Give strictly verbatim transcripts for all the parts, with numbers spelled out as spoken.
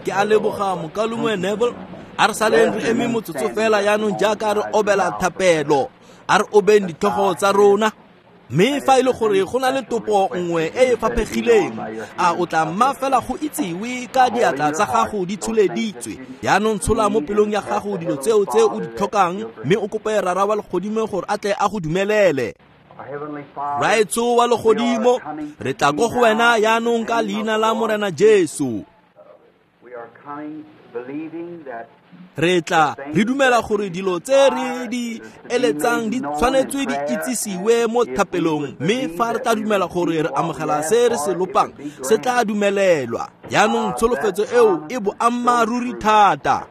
Ke a leboga mokaulengwe Neville. A re saleng re eme motsotso fela jaanong jaaka re obela thapelo. A re obeng ditlhogo tsa rona. Mme fa e le gore go na le topo nngwe e e faphegileng, a o tla mma fela go itsiwe ka diatla tsa gago di tsholeditswe. Jaanong tshola mo pelong ya gago dilo tseo tse o di tlhokang, mme o kope Rara wa legodimo gore a tle a go dumelele. Raetsho wa legodimo, re tla ko go wena jaanong ka leina la Morena Jesu. Re tla re dumela gore dilo tse re di eletsang di tshwanetswe di itsisiwe mo thapelong, mme fa re tla dumela gore re amogela se re se lopang, se tla dumelelwa. Jaanong tsholofetso eo e boammaaruri thata.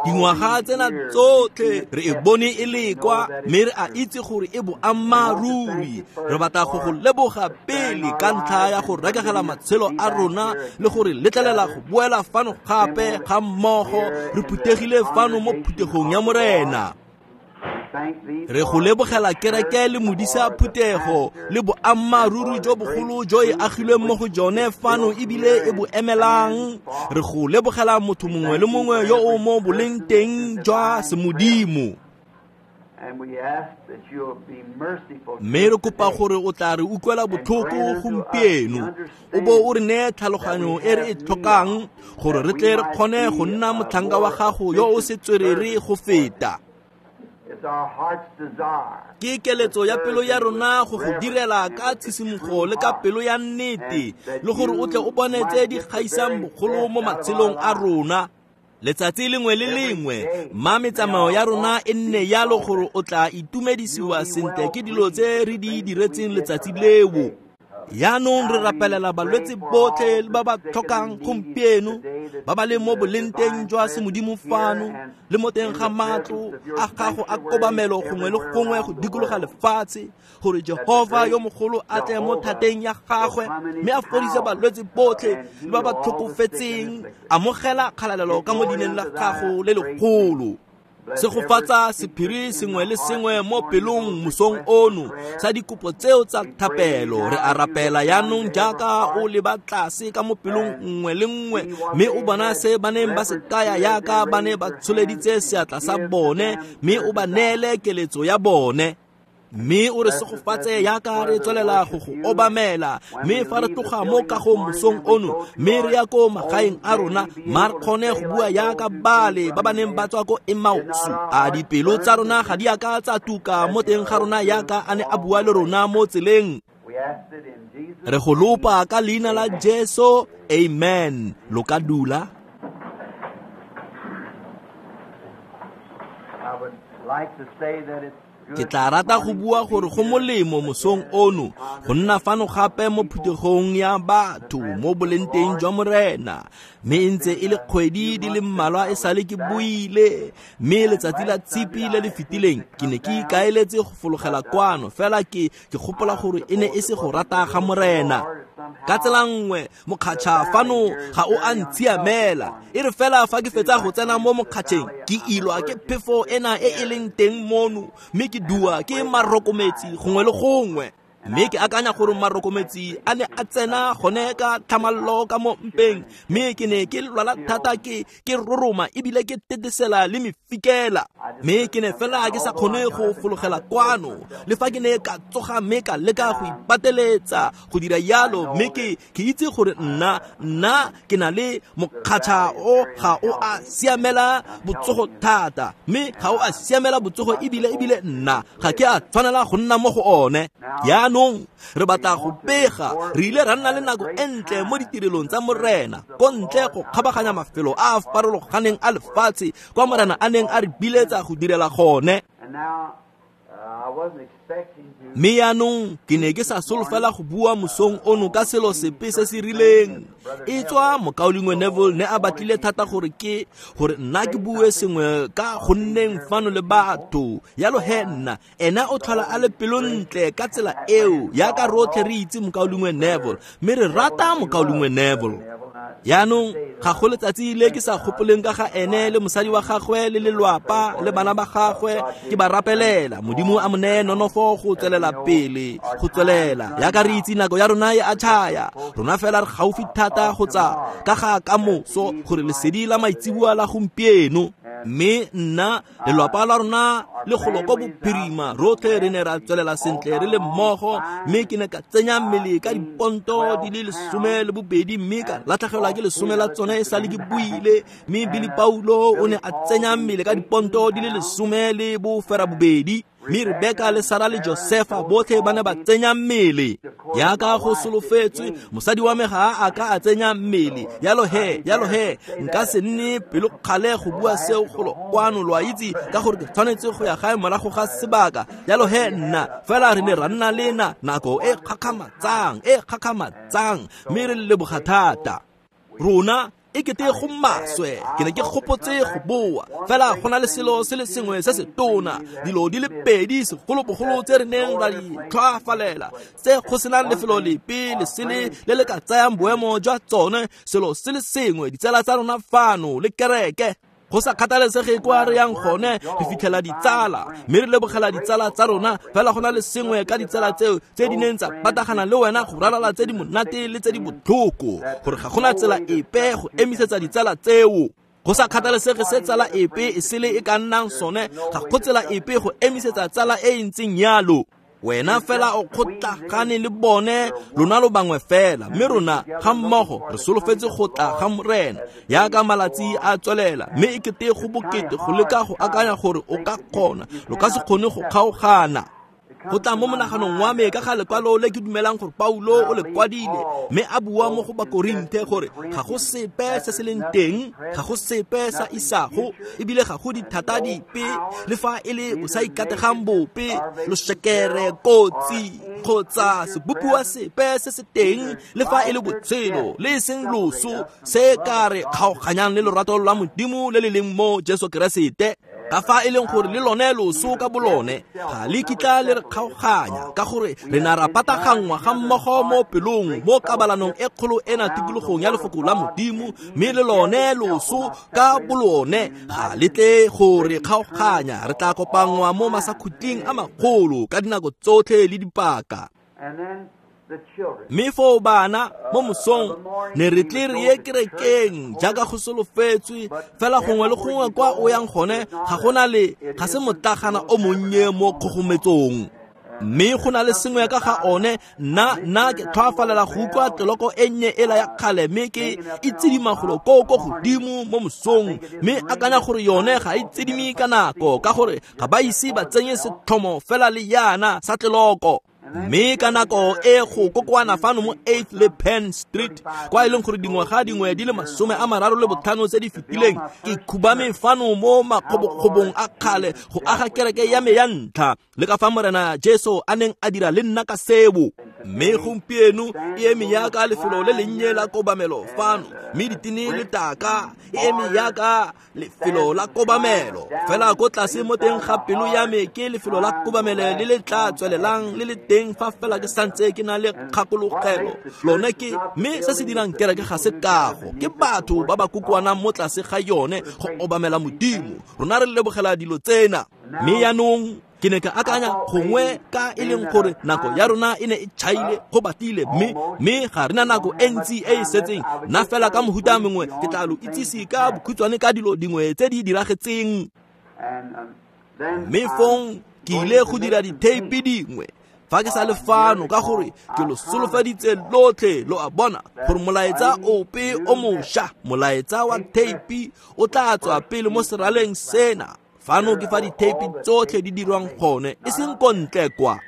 Dingwaga tsena tsotlhe re e bone e le kwa, mme re a itse gore e boammaaruri. Re batla go go leboga pele ka ntlha ya go rekegela matshelo a rona le gore letlelela go boela fano gape ga mmogo re phuthegile fano mo phuthegong ya Morena. Re go lebogela kereke le modisa phuthego le boammaaruri jo bogolo jo e agilweng mo go jone fano ebile e bo emelang. Re go lebogela motho mongwe le mongwe yo o mo boleng teng jwa semodimo. Mme re kopa gore o tla re utlwela botlhoko gompieno, o bo o re neye tlhaloganyo e re e tlhokang gore re tle re kgone go nna motlhanka wa gago yo o setswerere go feta. Ke keletso ya pelo ya rona go go direla ka tshisimogo le ka pelo ya nnete, le gore o tle o bone tse di gaisang bogolo mo matshelong a rona. Letsatsi lengwe le lengwe, mma metsamao ya rona e nne yalo gore o tla itumedisiwa sentle ke dilo tse re di diretseng letsatsi leo. Jaanong re rapelela balwetse botlhe le ba ba tlhokang gompieno, ba ba leng mo bolengteng jwa semodimo fano le mo teng ga matlo a gago a kobamelo gongwe le gongwe go dikologa lefatshe, gore Jehova yo mogolo a tle mo thateng ya gagwe mme a fodise balwetse botlhe le ba ba tlhokofetseng. Amogela kgalalelo ka mo dineng la gago le legolo. Segofatsa sephiri sengwe le sengwe mo pelong mosong ono sa dikopo tseo tsa thapelo. Re a rapela jaanong jaaka o leba tlase ka mo pelong nngwe le nngwe, mme o bona se ba neng ba se kaya jaaka ba ne ba tsholeditse seatla sa bone, mme o ba neele keletso ya bone. Mme o re segofatse jaaka re tswelela go go obamela, mme fa re tloga mo kagong mosong ono mme re ya ko magaeng a rona, mma re kgone go bua jaaka bale ba ba neng ba tswa ko Emausu. A dipelo tsa rona ga di a ka tsa tuka mo teng ga rona jaaka a ne a bua le rona mo tseleng. Re go lopa ka leina la Jesu, amen. Lo ka dula. Ke tla rata go bua gore go molemo mosong ono go nna fano gape mo phuthegong ya batho mo bolengteng jwa Morena. Mme e ntse e le kgwedi di le mmalwa e sale ke buile, mme letsatsi la Tshipi le le fetileng ke ne ke ikaeletse go fologela kwano, fela ke ke gopola gore e ne e se go rata ga Morena. Ka tsela nngwe mokgatšha fano ga o a ntshiamela, e re fela fa ke fetsa go tsena mo mokgatšheng ke ilwa ke phefo ena e e leng teng mono, mme ke dua ke marokometsi gongwe le gongwe. Mme ke akanya gore marokometsi a ne a tsena gone ka tlhamallo ka mo mpeng, mme ke ne ke lwala thata ke ke roroma ebile ke tetesela le mefikela. Mme ke ne fela ke sa kgone go fologela kwano, le fa ke ne ka tsoga mme ka leka go ipateletsa go dira yalo. Mme ke ke itse gore nna nna ke na le mokgatšha o ga o a siamela botsogo thata, mme ga o a siamela botsogo ebile ebile nna ga ke a tshwanela go nna mo go one. Jaanong re batla go pega, re ile ra nna le nako e ntle mo ditirelong tsa Morena ko ntle go kgabaganya mafelo a a farologaneng a lefatshe kwa Morena a neng a re biletsa go direla gone. Mme jaanong ke ne ke sa solofela go bua mosong ono ka selo sepe se se rileng. E tswa mokaulengwe Neville ne a batlile thata gore ke gore nna ke bue sengwe ka go nneng fano le batho. Yalo he nna ena o tlhola a le pelontle ka tsela eo, jaaka rotlhe re itse mokaulengwe Neville, mme re rata mokaulengwe Neville. Yaanong ga go letsatsi le ke sa gopoleng ka ga ene le mosadi wa gagwe le lelwapa le bana ba gagwe, ke ba rapelela Modimo a mo neye nonofo go tswelela pele, go tswelela yaka re itse nako ya rona e a tšhaya. Rona fela re gaufi thata go tsa ka ga kamoso gore lesedi la maitseboa la gompieno. Mme nna lelwapa la rona le golo ko bophirima rotlhe re ne ra tswelela sentle re le mmogo, mme ke ne ka tsenya mmele ka diponto di le lesome le bobedi, mme ka latlhegelwa ke lesome la tsone e sale ke buile. Mme Billy Paulo o ne a tsenya mmele ka diponto di le lesome le bofera bobedi, mme Rebeka le Sara le Josefa botlhe ba ne ba tsenya mmele. Yaka go solofetswe, mosadi wa me ga a ka a tsenya mmele. Yalo he, yalo he, nka se nne pelokgale go bua seo golo kwano, lo a itse, ka gore ke tshwanetse go ya gae morago ga sebaka. Yalo he, nna fela re ne ra nna le na nako e kgakgamatsang, e kgakgamatsang, mme re leboga thata. Rona e kete go maswe, ke ne ke gopotse go boa, fela go na le selo se le sengwe se se tona, dilo di le pedi segolobogolo tse re neng ra di tlhoafalela, tse go senang lefelo lepe le sele le le ka tsayang boemo jwa tsone, selo se le sengwe, ditsala tsa rona fano le kereke. Go sa kgathalesege kwa re yang gone, re fitlhela ditsala, mme re lebogela ditsala tsa rona. Fela go na le sengwe ka ditsala tseo tse di neng tsa patagana le wena go ralala tse di monate le tse di botlhoko, gore ga gona tsela epe go emisetsa ditsala tseo. Go sa kgathalesege se tsala epe e sele e ka nnang sone, ga go tsela epe go emisetsa tsala e e ntseng yalo. Wena fela o kgotlagane le bone, lona lo bangwe fela, mme rona ga mmogo re solofetse go tla ga Morena yaka malatsi a tswelela. Mme e kete go bokete go leka go akanya gore o ka kgona, lo ka se kgone go kgaogana. Go tla mo monaganong wa me ka ga lekwalo le ke dumelang gore Paulo o le kwadile, mme a bua mo go Bakorinthe gore ga go sepe se se leng teng, ga go sepe sa isago, ebile ga go dithata dipe le fa e le bo sa ikategang bope, losekere, kotsi kgotsa sebopiwa sepe se se teng, le fa e le botshelo le e seng loso, se ka re kgaoganyang le lorato lwa Modimo le le leng mo Jesu Keresete. Ka fa e leng gore le lone loso ka bolone ga le kitla le re kgaoganya, ka gore re na ra pataganngwa ga mmogo mo pelong mo kabalanong e kgolo ena tikologong ya lefoko la Modimo, mme le lone loso ka bolone ga le tle go re kgaoganya. Re tla kopanngwa mo masakhuting a magolo ka dinako tsotlhe le dipaka. Mme foo bana mo mosong ne re tle re ye kerekeng jaaka go solofetswe, fela gongwe le gongwe kwa o yang gone ga gona le ga se motlagana o monnye mo kgogometsong. Mme go na le sengwe ka ga one, nna nna ke tlhoafalela go utlwa tleloko e nnye ela ya kgale, mme ke itsedima golo ko ko godimo mo mosong, mme akanya gore yone ga e tsedime ka nako, ka gore ga ba ise ba tsenye setlhomo fela le yana sa tleloko. Mme ka nako e go kokoana fano mo eighth le Penn Street, kwa e leng gore dingwaga dingwe di le masome a mararo le botlhano tse di fetileng, ke khubame fano mo makgobokgobong a kgale go aga kereke ya me ya ntlha, le ka fa Morena Jesu a neng a dira le nna ka seo. Mme gompieno e eme yaka lefelo le lennye la kobamelo fano, mme ditene le taka e eme yaka lefelo la kobamelo. Fela ko tlase mo teng ga pelo ya me ke lefelo la kobamelo le le tla tswelelang le le teng fa fela ke santse ke na le kgakologelo. Lone ke mme se se dirang kereke ga se kago, ke batho ba ba kokoanang mo tlase ga yone go obamela Modimo. Rona re lebogela dilo tsena. Mme yaanong ke ne ka akanya gongwe ka e leng gore nako ya rona e ne e tšhaile go batile, mme mme ga re na nako e ntsi e e setseng. Nna fela ka mohuta mongwe ke tla lo itsise ka bokhutshwane ka dilo dingwe tse di diragetseng. Mme fong ke ile go dira ditheipi dingwe fa ke sa le fano, ka gore ke lo solofeditse lotlhe, lo a bona, gore molaetsa ope o mošwa, molaetsa wa theipi o tla tswa pele mo seraleng sena. Fano ke fa ditheipi tsotlhe di dirwang gone, e seng ko ntle kwa.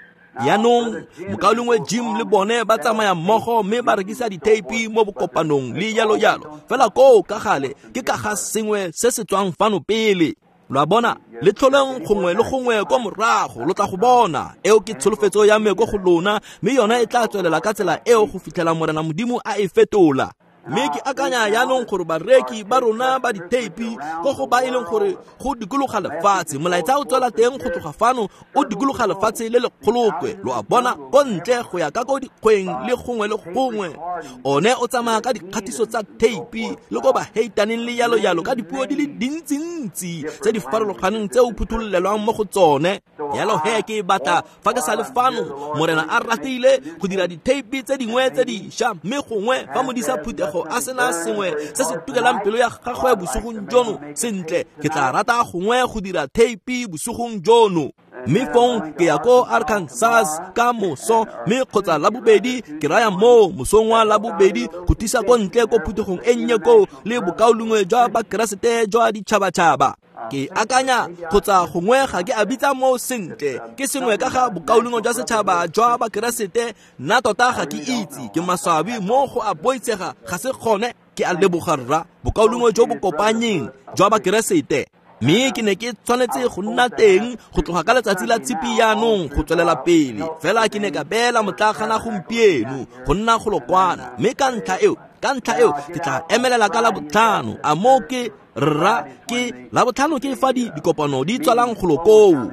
Yaanong mokaulengwe Jim le bone ba tsamaya mmogo mme ba rekisa ditheipi mo bokopanong le yalo yalo. Fela koo ka gale ke ka ga sengwe se se tswang fano pele. Lo a bona, le tlholeng gongwe le gongwe kwa morago lo tla go bona. Eo ke tsholofetso ya me ko go lona, mme yona e tla tswelela ka tsela eo go fitlhela Morena Modimo a e fetola. Mme ke akanya jaanong gore bareki ba rona ba ditheipi ko go ba e leng gore go dikologa lefatshe, molaetsa o tswela teng go tloga fano o dikologa lefatshe le lekgolokwe, lo a bona, ko ntle go ya ka ko dikgweng le gongwe le gongwe. One o tsamaya ka dikgatiso tsa theipi le ko baheitaneng le yalo yalo ka dipuo di le dintsintsi tse di farologaneng tse o phuthololelwang mo go tsone. Yalo he ke batla fa ke sa le fano, Morena a ratile go dira ditheipi tse dingwe tse dišwa, mme gongwe fa modisa phuthego a sena sengwe se se tukelang pelo ya gagwe bosigong jono, sentle ke tla rata gongwe go dira theipi bosigong jono. Mme fong ke ya ko Arkansas ka moso, mme kgotsa Labobedi ke raya moo mosong wa Labobedi go tisa ko ntle ko phuthegong e nnye koo le bokaulengwe jwa Bakeresete jwa ditšhabatšhaba. Ke akanya kgotsa gongwe ga ke a bitsa moo sentle, ke sengwe ka ga bokaulengwe jwa setšhaba jwa Bakeresete, nna tota ga ke itse, ke maswabi mo go a boitshega ga se gone. Ke a leboga rra, bokaulengwe jo bo kopanyeng jwa Bakeresete. Mme ke ne ke tshwanetse go nna teng go tloga ka letsatsi la tshipi jaanong go tswelela pele, fela ke ne ka beela motlakgana gompieno go nna golokwana, mme ka ntlha eo ka ntlha eo ke tla emelela ka Labotlhano. A moo ke rra, ke Labotlhano ke fa di dikopano di tswalang golo koo,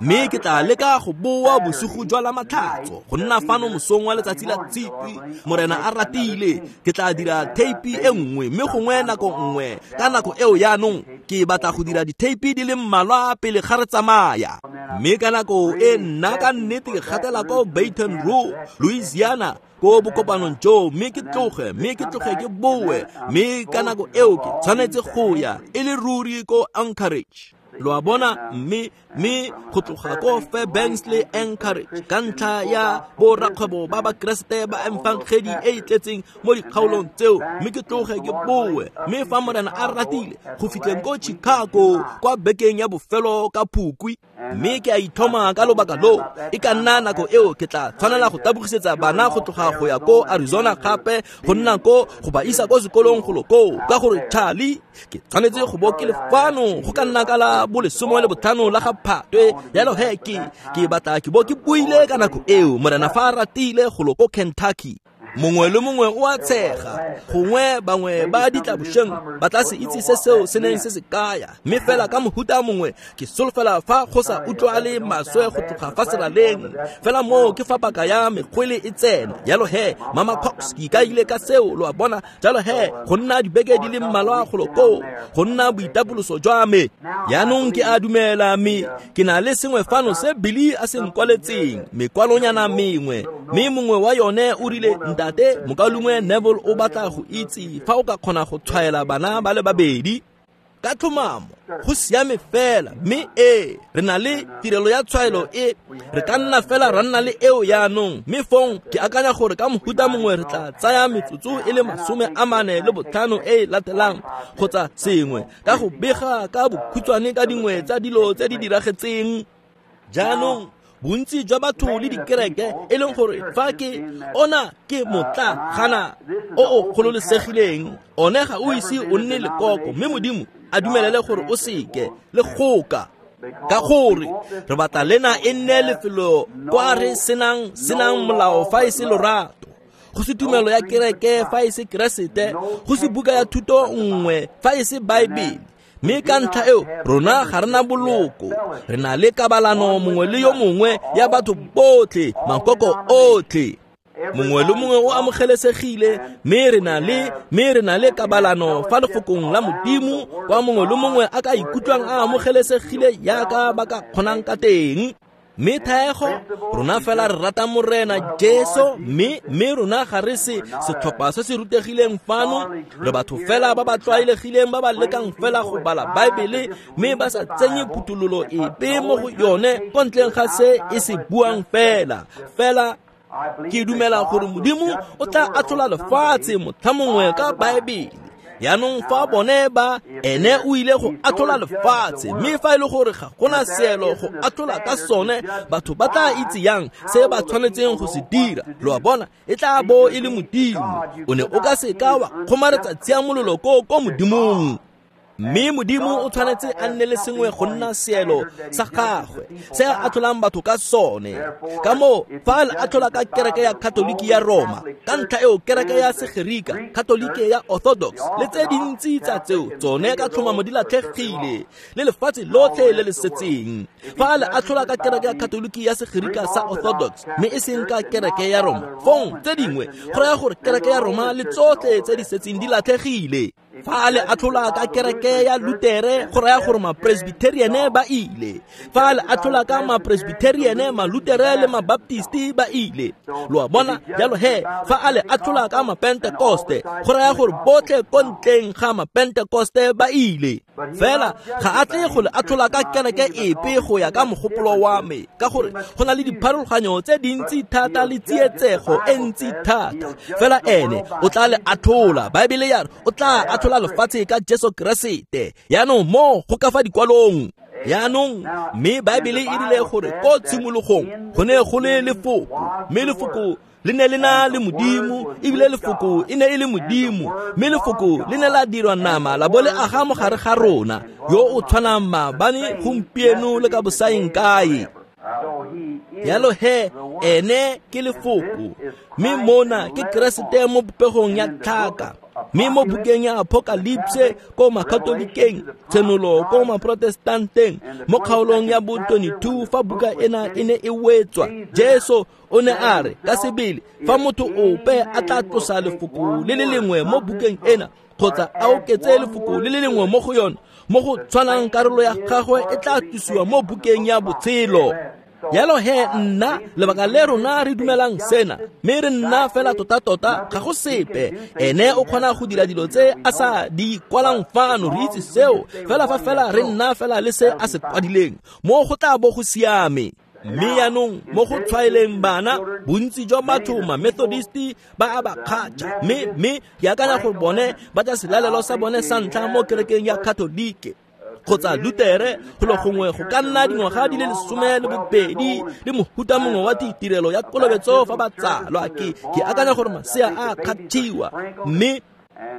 mme ke tla leka go boa bosigo jwa la Matlhatso go nna fano mosong wa letsatsi la tshipi, Morena a ratile. Ke tla dira theipi e nngwe, mme gongwe nako nngwe ka nako eo jaanong ke batla go dira ditheipi di le mmalwa pele ga re tsamaya. Mme ka nako e nna ka nnete ke gatela ko Baton Rouge, Louisiana, ko bokopanong joo, mme ke tloge mme ke tloge ke boe, mme ka nako eo ke tshwanetse go ya e le ruri ko Anchorage, lo a bona, mme mme go tloga ko Fairbanks le Anchorage ka ntlha ya borakgwebo ba Bakeresete ba efangedi e e tletseng mo dikgaolong tseo, mme ke tloge ke boe, mme fa Morena a ratile go fitlheng ko Chicago kwa bekeng ya bofelo ka Phukwi. Mme ke a ithoma ka lobaka loo, e ka nna nako eo ke tla tshwanela go tabogisetsa bana go tloga go ya ko Arizona gape go nna ko go ba isa ko sekolong golo koo, ka gore Charlie ke tshwanetse go bo ke le fano go ka nna ka la bolesome le botlhano la ga Phatwe. Jalo he ke ke batla ke bo ke buile ka nako eo, Morena fa a ratile, golo ko Kentucky. Mongwe le mongwe o a tshega, gongwe bangwe ba ditlabošeng ba tla se itse se seo se neng se se kaya, mme fela ka mohuta mongwe ke solofela fa go sa utlwale maswe go tloga fa seraleng, fela moo ke fa paka ya mekgwele e tsena. Jalo he Mama Cox ke ikaile ka seo, lo a bona. Jalo he go nna dibeke di le mmalwa golo koo go nna boitapoloso jwa me. Jaanong ke a dumela, mme ke na le sengwe fano se Billy a se nkwaletseng, mekwalonyana mengwe, mme mongwe wa yone o rile, Ntate mokaulengwe Neville o batla go itse fa o ka kgona go tshwaela bana ba le babedi. Ka tlhomamo go siame fela, mme ee re na le tirelo ya tshwaelo e re ka nna fela ra nna le eo jaanong, mme fong ke akanya gore ka mohuta mongwe re tla tsaya metsotso e le masome a mane le botlhano e e latelang kgotsa sengwe ka go bega ka bokhutshwane ka dingwe tsa dilo tse di diragetseng. Jaanong bontsi jwa batho le dikereke e leng gore fa ke ona ke motlagana o o gololesegileng, one ga o ise o nne lekoko, mme Modimo a dumelele gore o seke le goka, ka gore re batla lena e nne lefelo kwa re senang senang molao fa e se lorato, go se tumelo ya kereke fa e se Keresete, go se buka ya thuto nngwe fa e se Baebele. Mme ka ntlha eo rona ga re na boloko, re na le kabalano mongwe le yo mongwe ya batho botlhe, makoko otlhe, mongwe le mongwe o amogelesegile, mme re na le mme re na le kabalano fa lefokong la Modimo kwa mongwe le mongwe a ka ikutlwang a amogelesegile jaaka ba ka kgonang ka teng. Mme thaego rona fela re rata Morena Jesu, mme mme rona ga re se setlhopha se se rutegileng fano, re batho fela ba ba tlwaelegileng ba ba lekang fela go bala Baebele, mme ba sa tsenye phuthololo epe mo go yone ko ntleng ga se e se buang fela. Fela ke dumela gore Modimo o tla atlhola lefatshe motlha mongwe ka Baebele. Jaanong fa bone ba ene o ile go atlhola lefatshe, mme fa e le gore ga gona seelo go atlhola ka sone, batho ba tla itse yang se ba tshwanetseng go se dira? Lo a bona, e tla bo e le Modimo. O ne o ka seka wa kgomaretsa tshiamololo ko ko Modimong. Mme Modimo o tshwanetse a nne le sengwe go nna seelo sa gagwe se a atlholang batho ka sone. Ka moo fa a atlhola ka kereke ya Katoliki ya Roma, ka ntlha eo kereke ya Segerika, Katolike ya Orthodox le tse dintsi tsa tseo tsone ka tlhomamo di latlhegile le lefatshe lotlhe le le setseng. Fa a atlhola ka kereke ya Katoliki ya Segerika sa Orthodox mme e seng ka kereke ya Roma, fong tse dingwe go raya gore kereke ya Roma le tsotlhe tse di setseng di latlhegile. Fa a le atlhola ka kereke ya Lutere go raya gore mapresbyteriane ba ile. Fa a le atlhola ka mapresbyteriane, malutere le mabaptisti ba ile. Lo a bona? Jalo he, fa a le atlhola ka mapentekoste go raya gore botlhe ko ntleng ga mapentekoste ba ile. Fela ga a tle go le atlhola ka kereke epe go ya ka mogopolo wa me, ka gore go na le dipharologanyo tse dintsi thata le tsietsego e ntsi thata. Fela ene o tla le atlhola. Baebele ya re o tla atlhola lefatshe ka Jesu Keresete. Yaanong mo go ka fa dikwalong. Yaanong mme Baebele e rile gore ko tshimologong go ne go le lefoko, mme lefoko le ne le na le Modimo, ebile lefoko e ne e le Modimo, mme lefoko le ne la dirwa nama la bo le aga mo gare ga rona, yo o tshwanang maabane, gompieno le ka bosaeng kae. Jalo he, ene ke lefoko, mme mona ke Keresete mo popegong ya tlhaka. Mme mo bukeng ya Apocalypse ko makatolikeng, tshenolo ko maprotestanteng, mo kgaolong ya bo twenty-two fa buka ena e ne e wetswa, Jesu o ne a re ka sebele fa motho ope a tla tlosa lefoko le le lengwe mo bukeng ena kgotsa a oketse lefoko le le lengwe mo go yone, mo go tshwanang karolo ya gagwe e tla tlosiwa mo bukeng ya botshelo. Jalo he, nna lebaka le rona re dumelang sena, mme re nna fela tota-tota ga go sepe. Ene o kgona go dira dilo tse a sa di kwalang fano, re itse seo fela fa fela re nna fela le se a se kwadileng, mo go tla bo go siame. Mme yaanong mo go tshwaeleng bana, bontsi jwa batho ma-Methodisti ba a ba kgatšha, mme mme ke akanya gore bone ba tla selalelo sa bone sa ntlha mo kerekeng ya Katolike kgotsa Lutere golo gongwe go ka nna dingwaga di le lesome le bobedi le mohuta mongwe wa ditirelo ya kolobetso fa ba tsalwa. Ke ke akanya gore masea a kgathiwa, mme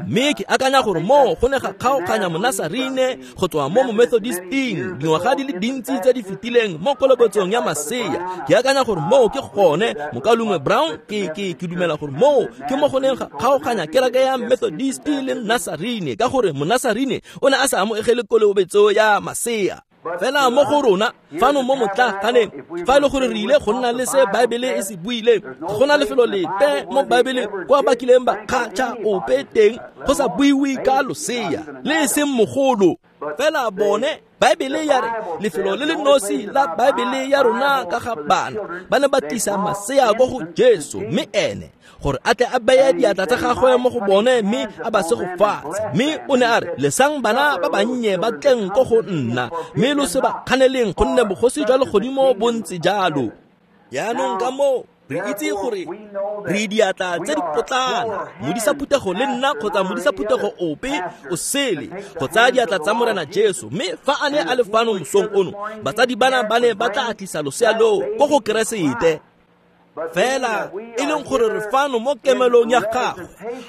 mme ke akanya gore mo go ne ga kgaoganya monasarine go tswa mo momethodisting dingwaga di le dintsi tse di fetileng mo kolobetsong ya masea. Ke akanya gore moo ke gone mokalungwe Brown, ke ke ke dumela gore moo ke mo go neng ga kgaoganya kereke ya Methodist le Nasarine, ka gore monasarine o ne a sa amogele kolobetso ya masea. Fela mo go rona fano mo motlaganeng, fa e le gore re ile go nna le se Baebele e se buileng, go na lefelo lepe mo Baebeleng kwa ba kileng ba kgatšha ope teng go sa buiwe ka losea le e seng mogolo. Fela bone Baebele ya re lefelo le le nosi la Baebele ya rona ka ga bana ba ne ba tlisa masea ko go Jesu, mme ene gore a tle a beye diatla tsa gagwe mo go bone mme a ba segofatse. Mme o ne a re lesang bana ba bannye ba tleng ko go nna, mme lo se ba kganeleng, gonne bogosi jwa legodimo bo ntse jalo. Yaanong ka moo re itse gore re diatla tse di potlana, modisa phuthego le nna kgotsa modisa phuthego ope o sele go tsaya diatla tsa Morena Jesu. Mme fa a ne a le fano mosong ono, batsadi bana ba ne ba tla tlisa losea loo ko go Keresete. Fela e leng gore re fano mo kemelong ya gagwe,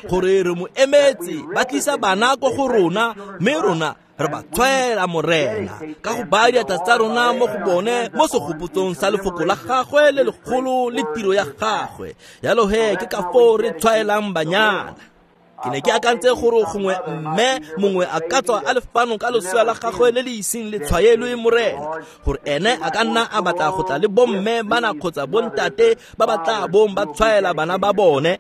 gore re mo emetse, ba tlisa bana ko go rona, mme rona re ba tshwaela Morena ka go baya diatla tsa rona mo go bone mo segopotsong sa lefoko la gagwe le legolo le tiro ya gagwe. Jalo he, ke ka foo re tshwaelang banyana. Ke ne ke akantse gore gongwe mme mongwe a ka tswa a le fano ka losea la gagwe le le iseng le tshwaelwe Morena, gore ene a ka nna a batla go tla le bomme bana kgotsa bontate ba ba tla bong ba tshwaela bana ba bone.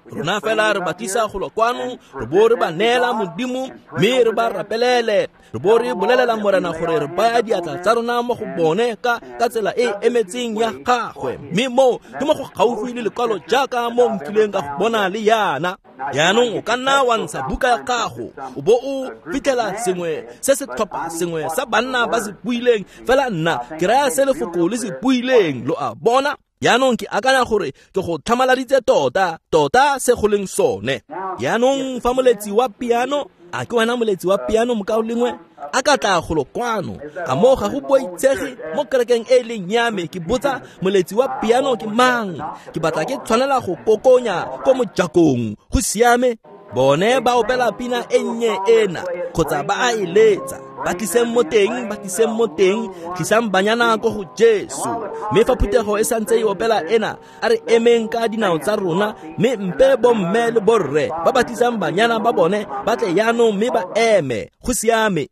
Rona fela re ba tlisa golo kwano, re bo re ba neela Modimo, mme re ba rapelele, re bo re bolelela Morena gore re baya diatla tsa rona mo go bone ka ka tsela e emetseng ya gagwe. Mme moo ke mo go gaufi le lekwalo jaaka mo nkileng ka go bona le yana. Yaanong o ka nna wa ntsha buka ya gago o bo o fitlhela sengwe se setlhopha sengwe sa banna ba se buileng, fela nna ke raya se lefoko le se buileng, lo a bona. Yaanong ke akanya gore ke go tlhamaladitse tota tota se go leng sone. Yaanong fa moletsi wa piano, a ke wena moletsi wa piano mokaulengwe, a ka tla golo kwano, a mo ga go boitshege mo kerekeng e leng ya me, ke botsa moletsi wa piano ke mang, ke batla ke tshwanela go kokonya ko mojakong. Go siame. Bone ba opela pina e nnye ena kgotsa ba a e letsa. Ba tliseng mo teng, ba tliseng mo teng, tlisang banyana ko go Jesu. Mme fa phuthego e santse e opela ena, a re emeng ka dinao tsa rona, mme mpe bomme le borre ba ba tlisang banyana ba bone ba tle jaanong mme ba eme. Go siame.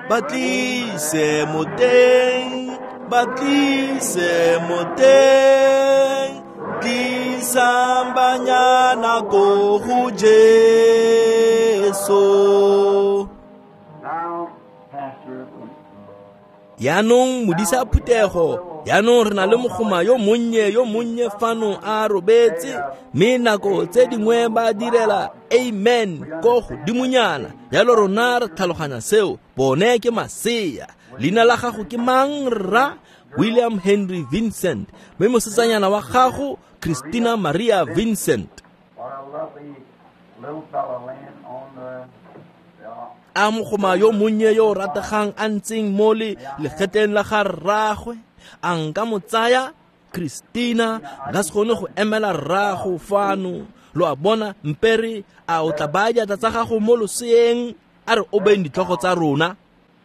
Ba tlise mo teng, ba tlise mo teng, tlisang banyana ko go Jesu. Yaanong modisa phuthego, yaanong re na le mogoma yo monnye yo monnye fano a robetse, mme nako tse dingwe ba direla amen ko godimonyana. Jalo rona re tlhaloganya seo, bone ke masea. Leina la gago ke mang rra? William Henry Vincent. Mme mosetsanyana wa gago Christina Maria Vincent. A mogoma yo monnye yo o rategang a ntseng mo le legetleng la ga rraagwe, a nka mo tsaya Christina, nka se kgone go emela rraago fano. Lo a bona, mpere a o tla baya diatla tsa gago mo loseeng, a re obeng ditlhogo tsa rona.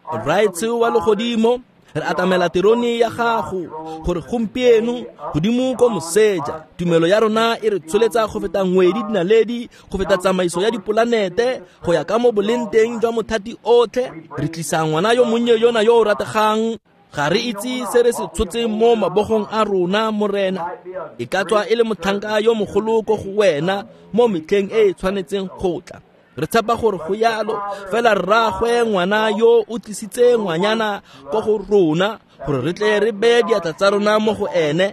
Rraetsho wa legodimo, re atamela terone ya gago gore gompieno godimo ko moseja tumelo ya rona e re tsholetsa go feta ngwedi dinaledi, go feta tsamaiso ya dipolanete, go ya ka mo boleng teng jwa mothati otlhe. Re tlisa ngwana yo monnye yona yo o rategang. Ga re itse se re se tshotseng mo mabogong a rona, Morena. E ka tswa e le motlhanka yo mogolo ko go wena mo metlheng e e tshwanetseng go tla. Re tshepa gore go yalo, fela rraagwe ngwana yo o tlisitse ngwanyana ko go rona gore re tle re beye diatla tsa rona mo go ene,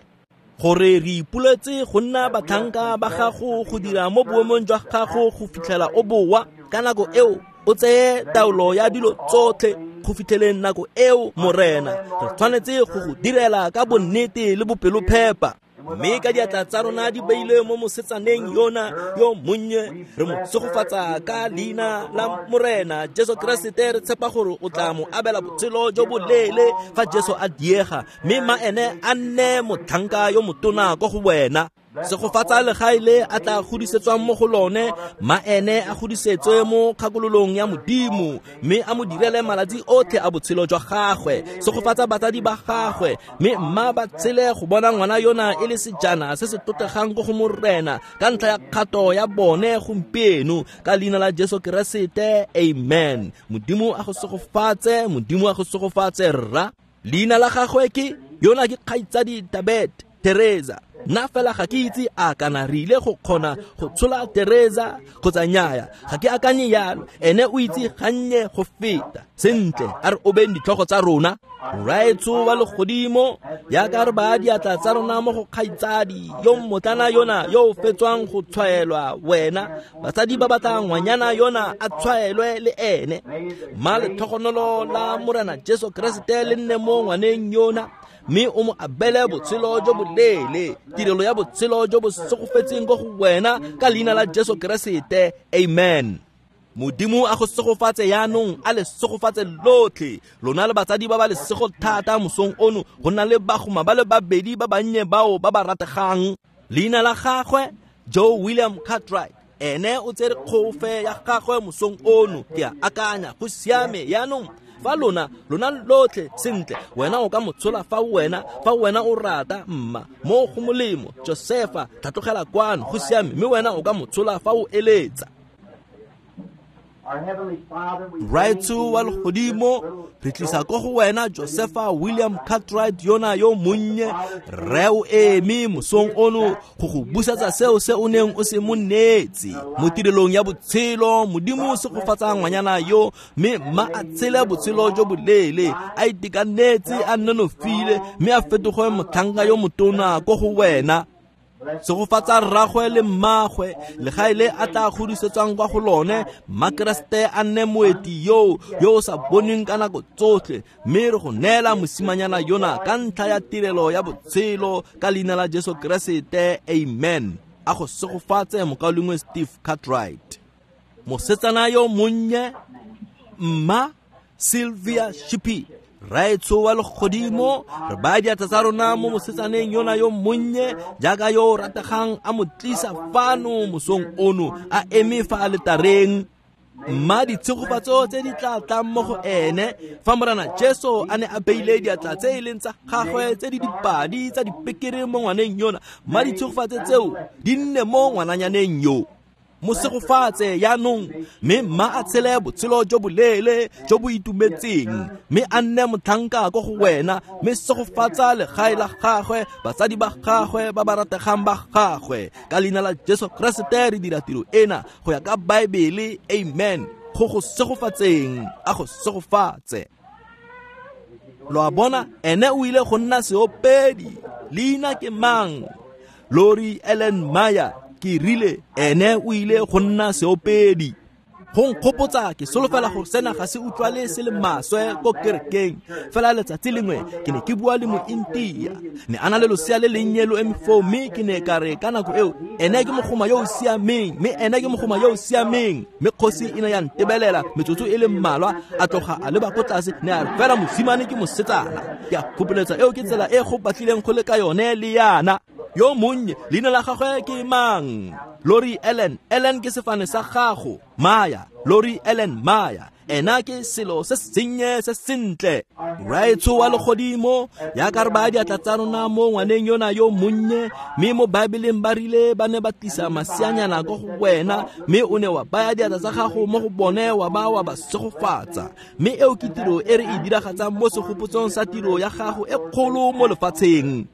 gore re ipoletse go nna batlhanka ba gago go dira mo boemong jwa gago go fitlhela o boa. Ka nako eo o tseye taolo ya dilo tsotlhe go fitlheleng nako eo, Morena. Re tshwanetse go go direla ka bonnete le bopelophepa. Mme ka diatla tsa rona di beilwe mo mosetsaneng yona yo monnye, re mo segofatsa ka leina la Morena Jesu Keresete. Re tshepa gore o tla mo abela botshelo jo boleele fa Jesu a diega, mme ma ene a nne motlhanka yo motona ko go wena. Segofatsa legae le a tla godisetswang mo go lone, ma ene a godisetswe mo kgakololong ya Modimo, mme a mo direle malatsi otlhe a botshelo jwa gagwe. Segofatsa batsadi ba gagwe, mme mma ba tshele go bona ngwana yona e le sejana se se tlotlegang ko go Morena ka ntlha ya kgato ya bone gompieno, ka leina la Jesu Keresete, amen. Modimo a go segofatse, Modimo a go segofatse rra. Leina la gagwe ke yona ke kgaitsadi Tabet Teresa. Nna fela ga ke itse a kana re ile go kgona go tshola Teresa kgotsa nnyaya, ga ke akanye yalo. Ene o itse gannye go feta. Sentle, a re obeng ditlhogo tsa rona. Rraetsho wa legodimo, jaaka re baya diatla tsa rona mo go kgaitsadi yo mmotlana yona yo o fetswang go tshwaelwa wena, batsadi ba batla ngwanyana yona a tshwaelwe le ene. Mma letlhogonolo la Morena Jesu Keresete le nne mo ngwaneng yona, mme o mo abele botshelo jo boleele, tirelo ya botshelo jo bo segofetseng ko go wena, ka leina la Jesu Keresete, amen. Modimo a go segofatse yaanong, a le segofatse lotlhe lona le batsadi ba ba lesego thata mosong ono go nna le bagoma ba le babedi ba bannye bao ba ba rategang. Leina la gagwe Joe William Cartwright, ene o tsere kgofe ya gagwe mosong ono. Ke a akanya go siame yaanong. Fa lona lona lotlhe sentle, wena o ka mo tshola fa wena fa wena o rata, mma mo go molemo. Josefa, tlhatlogela kwano, go siame, mme wena o ka mo tshola fa o eletsa. Rraetsho wa legodimo, re tlisa ko go wena Josefa William Cartwright yona yo monnye. Rre o eme mosong ono go go busetsa seo se o neng o se mo neetse mo tirelong ya botshelo. Modimo o segofatsa ngwanyana yo, mme mma a tshele botshelo jo boleele, a itekanetse, a nonofile, mme a fetoge motlhanka yo motona ko go wena. Segofatsa rraagwe le mmagwe, legae le a tla godisetswang kwa go lone, mma Keresete a nne moeti yo yo o sa bonweng ka nako tsotlhe, mme re go neela mosimanyana yona ka ntlha ya tirelo ya botshelo, ka leina la Jesu Keresete, amen. A go segofatse mokaulengwe Steve Cartwright. Mosetsana yo monnye, mma Sylvia Shippey, Raetsho wa legodimo, re baya diatla tsa rona mo mosetsaneng yona yo monnye jaaka yo o rategang a mo tlisa fano mosong ono a eme fa aletareng. Mma ditshegofatso tse di tla tlang mo go ene fa Morena Jesu a ne a beile diatla tse e leng tsa gagwe tse di dipadi tsa dipekere mo ngwaneng yona, mma ditshegofatso tseo di nne mo ngwananyaneng yo. Mo segofatse jaanong, mme mma a tshele botshelo jo boleele jo bo itumetseng, mme a nne motlhanka ko go wena, mme segofatsa legae la gagwe, batsadi ba gagwe ba ba rategang ba gagwe. Ka leina la Jesu Keresete re dira tiro ena go ya ka Baebele, amen. Go go segofatseng, a go segofatse. Lo a bona, ene o ile go nna seopedi. Leina ke mang? Lori Ellen Maya. Ke rile ene o ile go nna seopedi. Go nkgopotsa, ke solofela gore sena ga se utlwale se le maswe ko kerekeng. Fela letsatsi lengwe ke ne ke bua le mointia, ne a na le losea le lennye lo eme foo, mme ke ne ka re ka nako eo ene ke mogoma yo o siameng, mme ene ke mogoma yo o siameng. Mme kgosi e ne ya ntebelela metsotso e le mmalwa, a tloga a leba ko tlase, ne a re fela mosimane ke mosetsana. Ke a kgopoletsa eo ke tsela e go batlileng go le ka yone le yana. Yo monnye, leina la gagwe ke mang? Lori Ellen. Ellen ke sefane sa gago. Maya, Lori Ellen Maya. Ena ke selo se sennye se sentle. Raetsho wa legodimo, jaaka re baya diatla tsa rona mo ngwaneng yona yo monnye, mme mo Baebeleng ba rile ba ne ba tlisa masianyana ko go wena, mme o ne wa baya diatla tsa gago mo go bone wa ba wa ba segofatsa. Mme eo ke tiro e re e diragatsang mo segopotsong sa tiro ya gago e kgolo mo lefatsheng.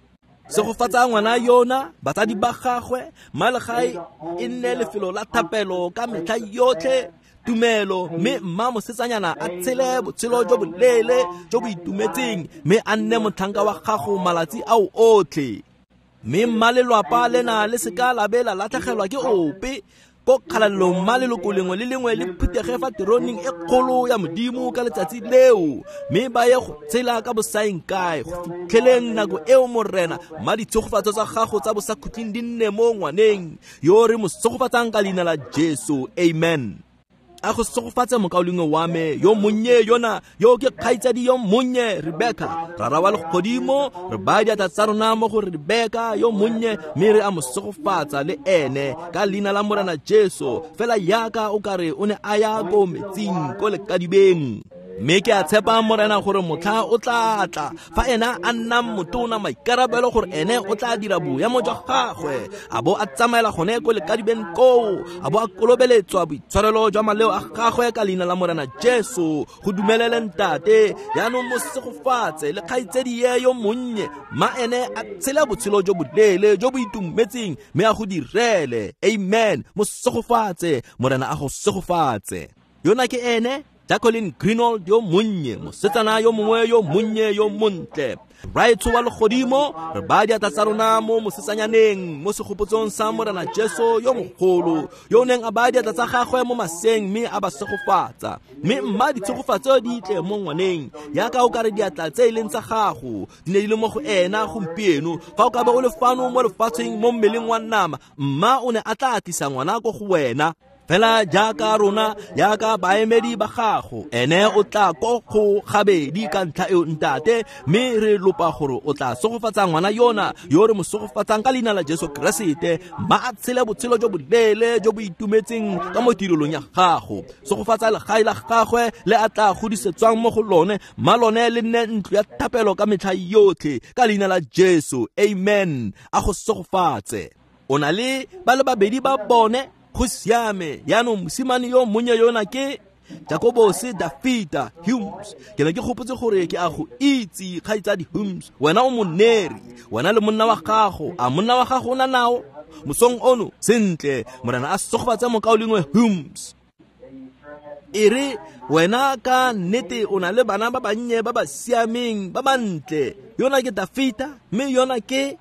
Segofatsa ngwana yona, batsadi ba gagwe, mma legae e nne lefelo la thapelo ka metlha yotlhe, tumelo, mme mma mosetsanyana a tshele botshelo jo boleele jo bo itumetseng, mme a nne motlhanka wa gago malatsi ao otlhe. Mme mma lelwapa lena le seka la be la latlhegelwa ke ope ko kgalalelong, mma leloko lengwe le lengwe le phuthege fa teroneng e kgolo ya Modimo ka letsatsi leo, mme ba ye go tshela ka bosaeng kae go fitlheleng nako eo Morena. Mma ditshegofatso tsa gago tsa bosakhutleng di nne mo ngwaneng yo re mo segofatsang ka leina la Jesu, amen. A go segofatse mokaulengwe wa me yo monnye yona, yo ke kgaitsadi yo monnye Rebecca. Rara wa legodimo, re baya diatla tsa rona mo go Rebecca yo monnye, mme re a mo segofatsa le ene ka leina la Morena Jesu, fela yaka o kare o ne a ya ko metsing ko lekadibeng. Mme ke a tshepa Morena gore motlha o tla tla fa ena a nnang motona maikarabelo gore ene o tla dira boemo jwa gagwe, a bo a tsamaela gone ko lekadibeng koo, a bo a kolobeletswa boitshwarelo jwa maleo a gagwe ka leina la Morena Jesu. Go dumelele ntate, jaanong mo segofatse le kgaitsedi ye yo monnye, mma ene a tshele botshelo jo boleele jo bo itumetseng, mme a go direle, amen. Mo segofatse, Morena a go segofatse. Yona ke ene Jacqueline Greenwald yo monnye, mosetsana yo mongwe yo monnye yo montle. Raetsho wa legodimo, re baya diatla tsa rona mo mosetsanyaneng mo segopotsong sa Morena Jesu yo mogolo, yo o neng a baya diatla tsa gagwe mo maseng mme a ba segofatsa. Mme mma ditshegofatso di tle mo ngwaneng, yaka o ka re diatla tse e leng tsa gago di ne di le mo go ena gompieno. Fa o ka ba o le fano mo lefatsheng mo mmeleng wa nama, mma o ne a tla tlisa ngwana ko go wena. Fela jaaka rona, jaaka baemedi ba gago, ene o tla ko go gabedi ka ntlha eo ntate, mme re lopa gore o tla segofatsa ngwana yona yo re mo segofatsang ka leina la Jesu Keresete, mma a tshele botshelo jo boleele jo bo itumetseng ka mo tirelong ya gago. Segofatsa legae la gagwe le a tla godisetswang mo go lone, mma lone le nne ntlo ya thapelo ka metlha yotlhe ka leina la Jesu, amen. A go segofatse. O na le ba le babedi ba bone, go siame. Jaanong mosimane yo monnye yona ke Jacobose Dafita Humes. Ke ne ke gopotse gore ke a go itse kgaitsadi Humes, wena o moneri, wena le monna wa gago. A monna wa gago o na nao mosong ono? Sentle, Morena a segofatse mokaulengwe Humes. E re wena ka nnete o na le bana ba bannye ba ba siameng ba bantle. Yona ke Dafita, mme yona ke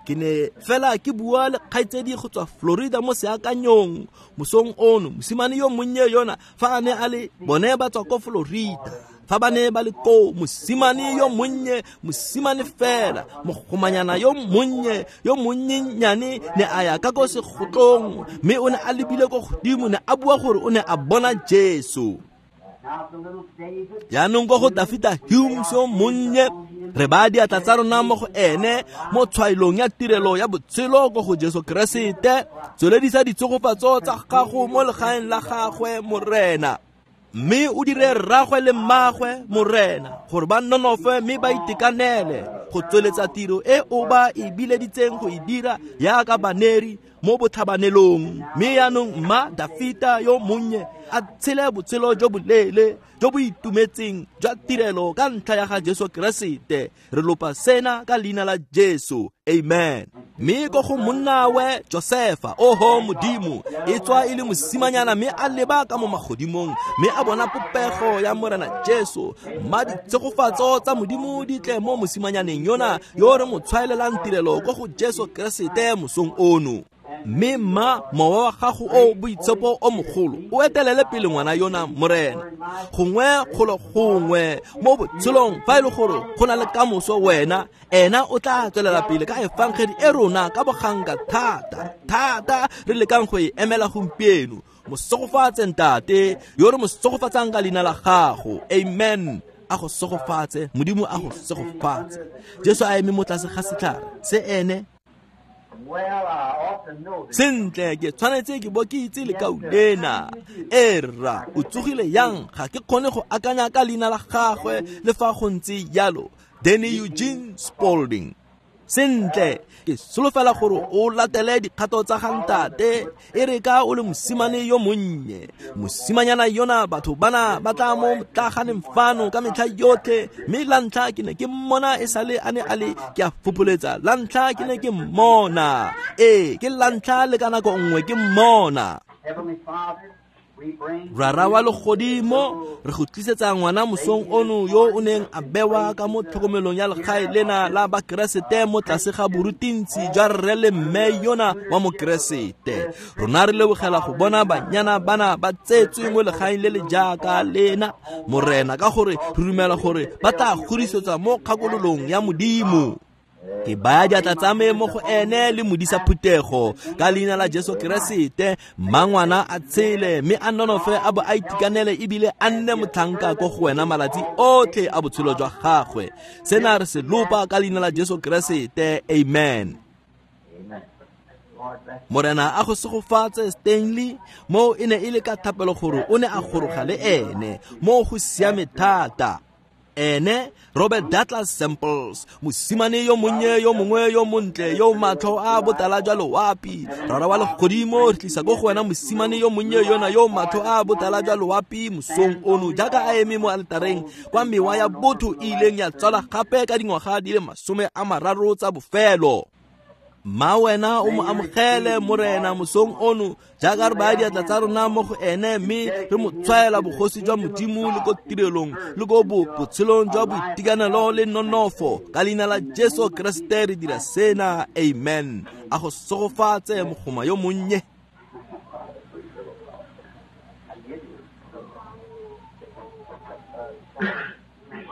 ke ne fela ke bua le kgaitsedi go tswa Florida mo seakanyong mosong ono. Mosimane yo monnye yona fa a ne a le bone ba tswa ko Florida, fa ba ne ba le koo, mosimane yo monnye, mosimane fela, mogomanyana yo monnye yo monnyenyane ne a ya ka ko segotlong, mme o ne a lebile ko godimo, ne a bua gore o ne a bona Jesu. Jaanong ko go Dafita Humes yo monnye, re baya diatla tsa rona mo go ene mo tshwaelong ya tirelo ya botshelo ko go Jesu Keresete. Tsweledisa ditshegofatso tsa gago mo legaeng la gagwe, Morena, mme o dire rragwe le mmagwe, Morena, gore ba nonofe mme ba itekanele go tsweletsa tiro e o ba e bileditseng go e dira yaka baneri mo botlhabanelong. Mme yaanong mma Dafita yo monnye a tshele botshelo jo boleele jo bo itumetseng jwa tirelo ka ntlha ya ga Jesu Keresete. Re lopa sena ka leina la Jesu, amen. Mme ko go monnawe Josefa, oho Modimo, e tswa e le mosimanyana mme a leba ka mo magodimong mme a bona popego ya Morena Jesu. Mma ditshegofatso tsa Modimo di tle mo mosimanyaneng yona yo re mo tshwaelelang tirelo ko go Jesu Keresete mosong ono. Mme mma mowa wa gago o boitshepo o mogolo o etelele pele ngwana yona, Morena, gongwe kgolo gongwe mo botshelong fa e le gore go na le kamoso wena, ena o tla tswelela pele ka efangedi e rona ka boganka thata thata re lekang go e emela gompieno. Mo segofatse ntate yo re mo segofatsang ka leina la gago, amen. A go segofatse Modimo, a go segofatse. Jesu a eme mo tlase ga setlhare se ene. Sentle, ke tshwanetse ke bo ke itse lekau lena. Erra, o tsogile yang? Ga ke kgone go akanya ka leina la gagwe le fa go ntse jalo. Danny Eugene Spaulding. Sentle, ke solofela gore o latele dikgato tsa ga ntate e re ka o le mosimane yo monnye. Mosimanyana yona batho bana ba tla mo motlaganeng fano ka metlha yotlhe, mme la ntlha ke ne ke mmona e sale a ne a le, ke a fopoletsa, la ntlha ke ne ke mmona. Ee, ke la ntlha le ka nako nngwe ke mmona. Rara wa legodimo, re go tlisetsa ngwana mosong ono yo o neng a bewa ka mo tlhokomelong ya legae lena la Bakeresete mo tlase ga borutintsi jwa rre le mme yona wa Mokeresete. Rona re lebogela go bona banyana bana ba tsetswe mo legaeng le le jaaka lena, Morena, ka gore re dumela gore ba tla godisetsa mo kgakololong ya Modimo. Ke baya diatla tsa me mo go ene le modisa phuthego ka leina la Jesu Keresete. Mma ngwana a tshele mme a nonofe a bo a itekanele ebile a nne motlhanka ko go wena malatsi otlhe a botshelo jwa gagwe. Sena re se lopa ka leina la Jesu Keresete, amen. Morena a go segofatse Stanley, mo e ne e le ka thapelo gore o ne a goroga le ene mo go siame thata. Ene Robert Douglas Samples, mosimane yo monnye yo mongwe yo montle yo matlho a botala jwa loapi. Rara wa legodimo, re tlisa ko go wena mosimane yo monnye yona yo matlho a botala jwa loapi mosong ono jaaka a eme mo aletareng kwa mewa ya botho e ileng ya tswala gape ka dingwaga di le masome a mararo tsa bofelo. Mma wena o mo amogele, Morena, mosong ono jaaka re baya diatla tsa rona mo go ene mme re mo tshwaela bogosi jwa Modimo le ko tirelong le ko botshelong jwa boitekanelo le nonofo. Ka leina la Jesu Keresete re dira sena, amen. A go segofatse mogoma yo monnye.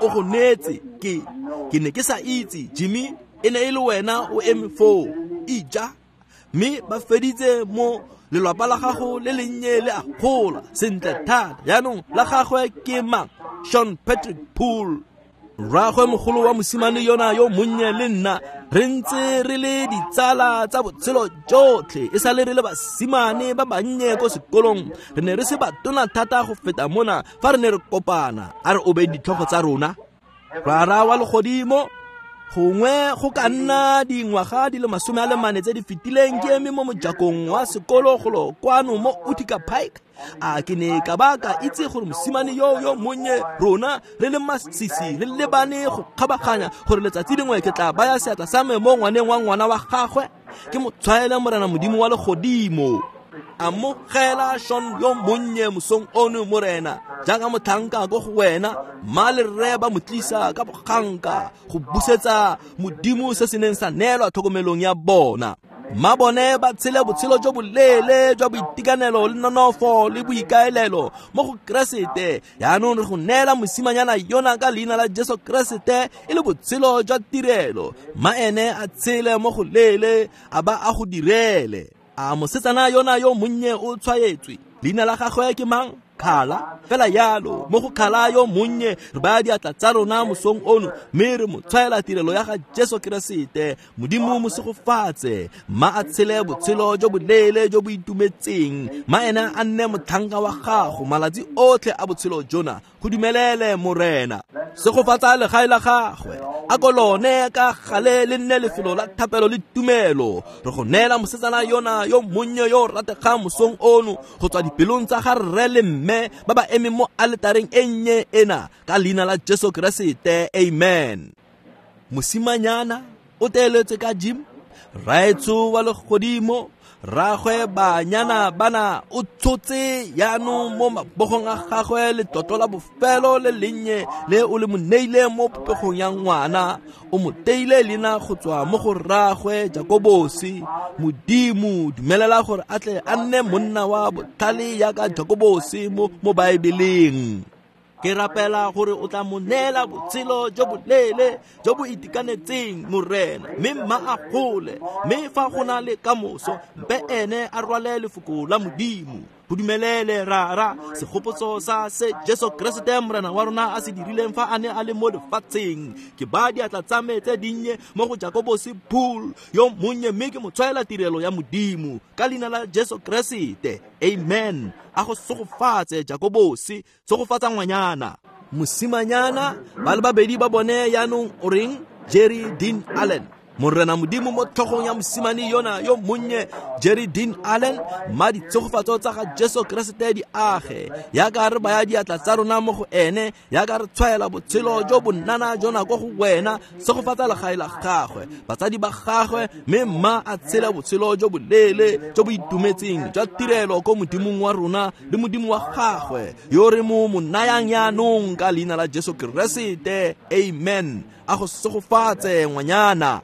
O go neetse, ke ke ne ke sa itse Jimmy, e ne e le wena o eme foo ija, mme ba feditse mo lelapa la gago le lennye le a gola sentle thata. Jaanong la gagwe ke mang? Sean Patrick Poole, rraagwe mogolo wa mosimane yona yo monnye le nna re ntse re le ditsala tsa botshelo jotlhe e sale re le basimane ba bannye ko sekolong. Re ne re se batona thata go feta mona fa re ne re kopana. A re obeng ditlhogo tsa rona. Rara wa legodimo, gongwe go ka nna dingwaga di le masome a le mane tse di fetileng ke eme mo mojakong wa sekolo golo kwano mo Utica Pike. A ke ne ka ba ka itse gore mosimane yo yo monnye rona re le masisi re lebane go kgabaganya gore letsatsi lengwe ke tla baya seatla sa me mo ngwaneng wa ngwana wa gagwe ke mo tshwaele Morena Modimo wa legodimo. Amogela Sean yo monnye mosong ono, Morena, jaaka motlhanka ko go wena. Mma le rre ba mo tlisa ka boganka go busetsa Modimo se se neng sa neelwa tlhokomelong ya bona. Mma bone ba tshele botshelo jo boleele jwa boitekanelo le nonofo le boikaelelo mo go Keresete. Jaanong re go neela mosimanyana yona ka leina la Jesu Keresete e le botshelo jwa tirelo. Mma ene a tshele mo go leele a ba a go direle. A mosetsana yona yo monnye o tshwaetswe? Leina la gagwe ke mang? Khala. Fela yalo mo go Khala yo monnye re baya diatla tsa rona mosong ono mme re mo tshwaela tirelo ya ga Jesu Keresete. Modimo mo segofatse, ma a tshele botshelo jo boleele jo bo itumetseng, ma ena a nne motlhanka wa gago malatsi otlhe a botshelo jona. Go dumelele Morena. Segofatsa legae la gagwe, a ko lone ka gale le nne lefelo la thapelo le tumelo. Re go neela mosetsana yona yo monnye yo rategang mosong ono go tswa dipelong tsa ga rre le mme ba ba emeng mo aletareng e nnye ena, ka leina la Jesu Keresete, amen. Mosimanyana o teeletse ka Jim, raetsho wa legodimo, rragwe banyana bana o tshotse jaanong mo mabogong a gagwe letlotlo la bofelo le lennye le o le mo neileng mo popegong ya ngwana. O mo teile leina go tswa mo go rragwe Jakobosi. Modimo dumelela gore a tle a nne monna wa botlhale jaaka Jakobosi mo mo Baebeleng. Ke rapela gore o tla mo neela botshelo jo boleele jo bo itekanetseng, Morena, mme mma a gole, mme fa go na le kamoso mpe ene a rwale lefoko la Modimo. Go dumelele Rara segopotso sa se Jesu Keresete Morena wa rona a se dirileng fa a ne a le mo lefatsheng. Ke ba diatla tsa me tse dinnye mo go Jakobosi Pool yo monnye, mme ke mo tshwaela tirelo ya Modimo ka leina la Jesu Keresete, amen. A go segofatse Jakobosi, segofatsa ngwanyana. Mosimanyana ba le babedi ba bone jaanong o reng? Jerry Dean Allen. Morena Modimo mo tlhogong ya mosimane yona yo monnye Jerry Dean Allen, mma ditshegofatso tsa ga Jesu Keresete di age yaka re baya diatla tsa rona mo go ene, yaka re tshwaela botshelo jo bonnana jona ko go wena. Segofatsa legae la gagwe, batsadi ba gagwe, mme mma a tshele botshelo jo boleele jo bo itumetseng jwa tirelo ko Modimong wa rona le Modimo wa gagwe yo re mo mo nayang jaanong ka leina la Jesu Keresete, amen. A go segofatse ngwanyana.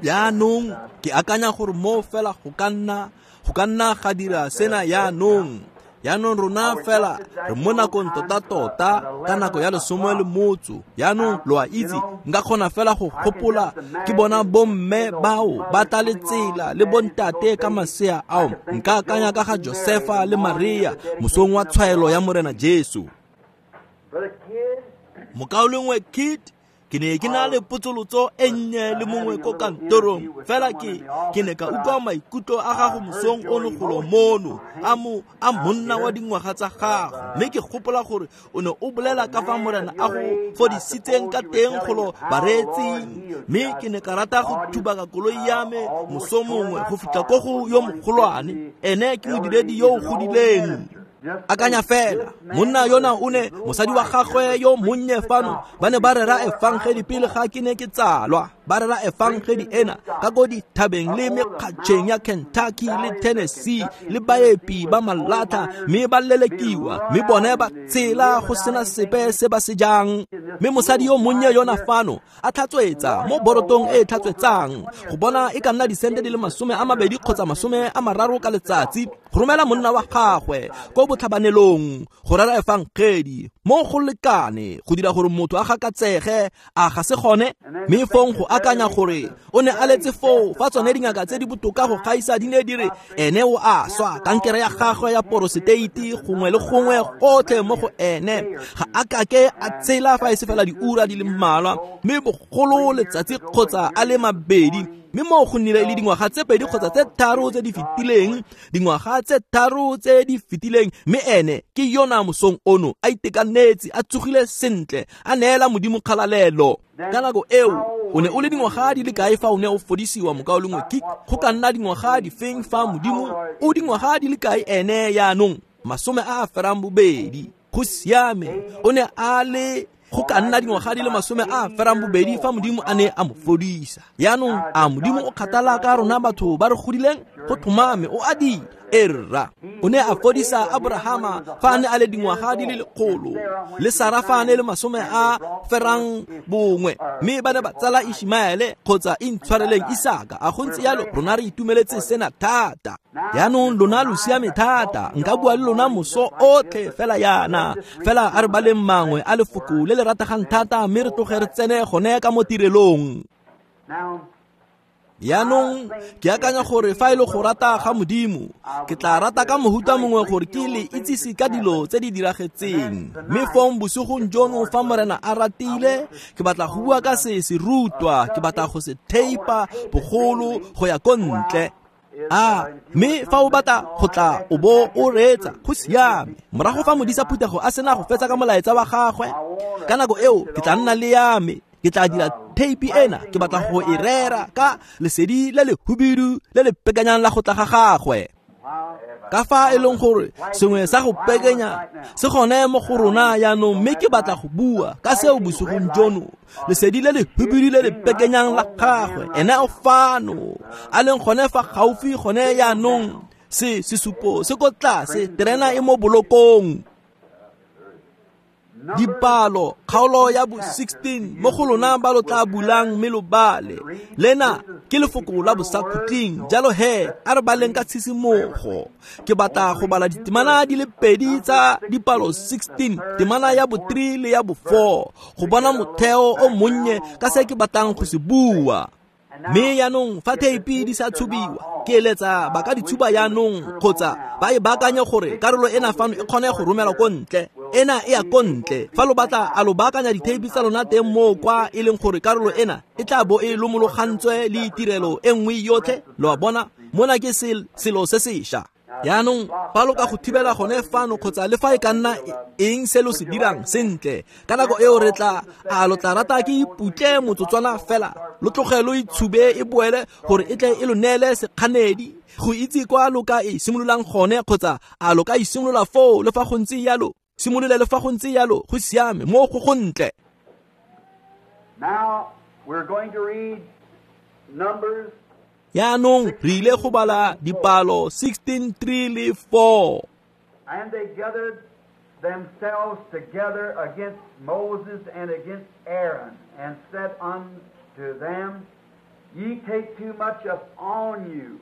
Jaanong ke akanya gore mo fela go ka nna go ka nna ga dira sena jaanong. Jaanong rona fela re mo nakong tota-tota ka nako ya lesome le motso. Jaanong lo a itse, nka kgona fela go gopola ke bona bomme bao ba tla le tsela le bontate ka masea ao. Nka akanya ka ga Josefa le Maria mosong wa tshwaelo ya Morena Jesu. Mokaulengwe Kit, ke ne ke na le potsolotso e nnye le mongwe ko kantorong, fela ke ke ne ka utlwa maikutlo a gago mosong ono golo mono a mo a monna wa dingwaga tsa gago, mme ke gopola gore o ne o bolela ka fa Morena a go fodisitseng ka teng golo bareetsing. Mme ke ne ka rata go thubaka koloi ya me moso mongwe go fitlha ko go yo mogolwane, ene ke modiredi yo o godileng. Akanya fela, monna yona o ne mosadi wa gagwe yo monnye fano ba ne ba rera efangedi pele ga ke ne ke tsalwa. Ba rera efangedi ena ka ko dithabeng le mekgatšheng ya Kentucky le Tennessee le baepi ba malata, mme ba lelekiwa, mme bone ba tshela go sena sepe se ba se jang. Mme mosadi yo monnye yona fano a tlhatswetsa mo borotong e e tlhatswetsang go bona e ka nna disente di le masome a mabedi kgotsa masome a mararo ka letsatsi go romela monna wa gagwe ko botlhabanelong go rera efangedi mo go lekane go dira gore motho a gakatsege, a ga se gone. Mme fong go akanya gore o ne a letse foo fa tsone dingaka tse di botoka go gaisa di ne di re ene o a swa, kankere ya gagwe ya poroseteiti gongwe le gongwe gotlhe mo go ene, ga a kake a tshela fa e se fela diura di le mmalwa, mme bogolo letsatsi kgotsa a le mabedi. Mme mo go nnile le dingwaga tse pedi kgotsa tse tharo tse di fetileng, dingwaga tse tharo tse di fetileng, mme ene ke yona mosong ono a itekanetse, a tsogile sentle, a neela Modimo kgalalelo. Ka nako eo o ne o le dingwaga di le kae fa o ne o fodisiwa, mokaulengwe Kik? Go ka nna dingwaga difeng fa Modimo o dingwaga di le kae ene jaanong? Masome a a ferang bobedi. Go siame, o ne a le go ka nna dingwaga di le masome a ferang bobedi fa Modimo a ne a mo fodisa. Jaanong a Modimo o kgathala ka rona batho ba re godileng? Go tlhomame o a dira. Erra o ne a fodisa Abrahama fa a ne a le dingwaga di le lekgolo, le Sara fa a ne le masome a ferang bongwe, mme ba ne ba tsala Ishmaele kgotsa intshwareleng Isaka. A go ntse jalo, rona re itumeletse sena thata. Jaanong lona lo siame thata, nka bua le lona moso otlhe fela yana. Fela a re baleng mangwe a lefoko le le rategang thata, mme re tloge re tsene gone ka mo tirelong. Yaanong ke akanya gore fa e le go rata ga Modimo, ke tla rata ka mohuta mongwe gore ke le itsise ka dilo tse di diragetseng. Mme fong bosigong jono fa Morena a ratile, ke batla go bua ka se se rutwa, ke batla go se theipa bogolo go ya ko ntle. A mme fa o batla go tla o bo o reetsa, go siame. Morago fa modisa phuthego a sena go fetsa ka molaetsa wa gagwe, ka nako eo ke tla nna le ya me. Ke tla dira theipi ena, ke batla go e rera ka lesedi le le hubidu le le pekanyang la go tla ga gagwe. Ka fa e leng gore sengwe sa go pekenya se gone mo go rona yaanong, mme ke batla go bua ka seo bosigong jono, lesedi le le hubidu le le pekenyang la gagwe. Ene o fano, a leng gone fa gaufi gone yaanong, se sesupo se ko tlase, terena e mo bolokong. Dipalo kgaolo ya bo sixteen mo go lona ba lo tla bulang mme lo bale. Lena ke lefoko la bosakhutleng, jalo he a re baleng ka tshisimogo. Ke batla go bala ditemana di le pedi tsa dipalo sixteen, temana ya bo three le ya bo four, go bona motheo o monnye ka se ke batlang go se bua. Mme yaanong fa theipi di sa tshubiwa, ke eletsa ba ka di tshuba yaanong kgotsa ba e baakanye gore karolo ena fano e kgone go romelwa ko ntle. Ena e ya ko ntle. Fa lo batla a lo baakanya ditheipi tsa lona teng moo kwa e leng gore karolo ena e tla bo e lomologantswe le tirelo e nngwe yotlhe. Lo a bona, mona ke selo se sešwa. Yaanong fa lo ka go thibela gone fano kgotsa le fa e ka nna eng se lo se dirang sentle, ka nako eo re tla a lo tla rata ke iputle motsotswana fela, lo tloge lo itshube e boele gore e tle e lo neele sekganedi go itse kwa lo ka e simololang gone, kgotsa a lo ka e simolola foo le fa go ntse yalo, simolole le fa go ntse yalo, go siame mo go go ntle. Now we're going to read Numbers. Yaanong re ile go bala dipalo sixteen three le four. And they gathered themselves together against Moses and against Aaron, and said unto them, Ye take too much upon you,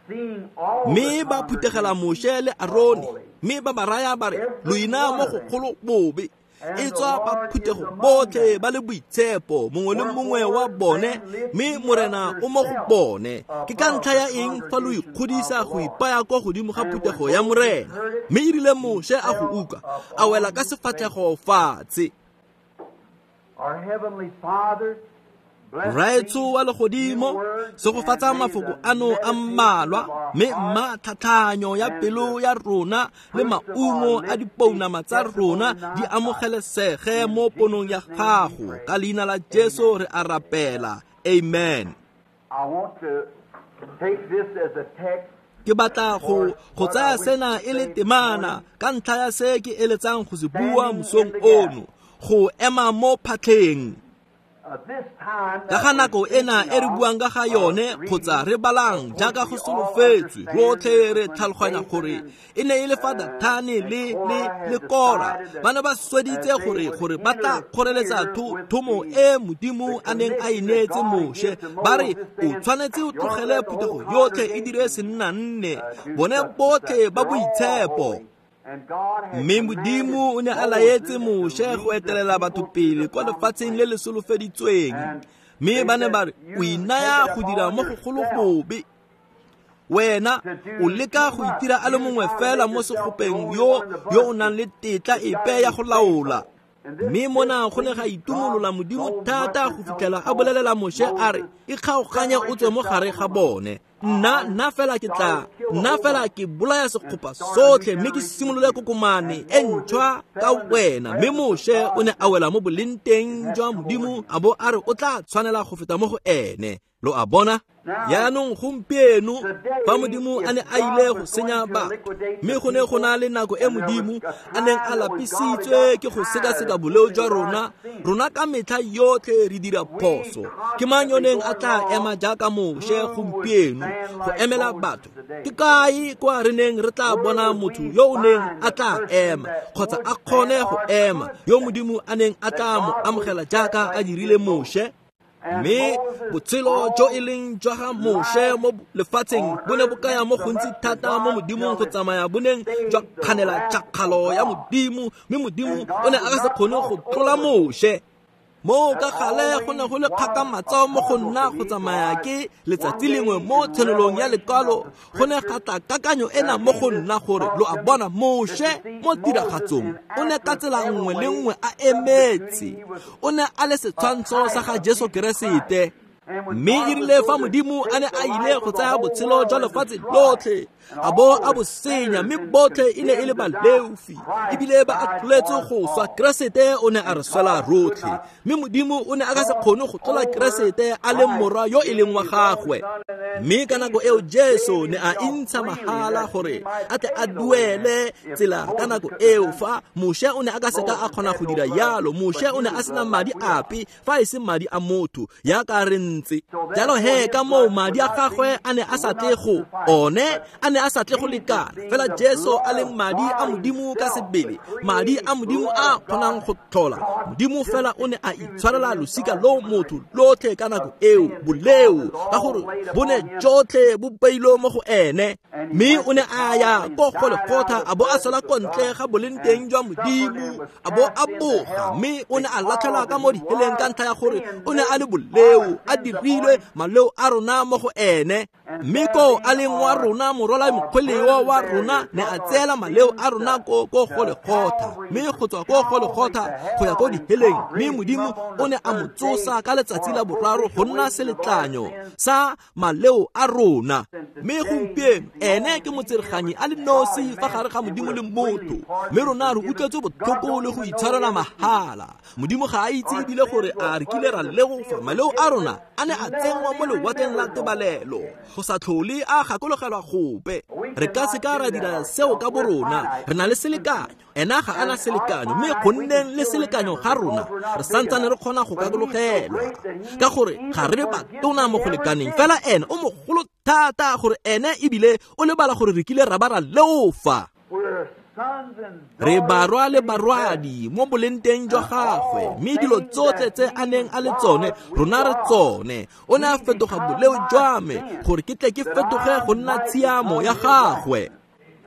seeing all Mme ba phuthegela Moshe le Arone, mme ba ba raya ba re, lo ina mo go kgolo bobe. E tswa ba phuthego botlhe ba le boitshepo, mongwe le mongwe wa bone, mme Morena o mo go bone. Ke ka ntlha ya eng fa lo ikgodisa go ipaya kwa godimo ga phuthego ya Morena? Mme e rile Moshe a go utlwa, a wela ka sefatlhego fatshe. Our heavenly Father, Rraetsho wa legodimo, segofatsa mafoko ano a mmalwa, mme mma tlhatlhanyo ya pelo ya rona le maungo a dipounama tsa rona di amogelesege mo ponong ya gago. Ka leina la Jesu re a rapela. Amen. I want to take this as a text. Ke batla go go tsaya sena e le temana ka ntlha ya se ke eletsang go se bua mosong ono, go ema mo phatlheng. Ka ga nako ena e re buang ka ga yone kgotsa re balang jaaka go solofetswe, rotlhe re tlhaloganya gore e ne e le fa Dathane le le le Kora ba ne ba sweditse gore gore ba tla kgoreletsa thomo e Modimo a neng a e neetse Moshe, ba re o tshwanetse o tlogele phuthego yotlhe e dire sennanne, bone botlhe ba boitshepo. Mme Modimo o ne a laetse Moshe go etelela batho pele kwa lefatsheng le le solofeditsweng, mme ba ne ba re o inaya go dira mo go golo bobe. Wena o leka go itira a le mongwe fela mo segopeng yo yo o nang le tetla epe ya go laola. Mme mona go ne ga itumolola Modimo thata go fitlhela a bolelela Moshe a re, ikgaoganye o tswe mo gare ga bone. Nna nna fela ke tla nna fela ke bolaya sekgopa sotlhe mme ke simolole kokomane e ntšhwa ka wena. Mme Moshe o ne a wela mo bolenteng jwa Modimo a bo a re o tla tshwanela go feta mo go ene. Lo a bona? Yaanong gompieno fa Modimo a ne a ile go senya batho, mme go ne go na le nako e Modimo a neng a lapisitswe ke go sekaseka boleo jwa rona, rona ka metlha yotlhe re dira phoso. Ke mang yo neng a tla ema jaaka Moshe gompieno go emela batho? Ke kae kwa re neng re tla bona motho yo o neng a tla ema kgotsa a kgone go ema, yo Modimo a neng a tla mo amogela jaaka a dirile Moshe? Mme botshelo jo e leng jwa ga Moshe mo lefatsheng bo ne bo kaya mo gontsi thata mo Modimong go tsamaya bo neng jwa kganela tšhakgalo ya Modimo, mme Modimo o ne a ka se kgone go tlola Moshe. Moo ka gale go ne go le kgakamatso mo go nna go tsamaya ke letsatsi lengwe mo tshenolong ya lekwalo go ne ga tla kakanyo ena mo go nna gore lo a bona Moshe mo tiragatsong o ne ka tsela nngwe le nngwe a emetse, o ne a le setshwantsho sa ga Jesu Keresete. Mme e rile fa Modimo a ne a ile go tsaya botshelo jwa lefatshe lotlhe a bo a bo senya, mme botlhe e ne e le baleofi ebile ba atlholetswe go swa, Keresete o ne a re swela rotlhe. Mme Modimo o ne a ka se kgone go tlola Keresete a le morwa yo e leng wa gagwe. Mme ka nako eo Jesu ne a intsha mahala gore a tle a duele tsela ka nako eo fa Moshe o ne a ka seka a kgona go dira yalo. Moshe o ne a sena madi ape fa e se madi a motho yaka re ntse. Jalo he ka moo madi a gagwe a ne a sa tle go one a ne a sa tle go lekana, fela Jesu a leng madi a Modimo ka sebele, madi a Modimo a kgonang go tlhola. Modimo fela o ne a itshwarela losika lo motho lotlhe ka nako eo boleo, ka gore bo ne jotlhe bo beilwe mo go ene. Mme o ne a ya ko Golgotha a bo a swela ko ntle ga boleng teng jwa Modimo, a bo a boga, mme o ne a latlhelwa ka mo diheleng ka ntlha ya gore o ne a le boleo, a dirilwe maleo a rona mo go ene. Mme ko a leng wa rona morwala mokgweleo wa rona ne a tseela maleo a rona ko ko Golgotha, mme go tswa ko Golgotha go ya ko diheleng. Mme Modimo o ne a mo tsosa ka letsatsi la boraro go nna seletlanyo sa maleo a rona. Mme gompieno ene ke motsereganyi a le nosi fa gare ga Modimo le motho, mme rona re utlwetse botlhoko le go itshwarela mahala. Modimo ga a itse ebile gore a re kile ra legofa maleo a rona a ne a tsenngwa mo lewatleng la tebalelo go sa tlhole a gakologelwa gope. Re ka se ka ra dira seo ka borona, re na le selekanyo, ena ga ana selekanyo, mme go nneng le selekanyo ga rona re santsane re kgona go gakologelwa ka gore ga re batona mo go lekaneng. Fela ene o mogolo thata gore ene ebile o lebala gore re kile ra ba ra leofa. Re barwa le barwadi mo boleng teng jwa gagwe, mme dilo tsotlhe tse a neng a le tsone rona re tsone. O ne a fetoga boleo jwa me gore ke tle ke fetoge go nna tshiamo ya gagwe.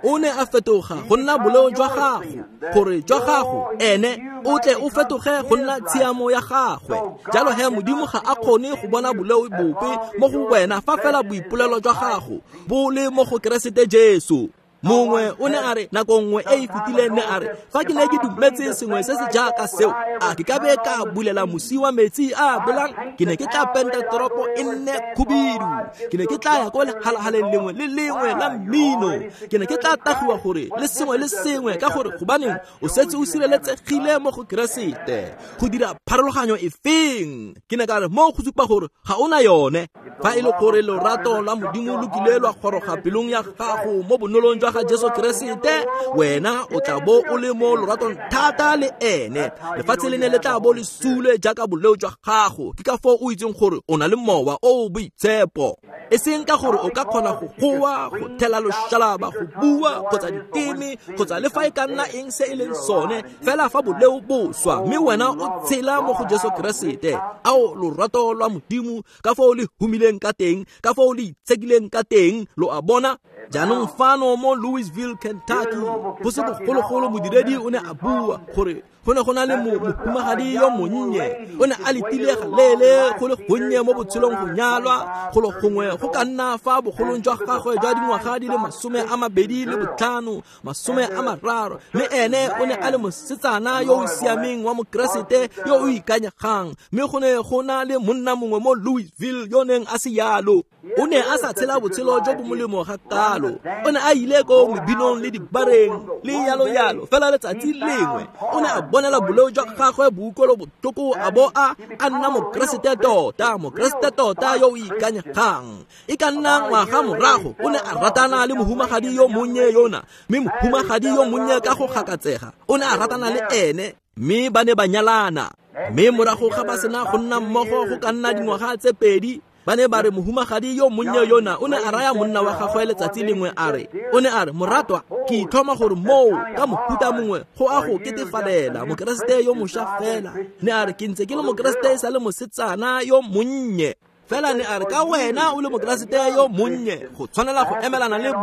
O ne a fetoga go nna boleo jwa gago gore jwa gago ene o tle o fetoge go nna tshiamo ya gagwe. Jalo he Modimo ga a kgone go bona boleo bope mo go wena fa fela boipolelo jwa gago bo le mo go Keresete Jesu. Mongwe o ne a re nako nngwe e e fetileng ne a re fa ke ne ke dumetse sengwe se se jaaka seo, a ke ka be ka bulela mosi wa metsi a belang, ke ne ke tla penta toropo e nne khubidu, ke ne ke tla ya ko lehalahaleng lengwe le lengwe la mmino, ke ne ke tla tagiwa gore le sengwe le sengwe, ka gore gobaneng o setse o sireletsegile mo go Keresete. Go dira pharologanyo efeng? Ke ne ka re mo go supa gore ga ona yone. Fa e le gore lorato la Modimo lo kile lwa goroga pelong ya gago mo bonolong jwa ga Jesu Keresete, wena o tla bo o le mo loratong thata le ene. Lefatshe le ne le tla bo le sule jaaka boleo jwa gago. Ke ka foo o itseng gore o na le mowa o o boitshepo, e seng ka gore o ka kgona go goa, go thela loshalaba, go bua kgotsa diteme kgotsa le fa e ka nna eng se e leng sone, fela fa boleo bo swa mme wena o tshela mo go Jesu Keresete. Ao lorato lwa Modimo ka foo le humileng ka teng, ka foo le itshekileng ka teng, lo a bona. Jaanong fano mo Louisville, Kentucky, go se bogologolo modiredi o ne a bua gore go ne go na le mohumagadi yo monnye, o ne a letile galeele go le gonnye mo botshelong go nyalwa go le gongwe go ka nna fa bogolong jwa gagwe jwa dingwaga di le masome a mabedi le botlhano, masome a mararo, mme ene o ne a le mosetsana yo o siameng wa mokeresete yo o ikanyegang. Mme go ne go na le monna mongwe mo Louisville yo neng a se yalo, o ne a sa tshela botshelo jo bo molemo ga kalo, o ne a ile ko mebinong le dibareng le yalo yalo. Fela letsatsi lengwe o ne a bonela boleo jwa gagwe boukolo botlhoko, a bo a a nna mokeresete tota, mokeresete tota yo o ikanyegang. E ka nna ngwaga morago o ne a ratana le mohumagadi yo monnye yona, mme mohumagadi yo monnye ka go gakatsega o ne a ratana le ene, mme ba ne ba nyalana. Mme morago ga ba sena go nna mmogo go ka nna dingwaga tse pedi, ba ne ba re mohumagadi yo monnye yona o ne a raya monna wa gagwe letsatsi lengwe a re, o ne a re, moratwa, ke ithoma gore moo ka mohuta mongwe go a go ketefalela mokeresete yo mošwa fela. Ne a re ke ntse ke le mokeresete e sa le mosetsana yo monnye. Fela ne a re ka wena o le mokeresete yo monnye go tshwanela go emelana le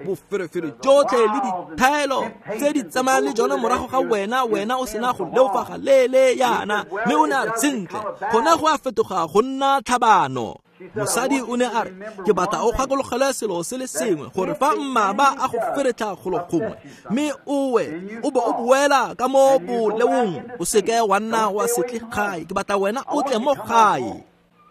boferefere jotlhe le dithaelo tse di tsamayang le jone morago ga wena, wena o sena go leofa ga leele yana. Mme o ne a re sentle, gone go a fetoga go nna tlhabano. Mosadi o ne a re, ke batla o gakologelwe selo se le sengwe, gore fa mmaba a go feretlha golo gongwe mme o we o bo o boela ka mo boleong, o seke wa nna wa se tle gae, ke batla wena o tle mo gae.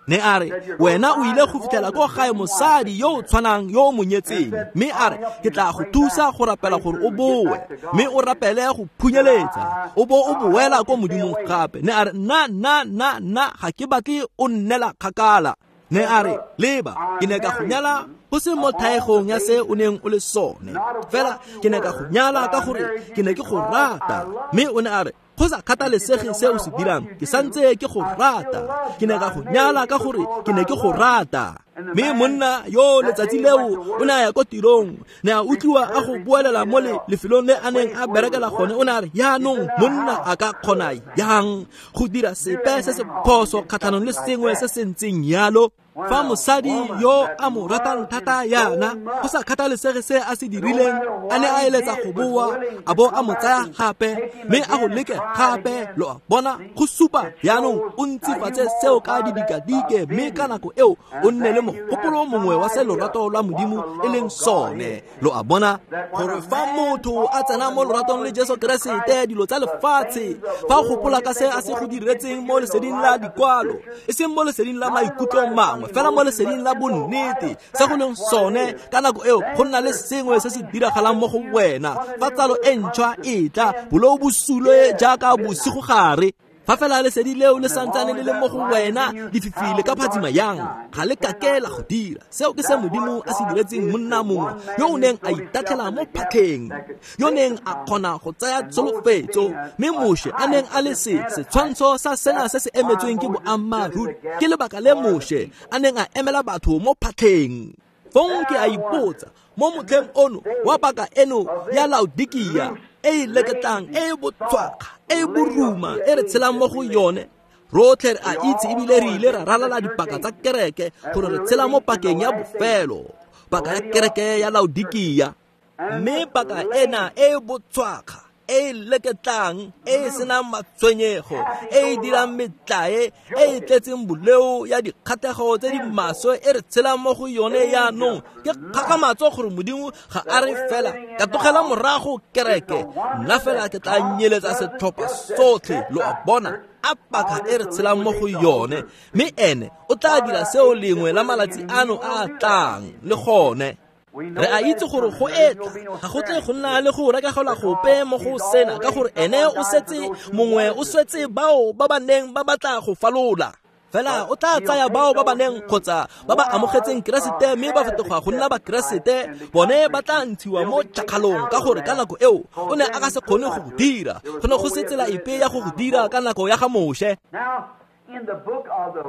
Ne a re, wena o ile go fitlhela ko gae mosadi yo o tshwanang yo o mo nyetseng, mme a re, ke tla go thusa go rapela gore o boe, mme o rapele go phunyeletsa, o bo o boela ko Modimong gape. Ne a re, nna nna nna nna ga ke batle o nnela kgakala. Ne a re, leba, ke ne ka go nyala go se mo thaegong ya se o neng o le sone, fela ke ne ka go nyala ka gore ke ne ke go rata. Mme o ne a re, go sa kgathalesege se o se dirang, ke santse ke go rata, ke ne ka go nyala ka gore ke ne ke go rata. Mme monna yo letsatsi leo o ne a ya ko tirong, ne a utlwiwa a go boelela mo lefelong le a neng a berekela gone. O ne a re, yaanong monna a ka kgona yang go dira sepe se se phoso kgatlhanong le sengwe se se ntseng yalo? Fa mosadi yo a mo ratang thata yana, go sa kgathalesege se a se dirileng, a ne a eletsa go boa, a bo a mo tsaya gape, mme a go leke gape. Lo a bona, go supa yaanong o ntsifatse seo ka didikadike, mme ka nako eo o nne le mogopolo mongwe wa se lorato lwa Modimo e leng sone. Lo a bona, gore fa motho a tsena mo loratong le Jesu Keresete, dilo tsa lefatshe, fa o gopola ka se a se go diretseng mo leseding la dikwalo, e seng mo leseding la maikutlo mangwe, fela mo leseding la bonnete, se go leng sone, ka nako eo go nna le sengwe se se diragalang mo go wena. Fa tsalo e ntšhwa e tla, boleo bo sulwe jaaka bosigo gare. Fa fela lesedi leo le santsane le le mo go wena, lefifi le ka phatsima yang, ga le kake la go dira. Seo ke se Modimo a se diretseng monna mongwe yo o neng a itatlhela mo phatlheng, yo neng a kgona go tsaya tsholofetso, mme Moshe a neng a le se setshwantsho sa sena se se emetsweng ke boammaaruri. Ke lebaka le Moshe a neng a emela batho mo phatlheng. Fong ke a ipotsa, mo motlheng ono wa paka eno ya Laodikia e e leketlang, e e botshwakga, e e boruma, e re tshelang mo go yone, rotlhe re a itse ebile re ile ra ralala dipaka tsa kereke gore re tshela mo pakeng ya bofelo, paka ya kereke ya Laodikia. Mme paka ena e e botshwakga, e e leketlang, e e senang matshwenyego, e e dirang metlae, e e tletseng boleo ya dikgatlhego tse di maswe e re tshelang mo go yone yaanong, ke kgakgamatso gore Modimo ga a re fela ka tlogela morago kereke, nna fela ke tla nyeletsa setlhopha sotlhe. Lo a bona, a paka e re tshelang mo go yone, mme ene o tla dira seo lengwe la malatsi ano a a tlang le gone. Re a itse gore go etla, ga go tle go nna le go rekagelwa gope mo go sena, ka gore ene o setse mongwe o swetse bao ba ba neng ba batla go falola. Fela o tla tsaya bao ba ba neng kgotsa ba ba amogetseng Keresete mme ba fetoga go nna Bakeresete, bone ba tla ntshiwa mo tšhakgalong, ka gore ka nako eo o ne a ka se kgone go go dira. Go ne go se tsela epe ya go go dira ka nako ya ga Moshe.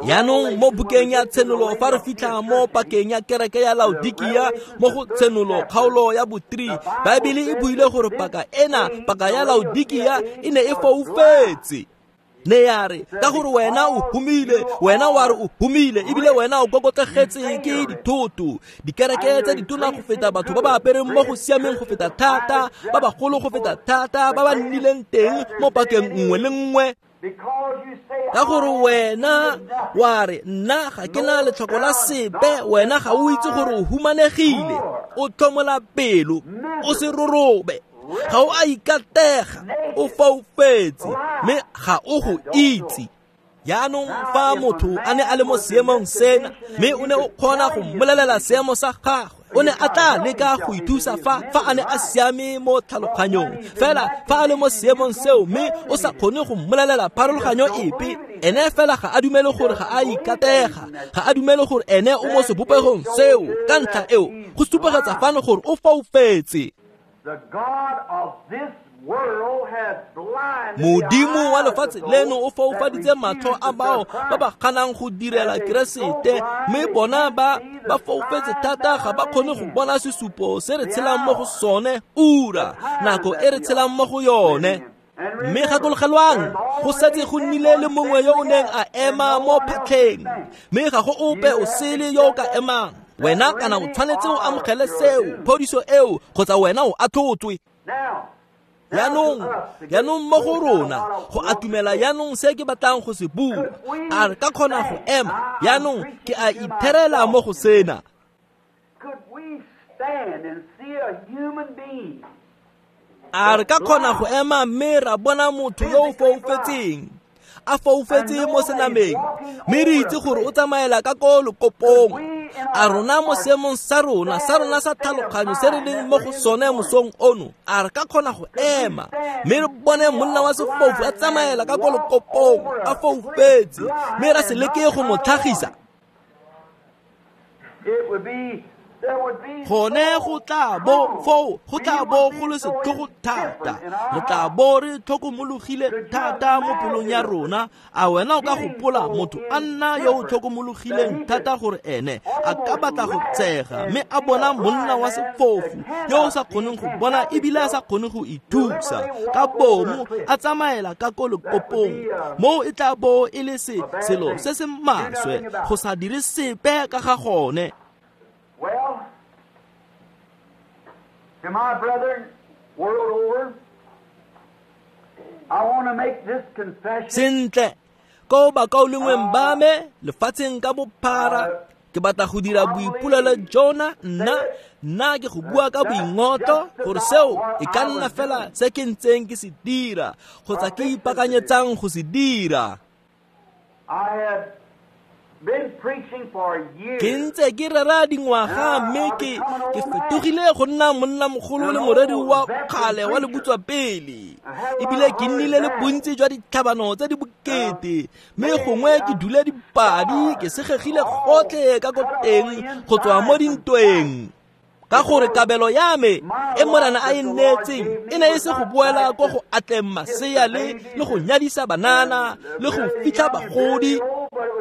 Yaanong mo bukeng ya Tshenolo, fa re fitlha mo pakeng ya kereke ya Laodikia, mo go Tshenolo kgaolo ya bo three, Baebele e buile gore paka ena, paka ya Laodikia, e ne e foufetse. Ne ya re, ka gore wena o humile, wena wa re o humile, ebile wena o kokotlegetse ke dithoto, dikereke tse ditona go feta batho ba ba apereng mo go siameng go feta thata, ba bagolo go feta thata, ba ba nnileng teng mo pakeng nngwe le nngwe. Ka gore wena wa re, nna ga ke na letlhoko la sepe, wena ga o itse gore o humanegile, o tlhomola pelo, o se rorobe, ga o a ikatega, o foufetse, mme ga o go itse. Yaanong fa motho a ne a le mo seemong sena, mme o ne o kgona go mmolelela seemo sa gagwe, o ne a tla leka go ithusa fa fa a ne a siame mo tlhaloganyong. Fela fa a le mo seemong seo mme o sa kgone go mmolelela pharologanyo epe, ene fela ga a dumele gore ga a ikatega, ga a dumele gore ene o mo sebopegong seo. Ka ntlha eo go supegetsa fano gore o foufetse. Modimo wa lefatshe leno o foufaditse matlho a bao ba ba kganang go direla Keresete, mme bona ba ba foufetse thata ga ba kgone go bona sesupo se re tshelang mo go sone, ura, nako e re tshelang mo go yone. Mme gakologelwang, go setse go nnile le mongwe yo o neng a ema mo phatlheng, mme ga go ope o sele yo o ka emang. Wena kana o tshwanetse o amogele seo, phodiso eo, kgotsa wena o atlhotswe. Yaanong, yaanong mo go rona, go atumela yaanong se ke batlang go se bua, a re ka kgona go ema. Yaanong ke a itherela mo go sena. A re ka kgona go ema mme ra bona motho yo o foufetseng, a foufetse mo senameng, mme re itse gore o tsamaela ka ko lokopong. A rona mo seemong sa rona, sa rona sa tlhaloganyo se re leng mo go sone mosong ono, a re ka kgona go ema mme re bone monna wa sefofu a tsamaela ka ko lokopong a foufetse, mme ra se leke go mo tlhagisa? Gone go tla bo foo, go tla bo go le setlhogo thata, re tla bo re tlhokomologile thata mo pelong ya rona. A wena o ka gopola motho a nna yo o tlhokomologileng thata gore ene a ka batla go tshega mme a bona monna wa sefofu yo o sa kgoneng go bona ebile a sa kgone go ithusa ka bomo a tsamaela ka ko lekopong? Moo e tla bo e le se selo se se maswe go sa dire sepe ka ga gone. Well, to my brethren, world over, I want to make this confession. Sentle, ko bakaulengweng ba me lefatsheng ka bophara, ke batla go dira boipolelo jona. Nna nna ke go bua ka boingotlo gore seo e ka nna fela se ke ntseng ke se dira kgotsa ke ipaakanyetsang go se dira. I have been preaching for years. Ke ntse ke rera dingwaga mme ke ke fetogile go nna monnamogolo le moreri wa kgale wa lebutswa pele, ebile ke nnile le bontsi jwa ditlhabano tse di bokete, mme gongwe ke dule dipadi ke segegile gotlhe ka ko teng go tswa mo dintweng. Ka gore kabelo ya me e Morena a e nneetseng e ne e se go boela ko go atleng masea le le go nyadisa banana le go fitlha bagodi,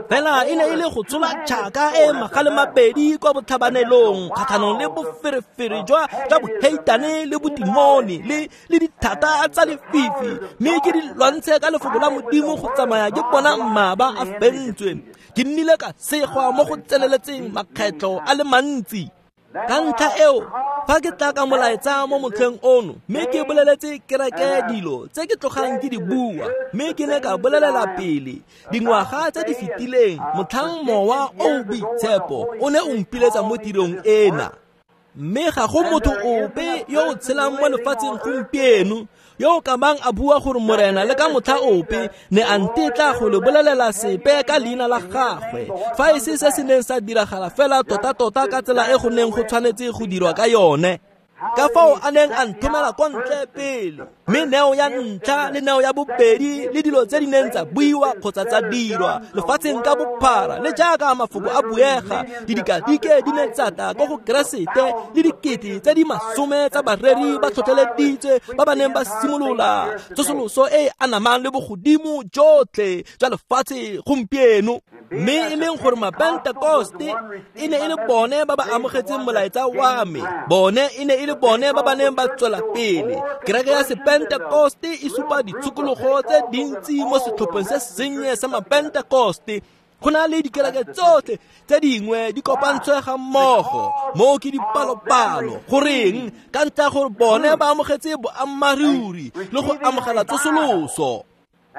fela e ne e le go tsola tšhaka e magale mabedi kwa botlhabanelong kgatlhanong le boferefere jwa jwa boheitane le bodimone le le dithata tsa lefifi, mme ke di lwantshe ka lefoko la Modimo go tsamaya ke bona mmaba a fentswe. Ke nnile ka segwa mo go tseneletseng makgetlho a le mantsi. Ka ntlha eo, fa ke tla ka molaetsa mo motlheng ono, mme ke boleletse kereke dilo tse ke tlogang ke di bua, mme ke ne ka bolelela pele dingwaga tse di fetileng motlhang mowa o o boitshepo o ne o mpiletsa mo tirong ena. Mme ga go motho ope yo o tshelang mo lefatsheng gompieno yo o ka bang a bua gore Morena le ka motlha ope ne a ntetla go le bolelela sepe ka leina la gagwe, fa e se se se neng sa diragala fela tota-tota ka tsela e go neng go tshwanetse go dirwa ka yone. Ka fao a neng a nthomela kwa ntle pele, mme neo ya ntlha le neo ya bobedi le dilo tse di neng tsa buiwa kgotsa tsa dirwa lefatsheng ka bophara, le jaaka mafoko a buega, didikadike di ne tsa tla ko go Keresete, le dikete tse di masome tsa bareri ba tlhotlheleditswe ba ba neng ba simolola tsosoloso e e anamang le bogodimo jotlhe jwa lefatshe gompieno. Mme e leng gore Mapentekoste e ne e le bone ba ba amogetseng molaetsa wa me, bone e ne e le bone ba ba neng ba tswela pele. Kereke ya Sepentekoste e supa ditshokologo tse dintsi mo setlhopheng se sennye sa Mapentekoste. Go na le dikereke tsotlhe tse dingwe di kopantswe ga mmogo, moo ke dipalopalo. Goreng? Ka ntlha ya gore bone ba amogetse boammaaruri le go amogela tsosoloso.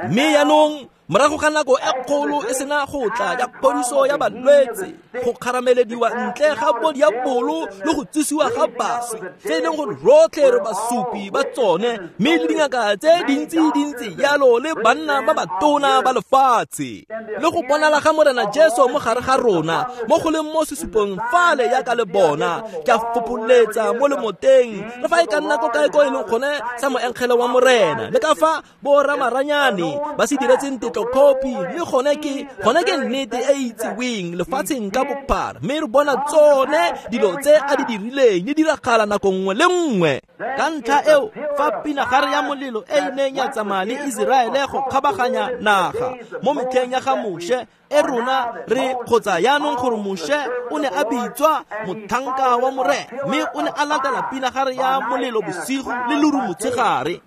Mme yaanong morago ga nako e kgolo e sena go tla ya phodiso ya balwetse, go kgaramelediwa ntle ga bodiabolo le go tsosiwa ga baswi, tse e leng gore rotlhe re basupi ba tsone, mme le dingaka tse dintsi-dintsi yalo le banna ba batona ba lefatshe, le go bonala ga Morena Jesu mo gare ga rona mo go leng mo sesupong fale yaka le bona, ke a fopholetsa mo lemoteng le fa e ka nna ko kae ko e leng gone sa moengele wa Morena, le ka fa bo ramaranyane ba se diretseng tetlo-copy, mme gone ke gone ke nnete e e itseweng lefatsheng ka bophara, mme re bona tsone dilo tse a di dirileng di diragala nako nngwe le nngwe. Ka ntlha eo, fa pinagare ya molelo e e neng ya tsamaya le Iseraele go kgabaganya naga mo metlheng ya ga Moshe, e rona re kgotsa yaanong gore Moshe o ne a bitswa motlhanka wa Morena, mme o ne a latela pinagare ya molelo bosigo le leru motshegare.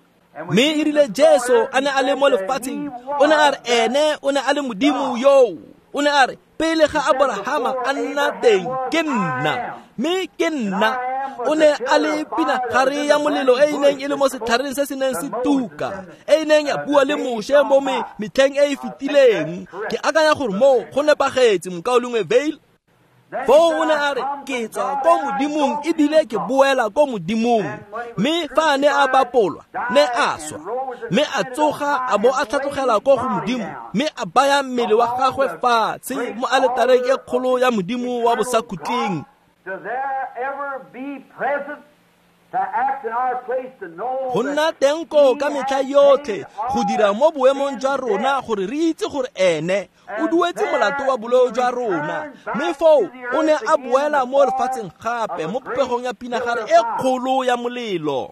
Mme e rile Jesu a ne a le mo lefatsheng, o ne a re ene o ne a le Modimo yoo. O ne a re pele ga Aborahama a nna teng ke nna, mme ke nna. O ne a le pinagare ya molelo e e neng e le mo setlhareng se se neng se tuka, e e neng ya bua le Moshe mo metlheng e e fetileng. Ke akanya gore moo go nepagetse, mokaulengwe Vail. Foo o ne a re ke tswa ko Modimong ebile ke boela ko Modimong. Mme fa a ne a bapolwa, ne a swa, mme a tsoga a bo a tlhatlogela ko go Modimo, mme a baya mmele wa gagwe fatshe mo aletareng e kgolo ya Modimo wa bosakhutleng. Go nna teng koo ka metlha yotlhe go dira mo boemong jwa rona gore re itse gore ene o duetse molato wa boleo jwa rona. Mme foo o ne a boela mo lefatsheng gape mo popegong ya pinagare e kgolo ya molelo.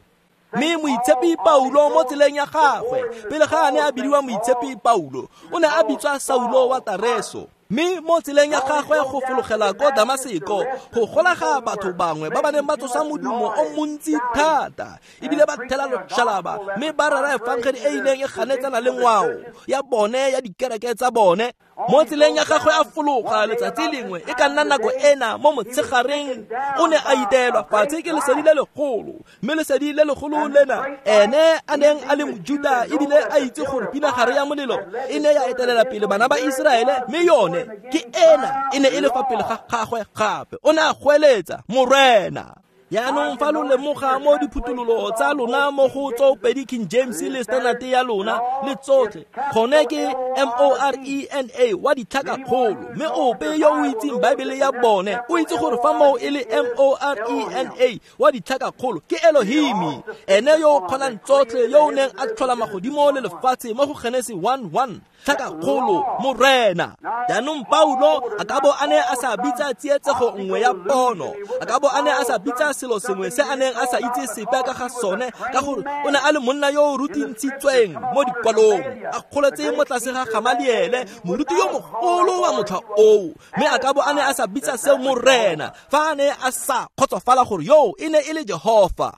Mme Moitshepi Paulo mo tseleng ya gagwe, pele ga a ne a bidiwa Moitshepi Paulo, o ne a bitswa Saulo wa Tareso. Mme mo tseleng ya gagwe go fologela ko Damaseko, go golaga batho bangwe ba ba neng ba tsosa modumo o montsi thata, ebile ba thela loshalaba, mme ba rera efangedi e e neng e ganetsana le ngwao ya bone ya dikereke tsa bone. Mo tseleng ya gagwe a fologa letsatsi lengwe, e ka nna nako ena mo motshegareng, o ne a iteelwa fatshe ke lesedi le legolo. Mme lesedi le legolo lena, ene a neng a le Mojuda ebile a itse gore pinagare ya molelo e ne ya etelela pele bana ba Iseraele, mme yone ke ena e ne e le fa pele ga gagwe gape. O ne a goeletsa, Morena. Yaanong fa lo lemoga mo diphuthololo tsa lona mo go tsoopedi King James le Standard ya lona le tsotlhe, gone ke M O R E N A wa ditlhakakgolo. Mme ope yo o itseng Baebele ya bone o itse gore fa moo e le M O R E N A wa ditlhakakgolo ke Elohimi, ene yo o kgonang tsotlhe, yo o neng a tlhola magodimo le lefatshe mo go Genesi one one. Tlhakakgolo, Morena. Jaanong Paulo a ka bo a ne a sa bitsa tsietsego nngwe ya pono, a ka bo a ne a sa bitsa selo sengwe se a neng a sa itse sepe ka ga sone, ka gore o ne a le monna yo o rutintshitsweng mo dikwalong, a kgoletse mo tlase ga Gamaliele, moruti yo mogolo wa motlha oo. Mme a ka bo a ne a sa bitsa seo Morena fa a ne a sa kgotsofala gore yoo e ne e le Jehofa.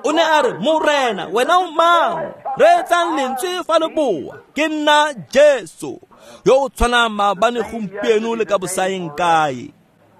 O ne a re, Morena, wena o mang? Reetsang lentswe fa le boa, ke nna Jesu yo o tshwanang maabane, gompieno le ka bosaeng kae.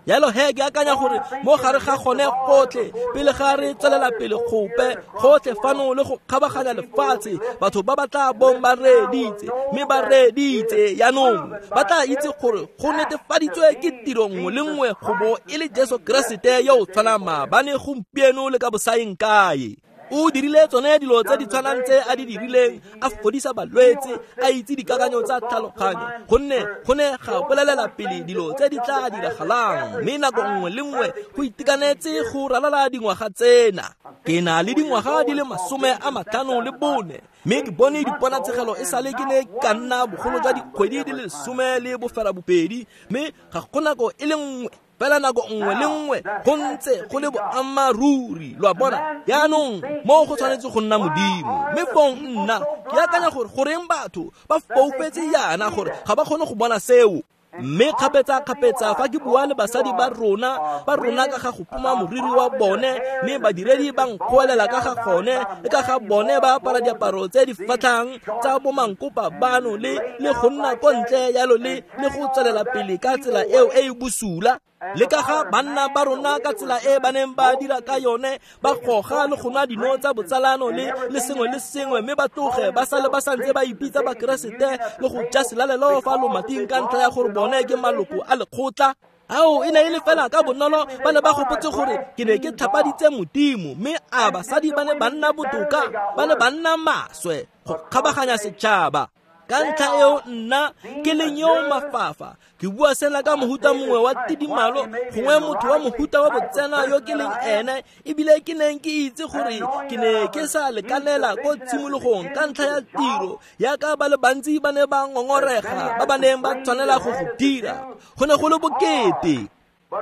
Jalo he ke akanya gore mo gare ga gone gotlhe, pele ga re tswelela pele gope gotlhe fano le go kgabaganya lefatshe, batho ba ba tla bong ba reeditse, mme ba reeditse jaanong ba tla itse gore go netefaditswe ke tiro nngwe le nngwe go bo e le Jesu Keresete yo o tshwanang maabane, gompieno le ka bosaeng kae. O dirile tsone dilo tse di tshwanang tse a di dirileng, a fodisa balwetse, a itse dikakanyo tsa tlhaloganyo, gonne go ne ga bolelela pele dilo tse di tla diragalang. Mme nako nngwe le nngwe go itekanetse go ralala dingwaga tsena. Ke na le dingwaga di le masome a matlhano le bone, mme ke bone diponatshegelo e sale ke ne ka nna bogolo jwa dikgwedi di le lesome le boferabobedi, mme ga go nako e le nngwe fela nako nngwe le nngwe go ntse go le boammaaruri. Lo a bona? Jaanong mo go tshwanetse go nna Modimo. Mme fong nna ke akanya gore goreng batho ba foufetse jaana gore ga ba kgone go bona seo. Mme kgapetsa-kgapetsa fa ke bua le basadi ba rona, ba rona ka ga go poma moriri wa bone, mme badiredi ba nkgoelela ka ga gone, le ka ga bone ba apara diaparo tse di fatlhang tsa bomankopa bano le le go nna ko ntle jalo le le go tswelela pele ka tsela eo e e bosula. Le ka ga banna ba rona ka tsela e ba neng ba dira ka yone, ba goga le go nwa dino tsa botsalano le le sengwe le sengwe, mme ba tloge ba sale ba santse ba ipitsa Bakeresete le go ja selalelo fa lomating ka ntlha ya gore bone ke maloko a lekgotla. Ao e ne e le fela ka bonolo ba ne ba gopotse gore ke ne ke tlhapaditse Modimo, mme a basadi ba ne ba nna botoka, ba ne ba nna maswe go kgabaganya setšhaba. Ka ntlha eo nna ke leng yo mafafa, ke bua sena ka mohuta mongwe wa tidimalo, gongwe motho wa mohuta wa botsena yo ke leng ene, ebile ke neng ke itse gore ke ne ke sa lekanela ko tshimologong ka ntlha ya tiro yaka ba le bantsi ba ne ba ngongorega ba ba neng ba tshwanela go go dira. Go ne go le bokete.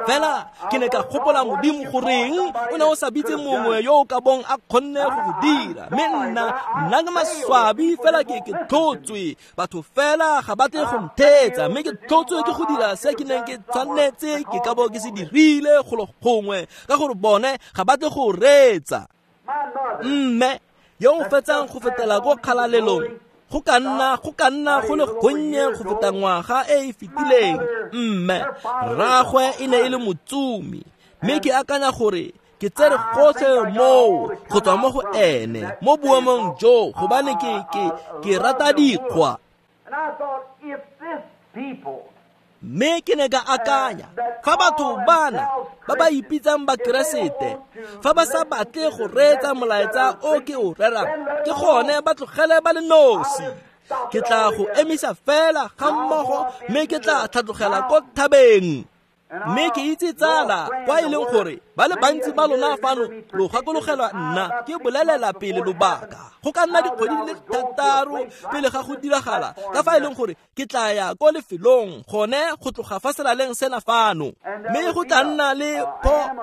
Fela ke ne ka gopola Modimo goreng o ne o sa bitse mongwe yo o ka bong a kgonne go go dira, mme nna nna ke maswabi fela ke ke tlhotswe. Batho fela ga ba tle go ntheetsa, mme ke tlhotswe ke go dira se ke neng ke tshwanetse ke ka bo ke se dirile golo gongwe, ka gore bone ga ba tle go reetsa. Mme yo o fetsang go fetela ko kgalalelong go ka nna go ka nna go le gonnye go feta ngwaga e e fetileng. Mme rraagwe e ne e le motsumi, mme ke akanya gore ke tsere gotlhe moo go tswa mo go ene mo boemong jo, gobane ke ke ke rata dikgwa. Mme ke ne ka akanya, fa batho bana ba ba ipitsang Bakeresete, fa ba sa batle go reetsa molaetsa o ke o rerang, ke gone ba tlogele ba le nosi. Ke tla go emisa fela ga mmogo, mme ke tla tlhatlogela ko thabeng. Mme ke itse tsala kwa e leng gore ba le bantsi ba lona fano lo gakologelwa nna ke bolelela pele lobaka go ka nna dikgwedi di le thataro pele ga go diragala, ka fa e leng gore ke tla ya ko lefelong gone go tloga fa selaleng sena fano. Mme go tla nna le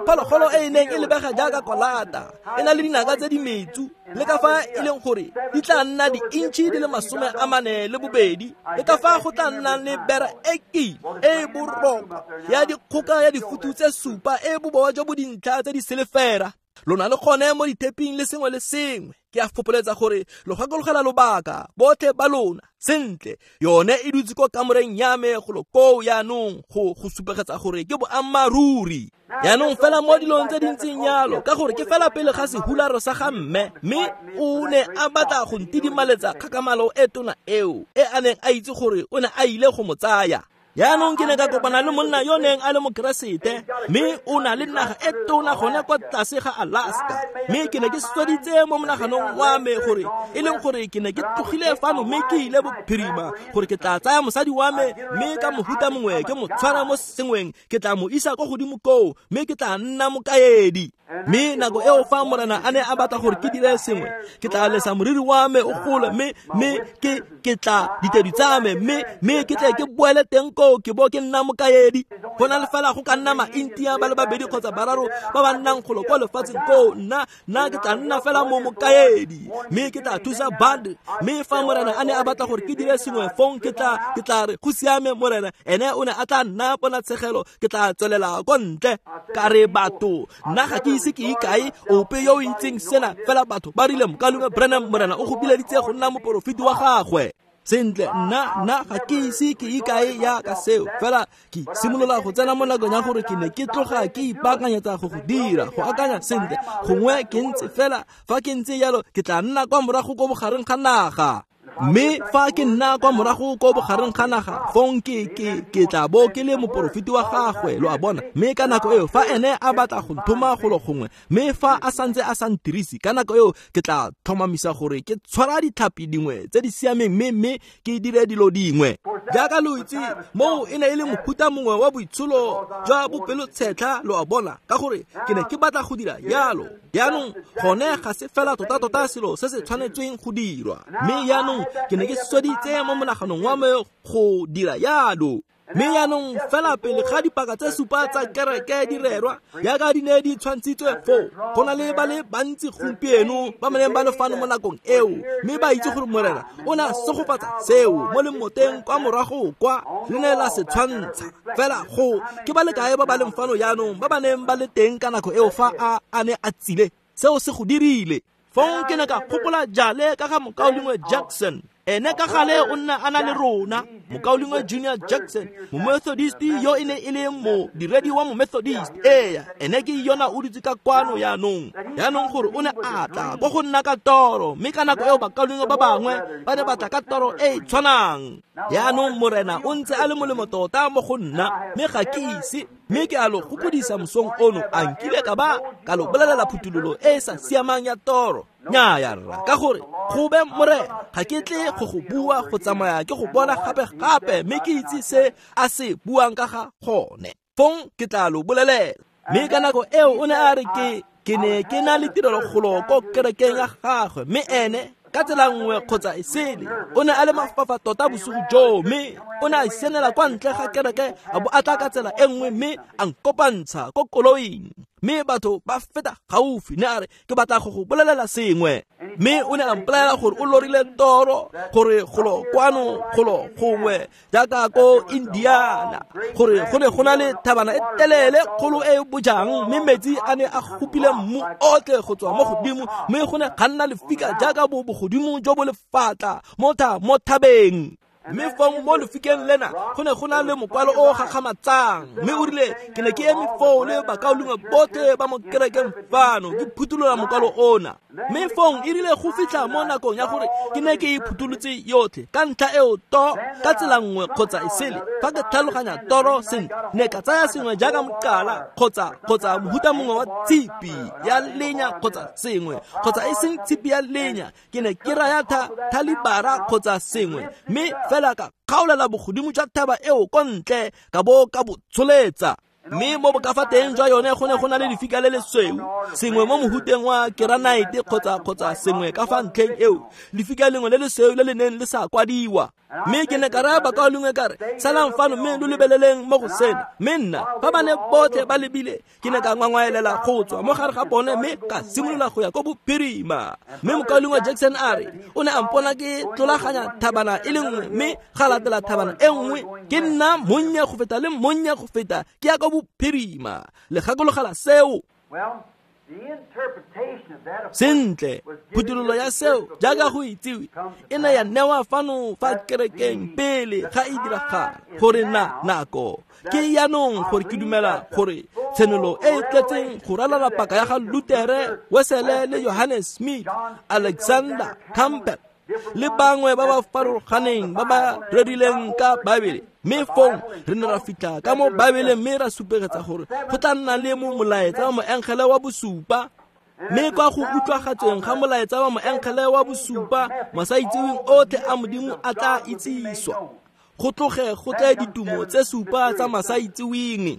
phologolo e e neng e lebega jaaka kolata, e na le dinaka tse di metsu, le ka fa e leng gore di tla nna di-intšhi di le masome a mane le bobedi, le ka fa go tla nna le bera e kima e borokwa ya dikgoka ya difutu tse supa e bobowa jo bo dintlha tse di selefera. Lona le gone mo ditheping le sengwe le sengwe. Ke a fopoletsa gore lo gakologela lobaka botlhe ba lona sentle. Yone e dutse ko kamoreng ya me golo koo yaanong go go supegetsa gore ke boammaaruri. Yaanong fela mo dilong tse dintseng yalo, ka gore ke fela pele ga sehularo sa ga mme, mme o ne a batla go ntidimaletsa kgakamalo e tona eo e a neng a itse gore o ne a ile go mo tsaya. Yaanong ke ne ka kopana le monna yo neng a le Mokeresete, mme o na le naga e tona gone kwa tlase ga Alaska. Mme ke ne ke sweditse mo monaganong wa me gore e leng gore ke ne ke tlogile fano mme ke ile bophirima gore ke tla tsaya mosadi wa me, mme ka mohuta mongwe ke mo tshwara mo sengweng, ke tla mo isa ko godimo koo, mme ke tla nna mokaedi. Mme nako eo fa morena a ne a batla gore ke dire sengwe, ke tla lesa moriri wa me o gole, mme mme ke ke tla ditedu tsa me, mme mme ke tle ke boele teng koo ke bo ke nna mokaedi. Go na le fela go ka nna ma-India ba le babedi kgotsa bararo ba ba nnang golo kwa lefatsheng koo, nna nna ke tla nna fela mo mokaedi, mme ke tla thusa band. Mme fa morena a ne a batla gore ke dire sengwe, fong ke tla ke tla re go siame morena, ene o ne a tla nna ponatshegelo, ke tla tswelela ko ntle. Ka re batho, nna ga ke ise ke ikae ope yo o itseng sena, fela batho ba rile Mokaulengwe Branham morena o go bileditse go nna moporofeti wa gagwe. Sentle, nna nna ga ke ise ke ikae ya ka seo, fela ke simolola go tsena mo nakong ya gore ke ne ke tloga ke ipaakanyetsa go go dira, go akanya sentle, gongwe ke ntse fela fa ke ntse jalo ke tla nna kwa morago ko bogareng ga naga. Mme fa ke nna kwa morago ko bogareng ga naga, fong ke ke ke tla bo ke le moporofeti wa gagwe, lo a bona. Mme ka nako eo fa ene a batla go nthoma golo gongwe, mme fa a santse a sa ntirise, ka nako eo ke tla tlhomamisa gore ke tshwara ditlhapi dingwe tse di siameng, mme mme ke dire dilo dingwe. Jaaka lo itse, moo e ne e le mohuta mongwe wa boitsholo jwa bopelotshetlha, lo a bona, ka gore ke ne ke batla go dira jalo. Jaanong gone ga se fela tota-tota selo se se tshwanetsweng go dirwa, mme jaanong ke ne ke sweditse mo monaganong wa me go dira jalo. Mme jaanong fela pele ga dipaka tse supa tsa kereke di rerwa, jaaka di ne di tshwantshitswe foo, go na le ba le bantsi gompieno ba ba neng ba le fano mo nakong eo, mme ba itse gore morena o ne a segofatsa seo mo lemoteng kwa morago kwa le ne la se tshwantsha. Fela go ke ba le kae ba ba leng fano jaanong ba ba neng ba le teng ka nako eo fa a a ne a tsile, seo se go dirile. Fong ke ne ka gopola jale ka ga Mokaulengwe Jackson. Ene ka gale o nna a na le rona, Mokaulengwe Junior Jackson, Momethodist yo e ne e le modiredi wa Momethodist. Ee, ene ke yona o dutse ka kwano yaanong. Yaanong gore o ne a tla ko go nna ka toro, mme ka nako eo bakaulengwe ba bangwe ba ne ba tla ka toro e e tshwanang. Yaanong morena o ntse a le molemo tota mo go nna, mme ga ke ise, mme ke a lo gopodisa mosong ono, a nkile ka ba ka lo bolelela phuthololo e e sa siamang ya toro. Nnyaya rra, ka gore go be morena ga ke tle go go bua go tsamaya ke go bona gape-gape, mme ke itse se a se buang ka ga gone, fong ke tla lo bolelela. Mme ka nako eo o ne a re ke ke ne ke na le tirelokgolo ko kerekeng ya gagwe, mme ene ka tsela nngwe kgotsa e sele o ne a le mafafa tota bosigo joo, mme o ne a sianela kwa ntle ga kereke a bo a tla ka tsela e nngwe, mme a nkopantsha ko koloing, mme batho ba feta gaufi. Ne a re ke batla go go bolelela sengwe. Mme o ne a mpolelela gore o lorile toro gore golo kwano golo gongwe jaaka ko Indiana gore go ne go na le thabana e telele kgolo e e bojang mme metsi a ne a gopile mmu otlhe go tswa mo godimo mme go ne ga nna lefika jaaka bo bogodimo jo bo lefatla mo tha mo thabeng. Mme fong mo lefikeng lena go ne go na le mokwalo o gakgamatsang mme o rile ke ne ke eme foo le bakaulengwe botlhe ba mo kerekeng fano ke phuthulola mokwalo ona. Mme fong e rile go fitlha mo nakong ya gore ke ne ke e phutholotse yotlhe ka ntlha eo to ka tsela nngwe kgotsa e sele fa ke tlhaloganya toro sentle ne ka tsaya sengwe jaaka mokala kgotsa kgotsa mohuta mongwe wa tshipi ya lenya kgotsa sengwe kgotsa e seng tshipi ya lenya ke ne ke raya tha thalibara kgotsa sengwe mme fela ka kgaolela bogodimo jwa thaba eo ko ntle ka bo ka bo tsholetsa. Mme mo bokafa teng jwa yone go ne go na le lefika le lesweu sengwe mo mohuteng wa keranaete kgotsa kgotsa sengwe ka fa ntlheng eo lefika lengwe le lesweu le le neng le sa kwadiwa. Mme ke ne ka raya bakaulengwe ka re salang fano mme lo lebeleleng mo go sena. Mme nna fa ba ne botlhe ba lebile ke ne ka ngwangwaelela go tswa mo gare ga bone mme ka simolola go ya ko bophirima. Mme mokaulengwe Jackson a re o ne a mpona ke tlolaganya thabana e le nngwe mme ga latela thabana e nngwe ke nna monnye go feta le monnye go feta ke ya ko bophirima. Le gakologela seo. Sentle, phuthololo ya seo jaaka go itsiwe e ne ya newa fano fa kerekeng pele ga e diragala gore na nako ke yaanong gore ke dumela gore tshenolo e e tletseng go ralala paka ya ga Lutere, Wesele le Johannes Smith, Alexander Campbell le bangwe ba ba farologaneng ba ba rerileng ka Baebele. Mme fong re ne ra fitlha ka mo Baebeleng mme ra supegetsa gore go tla nna le mo molaetsa wa moengele wa bosupa. Mme kwa go utlwagatsweng ga molaetsa wa moengele wa bosupa masaitseweng otlhe a Modimo a tla itsiswa go tloge go tle ditumo tse supa tsa masaitseweng.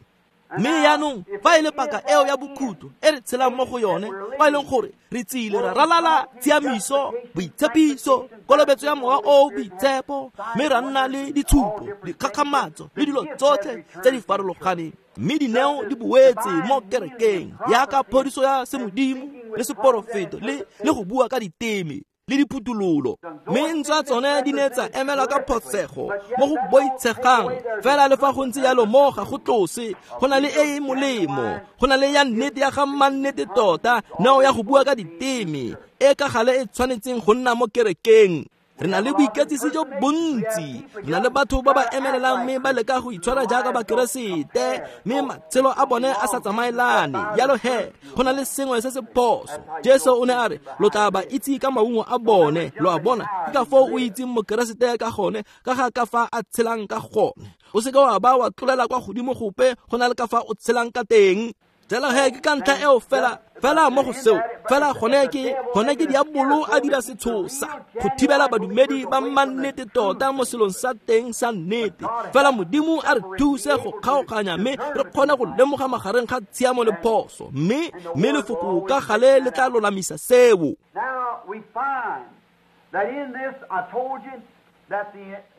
Mme yaanong fa e le paka eo ya bokhutlo e re tshelang mo go yone fa e leng gore re tsile ra ralala tshiamiso, boitshepiso, kolobetso ya mowa o boitshepo mme ra nna le ditshupo, dikgakgamatso le dilo tsotlhe tse di farologaneng. Mme dineo di boetse mo kerekeng yaka phodiso ya semodimo le seporofeto le le go bua ka diteme le diphuthololo. Mme ntswa tsone di ne tsa emelwa ka phosego mo go boitshegang fela le fa go ntse jalo mo ga go tlose go na le e e molemo go na le ya nnete ya ga mannete tota neo ya go bua ka diteme e ka gale e tshwanetseng go nna mo kerekeng. Re na le boiketsisi jo bontsi, re na le batho ba ba emelelang mme ba leka go itshwara jaaka bakeresete mme matshelo a bone a sa tsamaelane. Jalo he go na le sengwe se se phoso. Jesu o ne a re lo tla ba itse ka maungo a bone. Lo a bona ke ka foo o itseng mokeresete ka gone ka ga ka fa a tshelang ka gone. O seke wa ba wa tlolela kwa godimo gope go na le ka fa o tshelang ka teng. Jalo he ke ka ntlha eo fela fela mo go seo fela gone ke gone ke diabolo a dira setshosa go thibela badumedi ba mannete tota mo selong sa teng sa nnete. Fela Modimo a re thuse go kgaoganya mme re kgone go lemoga magareng ga tshiamo le phoso mme mme lefoko ka gale le tla lolamisa seo.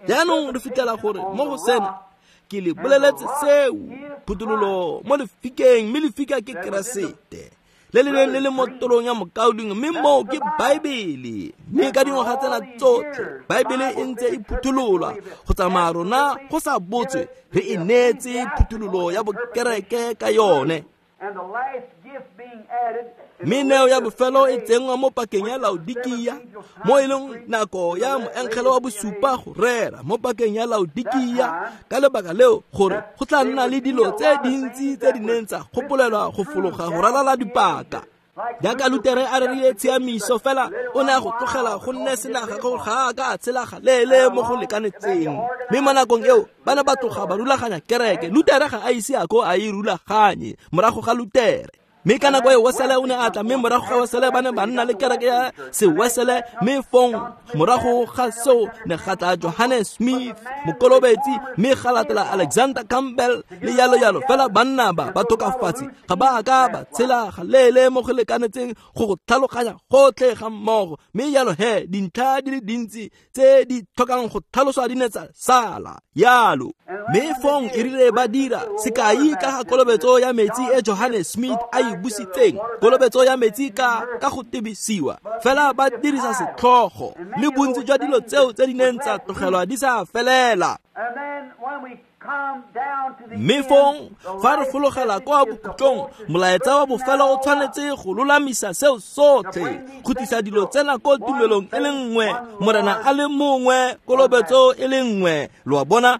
Jaanong re fitlhela gore mo go sena ke le boleletse seo phuthololo mo lefikeng mme lefika ke Keresete le le neng le le mo torong ya mokaulengwe mme moo ke Baebele. Mme ka dingwaga tsena tsotlhe Baebele e ntse e phuthololwa go tsamaya rona go sa botswe re e neetse phuthololo ya bokereke ka yone. Mme neo ya bofelo e tsenngwa mo pakeng ya Laodikia mo e leng nako ya moengele wa bosupa go rera mo pakeng ya Laodikia ka lebaka leo gore go tla nna le dilo tse dintsi tse di neng tsa gopolelwa go fologa go ralala dipaka. Jaaka Lutere a rerile tshiamiso fela o ne a go tlogela go nne senaga gore ga a ka a tshela galeele mo go lekanetseng. Mme mo nakong eo ba ne ba tloga ba rulaganya kereke. Lutere ga a ise a ko a e rulaganye morago ga Lutere. Mme ka nako eo Wesele o ne a tla mme morago ga Wesele ba ne ba nna le kereke ya Sewesele mme fong morago ga seo ne ga tla Johannes Smith mokolobetsi mme ga latela Alexander Campbell le yalo yalo. Fela banna ba ba tokafatse ga ba a ka ba tshela galeele mo go lekanetseng go go tlhaloganya gotlhe ga mmogo. Mme yalo he dintlha di le dintsi tse di tlhokang go tlhaloswa di ne tsa sala yalo. Mme fong e rile ba dira sekai ka ga kolobetso ya metsi e Johannes Smith a e busitseng kolobetso ya metsi ka ka go tebisiwa fela ba dirisa setlhogo le bontsi jwa dilo tseo tse di neng tsa tlogelwa di sa felela. Mme fong fa re fologela kwa bokhutlong molaetsa wa bofelo o tshwanetse go lolamisa seo sotlhe go tlisa dilo tsena ko tumelong e le nngwe, Morena a le mongwe, kolobetso e le nngwe, lo a bona.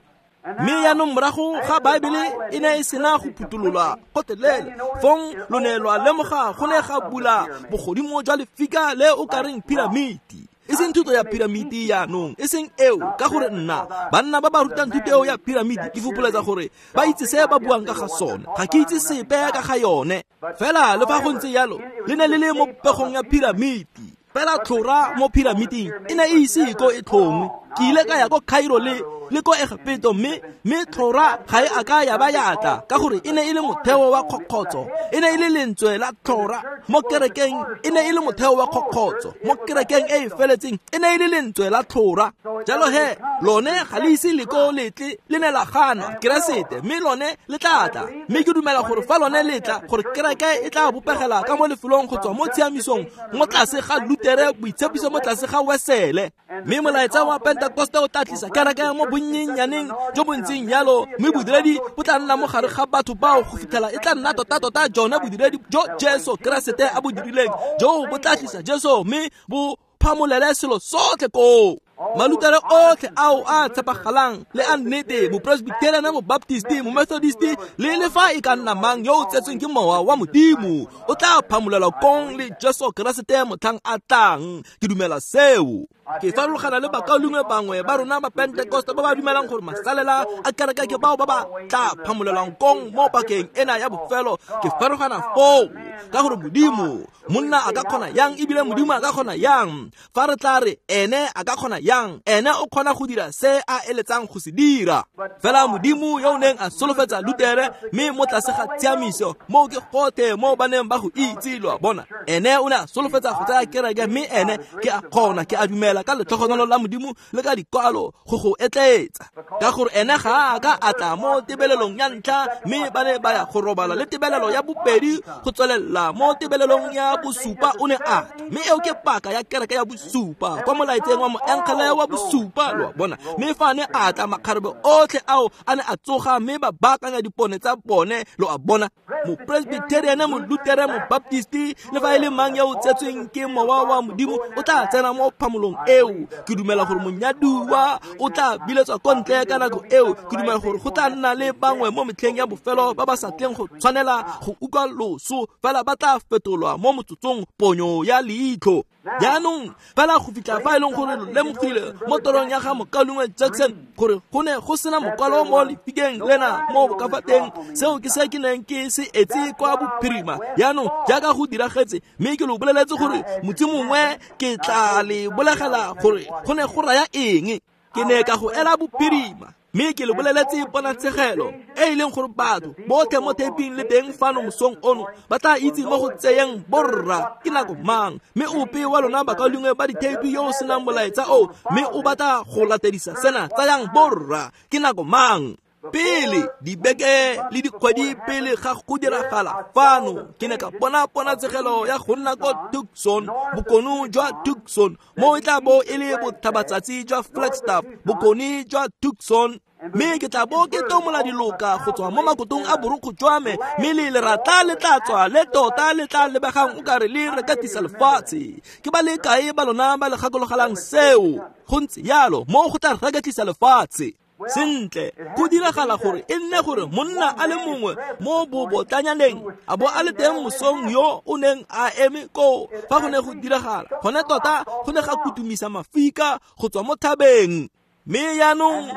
Mme yaanong morago ga Baebele e ne e sena go phuthololwa gotlhelele, fong lo ne lwa lemoga go ne ga bula bogodimo jwa lefika le o ka reng piramiti. E seng thuto ya piramiti yaanong, e seng eo, ka gore nna banna ba ba rutang thuto eo ya piramiti ke fopoletsa gore ba itse se ba buang ka ga sone, ga ke itse sepe ka ga yone. Fela le fa go ntse jalo le ne le le mo popegong ya piramiti, fela tlhora mo piramiting e ne e ise ko e tlhongwe. Ke ile ka ya ko Cairo le le ko Egepeto, mme mme tlhora ga e a ka ya ba ya tla, ka gore e ne e le motheo wa kgokgotso, e ne e le lentswe la tlhora mo kerekeng, e ne e le motheo wa kgokgotso mo kerekeng e e feletseng, e ne e le lentswe la tlhora. Jalo he lone ga le ise le ko letle, le ne la gana Keresete, mme lone le tla tla. Mme ke dumela gore fa lone le tla, gore kereke e tla bopegela ka mo lefelong go tswa mo tshiamisong mo tlase ga Lutere, boitshepiso mo tlase ga Wesele. Mme molaetsa wa Pentekoste o tla tlisa kereke mo bonnyenyaneng jo bo ntseng jalo, mme bodiredi bo tla nna mo gare ga batho bao go fitlhela e tla nna tota-tota jone bodiredi jo Jesu Keresete a bo dirileng, jo bo tla tlisa Jesu mme bo phamolele selo sotlhe koo. Malutere otlhe ao a tshepagalang le a nnete, mopresbyterian, mobaptisti, momethodisti le le fa e ka nna mang yo o tsetsweng ke mowa wa Modimo o tla phamolelwa kong le Jesu Keresete motlhang a tlang. Ke dumela seo. Ke farologana le bakaulengwe bangwe ba rona ba Pentekoste ba ba dumelang gore masalela a kereke ke bao ba ba tla phamolelwang kong mo pakeng ena ya bofelo. Ke farologana foo ka gore Modimo monna a ka kgona yang, ebile Modimo a ka kgona yang. Fa re tla re ene a ka kgona yang, ene o kgona go dira se a eletsang go se dira. Fela Modimo yo o neng a solofetsa Lutere, mme mo tlase ga tshiamiso moo ke gotlhe mo ba neng ba go itse, lo a bona. Ene o ne a solofetsa go tsaya kereke, mme ene ke a kgona, ke a dumela ka letlhogonolo la Modimo le ka dikwalo go go etletsa, ka gore ene ga a ka a tla mo tebelelong ya ntlha, mme ba ne ba ya go robala le tebelelo ya bobedi go tswelela mo tebelelong ya bosupa o ne a tla. Mme eo ke paka ya kereke ya bosupa kwa molaetseng wa moengele wa bosupa, lo a bona. Mme fa ne a tla, makgarebe otlhe ao a ne a tsoga mme ba baakanya dipone tsa bone, lo a bona. Mopresbyterian, molutere, mobaptisti le fa e le mang yo o tsetsweng ke mowa wa Modimo o tla tsena mo phamolong eo. Ke dumela gore monyaduwa o tla biletswa ko ntle ka nako eo. Ke dumela gore go tla nna le bangwe mo metlheng ya bofelo ba ba sa tleng go tshwanela go utlwa loso, fela ba tla fetolwa mo motsotsong ponyo ya leitlho. Jaanong fela go fitlha fa e leng gore lo lemogile mo torong ya ga mokaulengwe Jackson gore go ne go sena mokwalo mo lefikeng lena mo bokafateng, seo ke se ke neng ke se etse kwa bophirima. Jaanong jaaka go diragetse, mme ke lo boleletse gore motsi mongwe ke tla le bolegela gore go ne go raya eng. Ke ne ka go ela bophirima, mme ke le boleletse ponatshegelo e e leng gore batho botlhe mo theping le teng fano mosong ono ba tla itse mo go tseyeng borra ke nako mang. Mme ope wa lona bakaulengwe ba dithepi yo o senang molaetsa o, mme o batla go latedisa sena, tsayang borra ke nako mang. Pele dibeke le dikgwedi pele ga go diragala fano, ke ne ka bona ponatshegelo ya go nna ko Tucson, bokone jwa Tucson, mo e tla bo e le botlhabatsatsi jwa Flagstaff, bokone jwa Tucson. Mme ke tla bo ke tomola diloka go tswa mo makotong a borokgo jwa me, mme le lerata le tla tswa le tota le tla lebegang o kare le rekatisa lefatshe. Ke ba le kae ba lona ba le gakologelang seo? Go ntse jalo, mo go tla rekatlisa lefatshe. Sentle, go diragala gore e nne gore monna a le mongwe mo bobotlanyaneng a bo a le teng mosong yo o neng a eme koo fa go ne go diragala. Gone tota go ne ga kutumisa mafika go tswa mo thabeng. Mme jaanong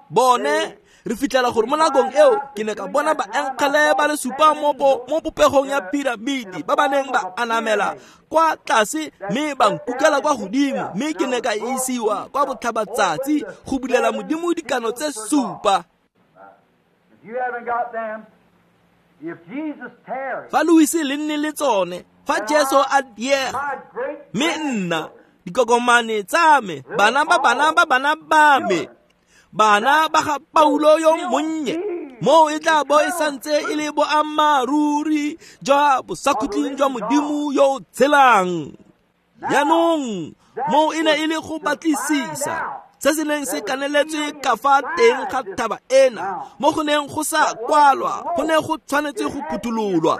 bone re fitlhela gore mo nakong eo ke ne ka bona baengele ba le supa mo mo popegong ya piramidi ba ba neng ba anamela kwa tlase mme ba nkukela kwa godimo, mme ke ne ka isiwa kwa botlhabatsatsi go bulela Modimo dikano tse supa. Fa lo ise le nne le tsone, fa Jesu a diega, mme nna dikokomane tsa me, bana ba bana ba bana ba me, bana ba ga Paulo yo monnye, Moo e tla bo e santse e le boammaaruri jwa bosakhutleng jwa Modimo yo o tshelang. Jaanong moo e ne e le go batlisisa se se neng se kaneletswe ka fa teng ga thaba ena, mo go neng go sa kwalwa, go ne go tshwanetse go phuthololwa.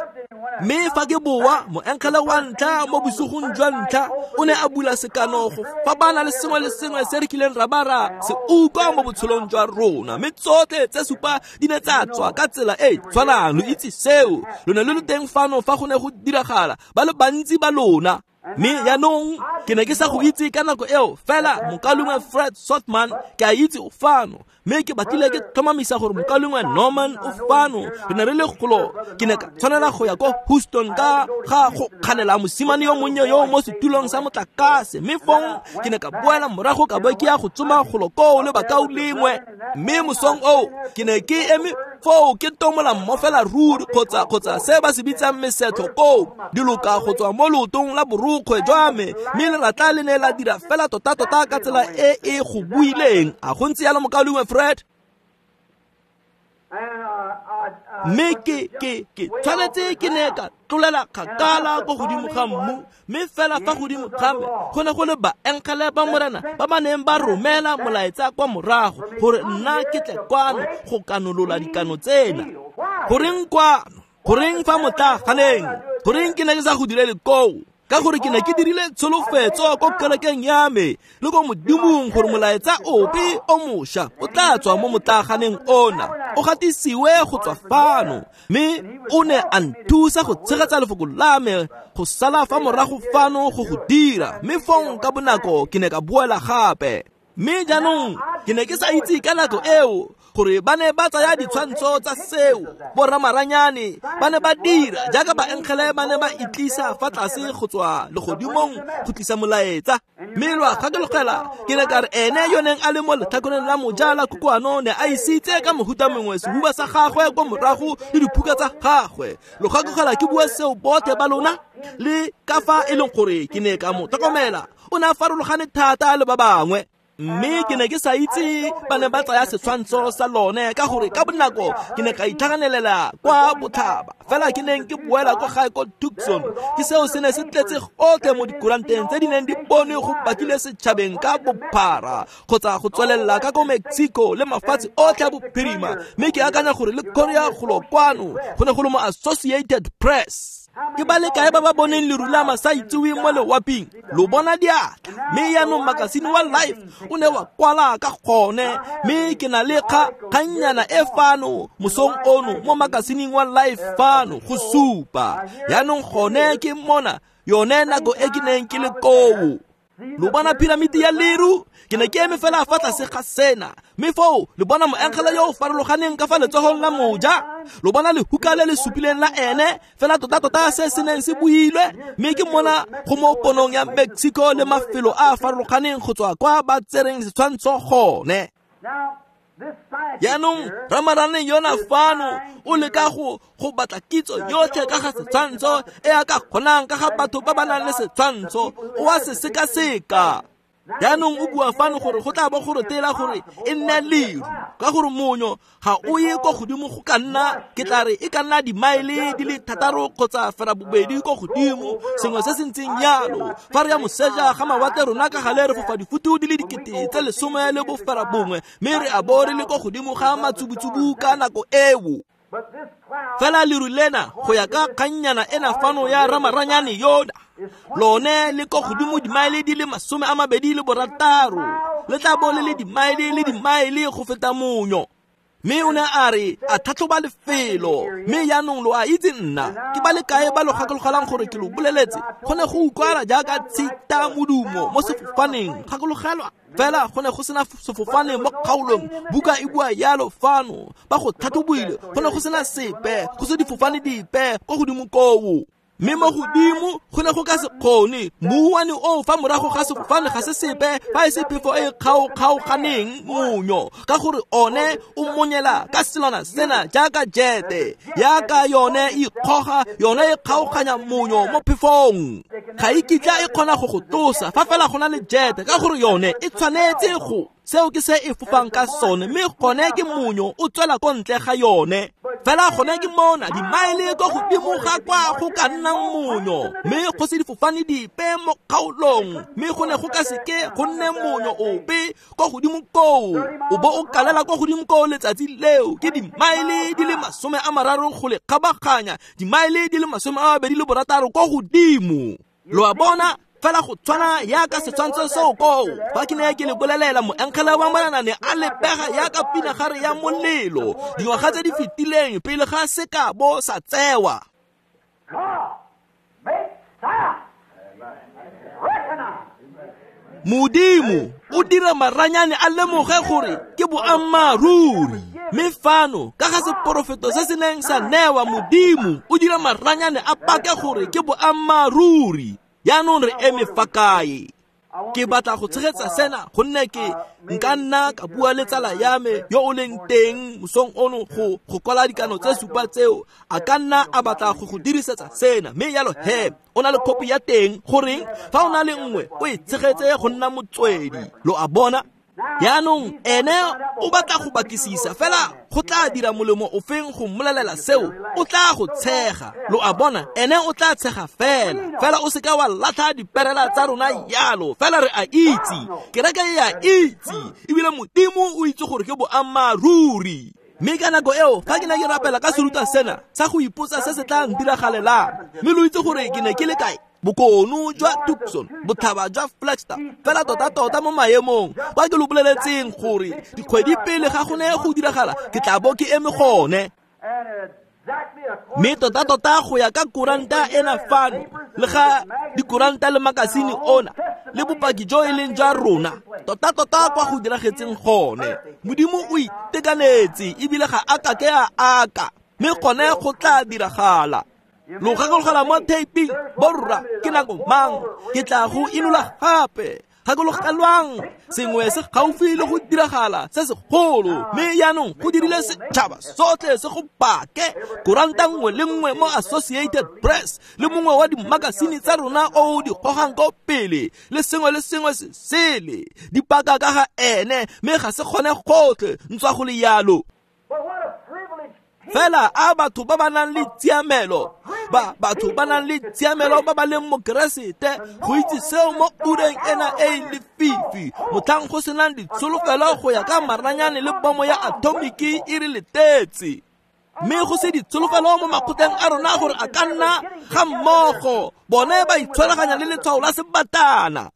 Mme fa ke boa, moengele wa ntlha mo bosigong jwa ntlha o ne a bula sekano go fapana le sengwe le sengwe se re kileng ra ba ra se utlwa mo botshelong jwa rona, mme tsotlhe tse supa di ne tsa tswa ka tsela e e tshwanang. Lo itse seo, lo ne lo le teng fano fa go ne go diragala, ba le bantsi ba lona. Mme jaanong ke ne ke sa go itse ka nako eo, fela mokaulengwe Fred Sothmann ke a itse o fano, mme ke batlile ke tlhomamisa gore mokaulengwe Norman o fano. Re ne re le golo, ke ne ka tshwanela go ya ko Houston ka ga go kganela mosimane yo monnye yo mo setulong sa motlakase, mme fong ke ne ka boela morago ka bo ke ya go tsoma golo koo le bakaulengwe. Mme mosong oo ke ne ke eme foo ke tomola mmofela ruri kgotsa kgotsa se ba se bitsang mesetlho koo, diloka go tswa mo leotong la borukgwe jwa me, mme leratla le ne la dira fela tota-tota ka tsela e e go buileng. A go ntse jalo, mokaulengwe Fred? Mme ke ke ke tshwanetse ke ne ka tlolela kgakala ko godimo ga mmu, mme fela fa godimo ga me go ne go le baengele ba Morena ba ba neng ba romela molaetsa kwa morago gore nna ke tle kwano go kanolola dikano tsena. Goreng kwano? Goreng fa motlaganeng? Goreng ke ne ke sa go direle koo? Ka gore ke ne ke dirile tsholofetso ko kerekeng ya me le ko Modimong gore molaetsa ope o mošwa o tla tswa mo motlaganeng ona, o gatisiwe go tswa fano. Mme o ne a nthusa go tshegetsa lefoko la me go sala fa morago fano go go dira, mme fong ka bonako ke ne ka boela gape. Mme jaanong ke ne ke sa itse ka nako eo gore ba ne ba tsaya ditshwantsho tsa seo, boramaranyane ba ne ba dira jaaka baengele ba ne ba itlisa fa tlase go tswa legodimong go tlisa molaetsa. Mme lo a gakologela, ke ne ka re ene yo neng a le mo letlhakoreng la moja la kokoano ne a isitse ka mohuta mongwe sehuba sa gagwe kwa morago le diphuka tsa gagwe. Lo gakologela ke bua seo botlhe ba lona, le ka fa e leng gore ke ne ka mo tlhokomela, o ne a farologane thata le ba bangwe. Mme ke ne ke sa itse ba ne ba tsaya setshwantsho sa lone, ka gore ka bonako ke ne ka itlhaganelela kwa botlhaba. Fela ke neng ke boela kwa gae ko Tucson, ke seo se ne se tletse gotlhe mo dikuranteng tse di neng di bonwe go batlile setšhabeng ka bophara, kgotsa go tswelela ka ko Mexico le mafatshe otlhe a bophirima. Mme ke akanya gore le Korea golo kwano go ne go le mo Associated Press. Ke ba le kae ba ba boneng leru la masaitseweng mo lewaping? Lo bona diatla. Mme jaanong makasine wa Life o ne wa kwala ka gone, mme ke na le kgannyana e fano mosong ono mo makasineng wa Life fano go supa. Jaanong gone ke mona yone nako e ke neng ke le koo. Lo bona piramiti ya leru? Ke ne ke eme fela fa tlase ga sena, mme foo le bona moengele yo o farologaneng ka fa letsogong la moja. Lo bona lehuka le le supileng la ene, fela tota-tota se se neng se builwe. Mme ke mona go mo ponong ya Mexico le mafelo a a farologaneng go tswa kwa ba tsereng setshwantsho gone. Jaanong ramarane yona fano o leka go go batla kitso yotlhe ka ga setshwantsho e a ka kgonang ka ga batho ba ba nang le setshwantsho, o a se sekaseka. Jaanong o bua fano gore go tla bo go retela gore e nne leru, ka gore monyo ga o ye ko godimo go ka nna, ke tla re e ka nna dimaele di le thataro kgotsa ferabobedi ko godimo, sengwe se se ntseng jalo. Fa re ya moseja ga mawatle rona ka gale re fofa difutu di le dikete tse lesome le boferabongwe, mme re a bo re le ko godimo ga matsubutsubu ka nako eo. Fela leru lena go ya ka kgannyana ena fano ya ramaranyane yona, lone le ko godimo dimaele di le masome a mabedi le borataro, le tla bo le le dimaele le dimaele go feta monyo. Mme o ne a re a tlhatlhoba lefelo, mme jaanong lo a itse nna ke ba le kae ba lo gakologelang gore ke lo boleletse go ne go utlwala jaaka tshita modumo mo sefofaneng. Gakologelwa fela go ne go sena sefofane mo kgaolong, buka e bua yalo fano, ba go tlhatlhobile, go ne go sena sepe, go se difofane dipe ko godimo koo. Mme mo godimo go ne go ka se kgone, mouwane oo fa morago ga sefofane ga se sepe fa e se phefo e kgaokgaoganeng monyo, ka gore one o monyela ka selwana sena jaaka jete, yaka yone e ikgoga, yone e kgaoganya monyo mo phefong. Ga e kitla e kgona go go tlosa fa fela go na le jete, ka gore yone e tshwanetse go Seo ke se e fofang ka sone, mme gone ke monyo o tswela ko ntle ga yone. Fela gone ke mona dimaele ko godimo ga kwa go ka nnang monyo, mme go se difofane dipe mo kgaolong, mme go ne go ka seke go nne monyo ope ko godimo koo. O bo o kalela ko godimo koo letsatsi leo ke dimaele di le masome a mararo go le kgabaganya, dimaele di le masome a mabedi le borataro ko godimo. Lo a bona? Fela go tshwana yaka setshwantsho seo koo. Fa ke ne ke le bolelela, moengele wa Morena ne a lebega yaka pinagare ya molelo dingwaga tse di fetileng pele ga sekabo sa tsewa. Modimo o dira maranyane a lemoge gore ke boammaaruri. Mme fano ka ga seporofeto se se neng sa newa, Modimo o dira maranyane a pake gore ke boammaaruri. Jaanong re eme fa kae? Ke batla go tshegetsa sena gonne ke nka nna ka bua le tsala ya me yo o leng teng mosong ono go go kwala dikano tse supa tseo. A ka nna a batla go go dirisetsa sena, mme yalo he o na le kopi ya teng. Goreng fa o na le nngwe o e tshegetse go nna motswedi. Lo a bona? Jaanong ene o batla go batlisisa, fela go tla dira molemo ofeng go mmolelela seo? O tla go tshega. Lo a bona? Ene o tla tshega fela. Fela o seka wa latlha diperela tsa rona yalo. Fela re a itse, kereke e a itse, ebile Modimo o itse gore ke boammaaruri. Mme ka nako eo fa ke ne ke rapela ka serutwa sena sa go ipotsa se se tla ntiragalelang, mme lo itse gore ke ne ke le kae? Bokone jwa Tucson, botlhaba jwa Flagstaff, fela tota-tota mo maemong kwa ke lo boleletseng gore dikgwedi pele ga go ne go diragala ke tla bo ke eme gone. Mme tota-tota go ya ka kuranta ena fano, le ga dikuranta le makasine ona le bopaki jo e leng jwa rona, tota-tota kwa go diragetseng gone. Modimo o itekanetse ebile ga a kake a aka, mme gone go tla diragala. Lo gakologela mo taping, borra, ke nako mang ke tla go inola gape. Gakologelwang, sengwe se gaufi le go diragala se segolo, mme jaanong go dirile setšhaba sotlhe se go pake. Kuranta nngwe le nngwe mo Associated Press le mongwe wa dimakasine tsa rona o o di gogang ko pele le sengwe le sengwe se sele di paka ka ga ene, mme ga se kgone gotlhe ntswa go le yalo. Fela a batho ba ba nang le tshiamelo, ba batho ba nang le tshiamelo ba ba leng mo Keresete go itse seo mo ureng ena e e lefifi, motlhang go senang ditsholofelo go ya ka maranyane le bomo ya atomiki e re letetse. Mme go se ditsholofelo mo makgotleng a rona gore a ka nna ga mmogo, bone ba itshwaraganya le letshwao la sebatana.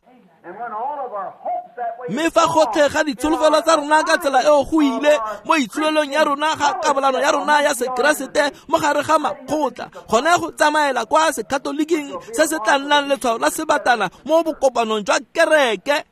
Mme fa gotlhe ga ditsholofelo tsa rona ka tsela eo go ile mo itsholelong ya rona ga kabalano ya rona ya sekeresete mo gare ga makgotla, gone go tsamaela kwa sekatoliking se se tla nnang letshwao la sebatana mo bokopanong jwa kereke.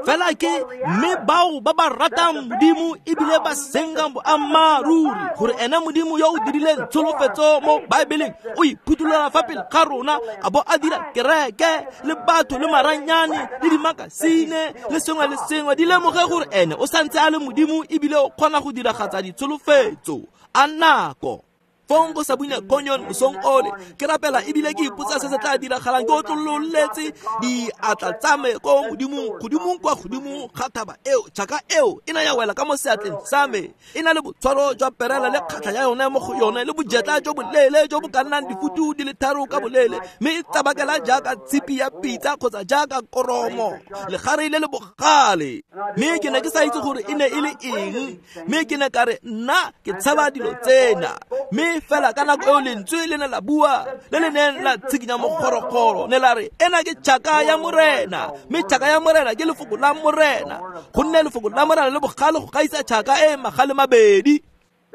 Fela ke mme bao ba ba ratang Modimo ebile ba senkang boammaaruri, gore ene Modimo yo o dirileng tsholofetso mo Baebeleng o iphuthulola fa pele ga rona, a bo a dira kereke le batho le maranyane le dimakasine le sengwe le sengwe di lemoge gore ene o santse a le Modimo ebile o kgona go diragatsa ditsholofetso a nako. Fong go Sabina Canyon mosong ole ke rapela ebile ke ipotsa se se tla diragalang. Ke otlololetse diatla tsa me ko Modimong, godimong kwa godimo ga thaba eo. Tšhaka eo e na ya wela ka mo seatleng sa me, e na le botshwaro jwa perela le kgatlha ya yone mo go yone le bojetla jo boleele jo bo ka nnang difutu di le tharo ka boleele, mme e tsabakela jaaka tshipi ya pitsa kgotsa jaaka koromo, legare le le bogale. Mme ke ne ke sa itse gore e ne e le eng, mme ke ne ka re nna ke tshaba dilo tsena. Mme fela ka nako eo lentswe le ne la bua le le neng la tshikinya mogorogoro, ne la re ena ke tšhaka ya Morena, mme tšhaka ya Morena ke lefoko la Morena, gonne lefoko la Morena le bogale go gaisa tšhaka e magale mabedi.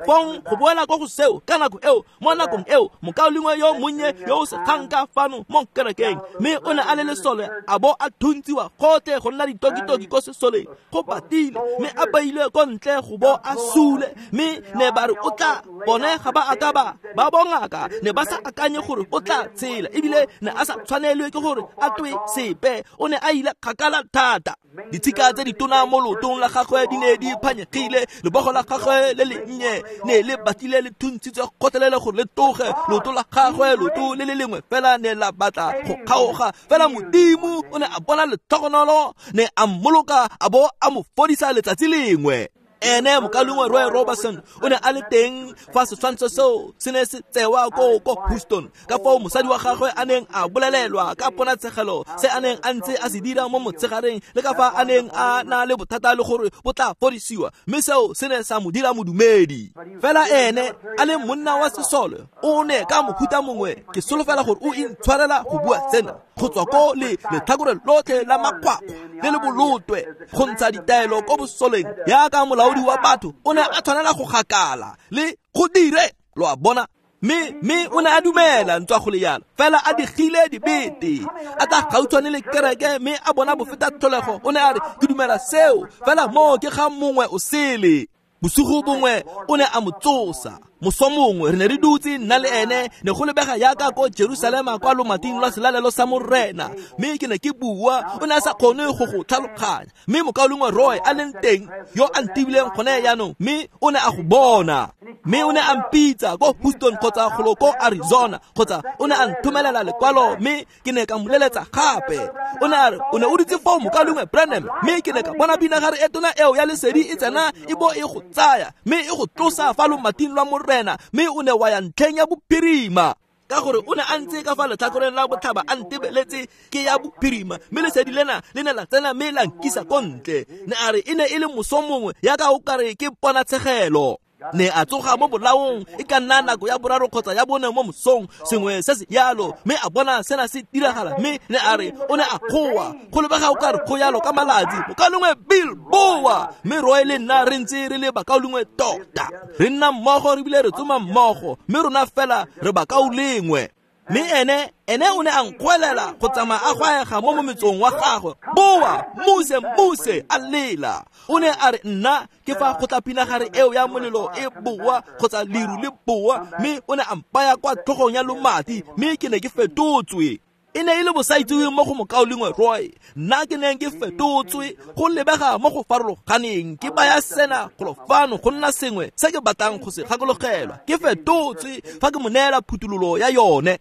Fong go boela kwa go seo ka nako eo, mo nakong eo mokaulengwe yo monnye yo o sekgang ka fano mo kerekeng, mme o ne a le lesole a bo a thuntsiwa gotlhe go nna ditokitoki ko sesoleng, go patile mme a bailwe ko ntle go bo a sule. Mme ne ba re o tla bone ga ba aka ba ba bongaka ne ba sa akanye gore o tla tshela, ebile ne a sa tshwanelwe ke gore a twe sepe, o ne a ile kgakala thata. Ditshika tse ditona mo lootong la gagwe di ne di phanyegile, lebogo la gagwe le lennye ne le batlile le thuntshitswe gotlhelele gore le toge. Leoto la gagwe, leoto le le lengwe fela ne la batla go kgaoga. Fela Modimo o ne a bona letlhogonolo, ne a mmoloka a bo a mo fodisa letsatsi lengwe. Ene mokaulengwe Roy Robertson o ne a le teng fa setshwantsho seo se ne se tsewa ko ko Houston, ka foo mosadi wa gagwe a neng a bolelelwa ka ponatshegelo se a neng a ntse a se dira mo motshegareng, le ka fa a neng a na le bothata le gore bo tla fodisiwa, mme seo se ne sa mo dira modumedi. Fela ene a le monna wa sesole, o ne ka mohuta mongwe, ke solofela gore o intshwarela go bua sena, go tswa ko le letlhakore lotlhe la makgwakgwa le le bolotwe go ntsha ditaelo ko bosoleng yaka molaodi wa batho, o ne a tshwanela go gakala le go dire, lo a bona. Mme mme o ne a dumela ntswa go le yalo, fela a digile dibete, a tla gautshwane le kereke mme a bona bofeta tlholego. O ne a re, ke dumela seo, fela moo ke ga mongwe o sele. Bosigo bongwe o ne a mo tsosa. Moso mongwe re ne re dutse nna le ene, ne go lebega yaka ko Jerusalema kwa lomating lwa selalelo sa Morena, mme ke ne ke bua, o ne a sa kgone go go tlhaloganya. Mme mokaulengwe Roy a leng teng yo a ntibileng gone jaanong, mme o ne a go bona. Mme o ne a mpitsa ko Houston kgotsa golo ko Arizona, kgotsa o ne a nthomelela lekwalo, mme ke ne ka moleletsa gape. O ne a re, o ne o dutse foo mokaulengwe Branham, mme ke ne ka bona pinagare e tona eo ya lesedi e tsena e bo e go tsaya, mme e go tlosa fa lomating lwa Morena, mme o ne wa ya ntlheng ya bophirima. Ka gore o ne a ntse ka fa letlhakoreng la botlhaba a ntebeletse ke ya bophirima, mme lesedi lena le ne la tsena mme la nkisa ko ntle. Ne a re e ne e le moso mongwe yaka o kare ke ponatshegelo. Ne a tsoga mo bolaong e ka nna nako ya boraro kgotsa ya bone mo mosong, sengwe se se yalo, mme a bona sena se diragala. Mme ne a re o ne a goa, go lebega o kare go yalo ka malatsi, mokaulengwe Bill boa. Mme Roy le nna re ntse re le bakaulengwe tota, re nna mmogo re bile re tsoma mmogo, mme rona fela re bakaulengwe. Mme ene ene o ne a nkgwelela go tsamaya a gwaega mo mometsong wa gagwe, boa muse muse a lela. O ne a re nna ke fa go tla pinagare eo ya molelo e boa kgotsa leru le boa, mme o ne a mpaya kwa tlhogong ya lomati, mme ke ne ke fetotswe. E ne e le bosaitseweng mo go mokaulengwe Roy, nna ke neng ke fetotswe go lebega mo go farologaneng. Ke baya sena golo fano go nna sengwe se ke batlang go se gakologelwa. Ke fetotswe fa ke mo neela phuthololo ya yone.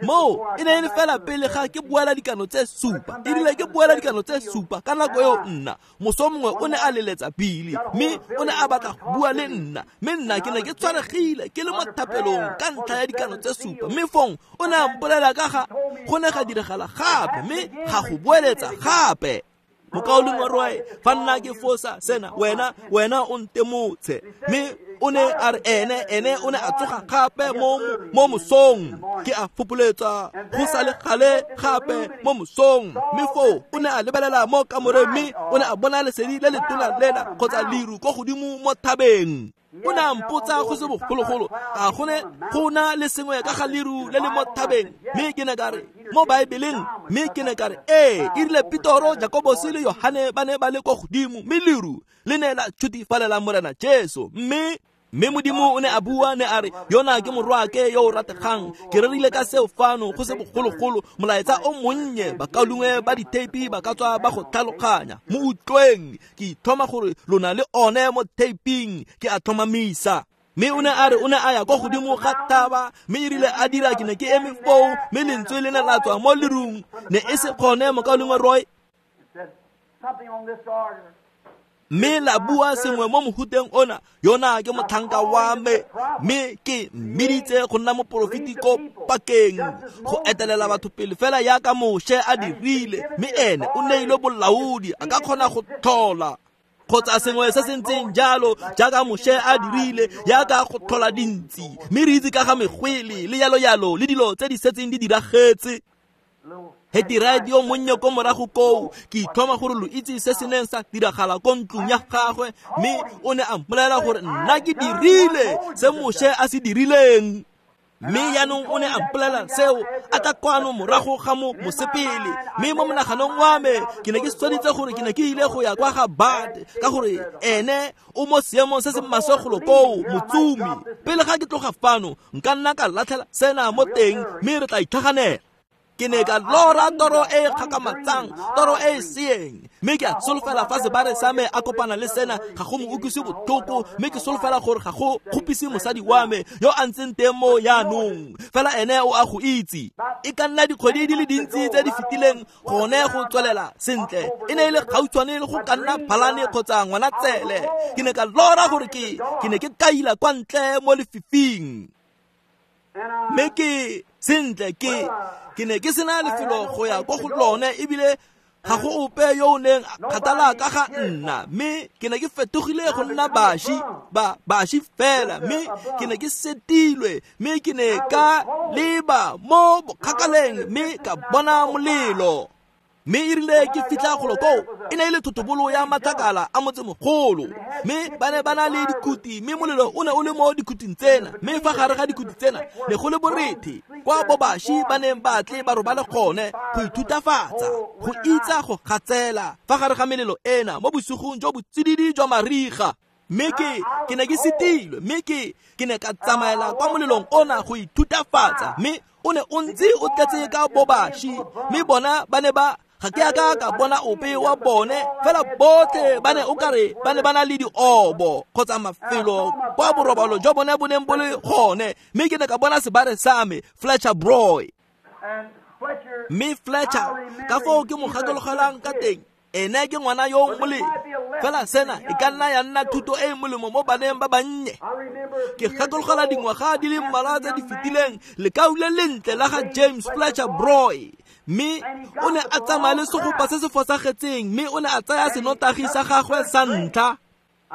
Moo e ne e le fela pele ga ke buela dikano tse supa. E rile ke buela dikano tse supa ka nako eo nna moso mongwe o ne a leletsa Billy, mme o ne a batla go bua le nna, mme nna ke ne ke tshwaregile ke le mo thapelong ka ntlha ya dikano tse supa. Mme fong o ne a mpolela ka ga go ne ga diragala gape, mme ga go boeletsa gape. Mokaulengwe Roy, fa nna ke fosa sena, wena wena o ntemotshe. Mme o ne a re ene ene o ne a tsoga gape mo mo mosong, ke a fopoletsa go sa le gale gape mo mosong. Mme foo o ne a lebelela mo kamoreng, mme o ne a bona lesedi le letona lena kgotsa leru ko godimo mo thabeng. O ne a mpotsa go se bogologolo, a go ne go na le sengwe ka ga leru le le mo thabeng. Mme ke ne ka re mo Baebeleng, mme ke ne ka re ee, e rile Petoro, Jakobose le Yohane ba ne ba le ko godimo, mme leru le ne la tšhutifalela Morena Jesu. Mme mme Modimo o ne a bua, ne a re yona ke morwaake yo o rategang. Ke rerile ka seo fano go se bogologolo, molaetsa o monnye, bakaulengwe ba ditheipi ba ka tswa ba go tlhaloganya. Mo utlweng, ke ithoma gore lona le one mo theiping, ke a tlhomamisa. Mme o ne a re o ne a ya kwa godimo ga thaba, mme e rile a dira ke ne ke eme foo, mme lentswe le ne la tswa mo lerung. Ne e se gone mokaulengwe Roy, mme la bua sengwe mo mohuteng ona, yona ke motlhanka wa me, mme ke mmiditse go nna moporofeti ko pakeng, go etelela batho pele fela yaka Moshe a dirile. Mme ene o neilwe bolaodi, a ka kgona go tlhola kgotsa sengwe se se ntseng jalo jaaka Moshe a dirile, yaka go tlhola dintsi. Mme re itse ka ga megwele le yalo yalo le dilo tse di setseng di diragetse. Hetty Wright yo monnye ko morago koo, ke ithoma gore lo itse se se neng sa diragala ko ntlong ya gagwe, mme o ne a mpolelela gore nna ke dirile se Moshe a se dirileng. Mme jaanong o ne a mpolelela seo a tla kwano morago ga mo mosepele. Mme mo monaganong wa me ke ne ke tshwanetse gore ke ne ke ile go ya kwa ga Bad, ka gore ene o mo seemong se se maswe golo koo, motsumi. Pele ga ke tloga fano nka nna ka latlhela sena mo teng, mme re tla itlhaganela. Ke ne ka lora toro e e kgakamatsang, toro e e seeng, mme ke a solofela fa sebare sa me a kopana le sena ga go mo utlwise botlhoko, mme ke solofela gore ga go kgopise mosadi wa me yo a ntseng teng mo jaanong, fela ene o a go itse. E ka nna dikgwedi di le dintsi tse di fetileng gone go tswelela sentle, e ne e le gautshwane le go ka nna phalane kgotsa ngwanatsele. Ke ne ka lora gore ke ke ne ke kaila kwa ntle mo lefifing, mme ke sentle ke ke ne ke sena lefelo go ya ko go lone, ebile ga go ope yo o neng a kgathala ka ga nna, mme ke ne ke fetogile go nna baši ba baši fela, mme ke ne ke setilwe, mme ke ne ka leba mo bokgakaleng mme ka bona molelo. Mme e rile ke fitlha golo koo, e ne e le thotobolo ya matlakala a motsemogolo, mme ba ne ba na le dikhuti, mme molelo o ne o le mo dikhuting tsena, mme fa gare ga dikhuti tsena ne go le borethe kwa bobaši ba neng ba tle ba robale gone go ithutafatsa, go itsa go gatsela fa gare ga melelo ena mo bosigong jo botsididi jwa mariga. Mme ke ke ne ke setilwe, mme ke ke ne ka tsamaela kwa molelong ona go ithutafatsa, mme o ne o ntse o tletse ka bobaši, mme bona ba ne ba ga ke a ka ka bona ope wa bone, fela botlhe ba ne o kare ba ne ba na le diobo kgotsa mafelo kwa borobalo jwa bone bo neng bo le gone. Mme ke ne ka bona sebare sa me Fletcher Broy, mme Fletcher ka foo ke mo gakologelang ka teng, ene ke ngwana yo molemo, fela sena e ka nna ya nna thuto e e molemo mo baneng ba bannye. Ke gakologela dingwaga di le mmalwa tse di fetileng lekau le lentle la ga James Fletcher Broy, mme o ne a tsamaya le segopa se se fosagetseng, mme o ne a tsaya senotagi sa gagwe sa ntlha.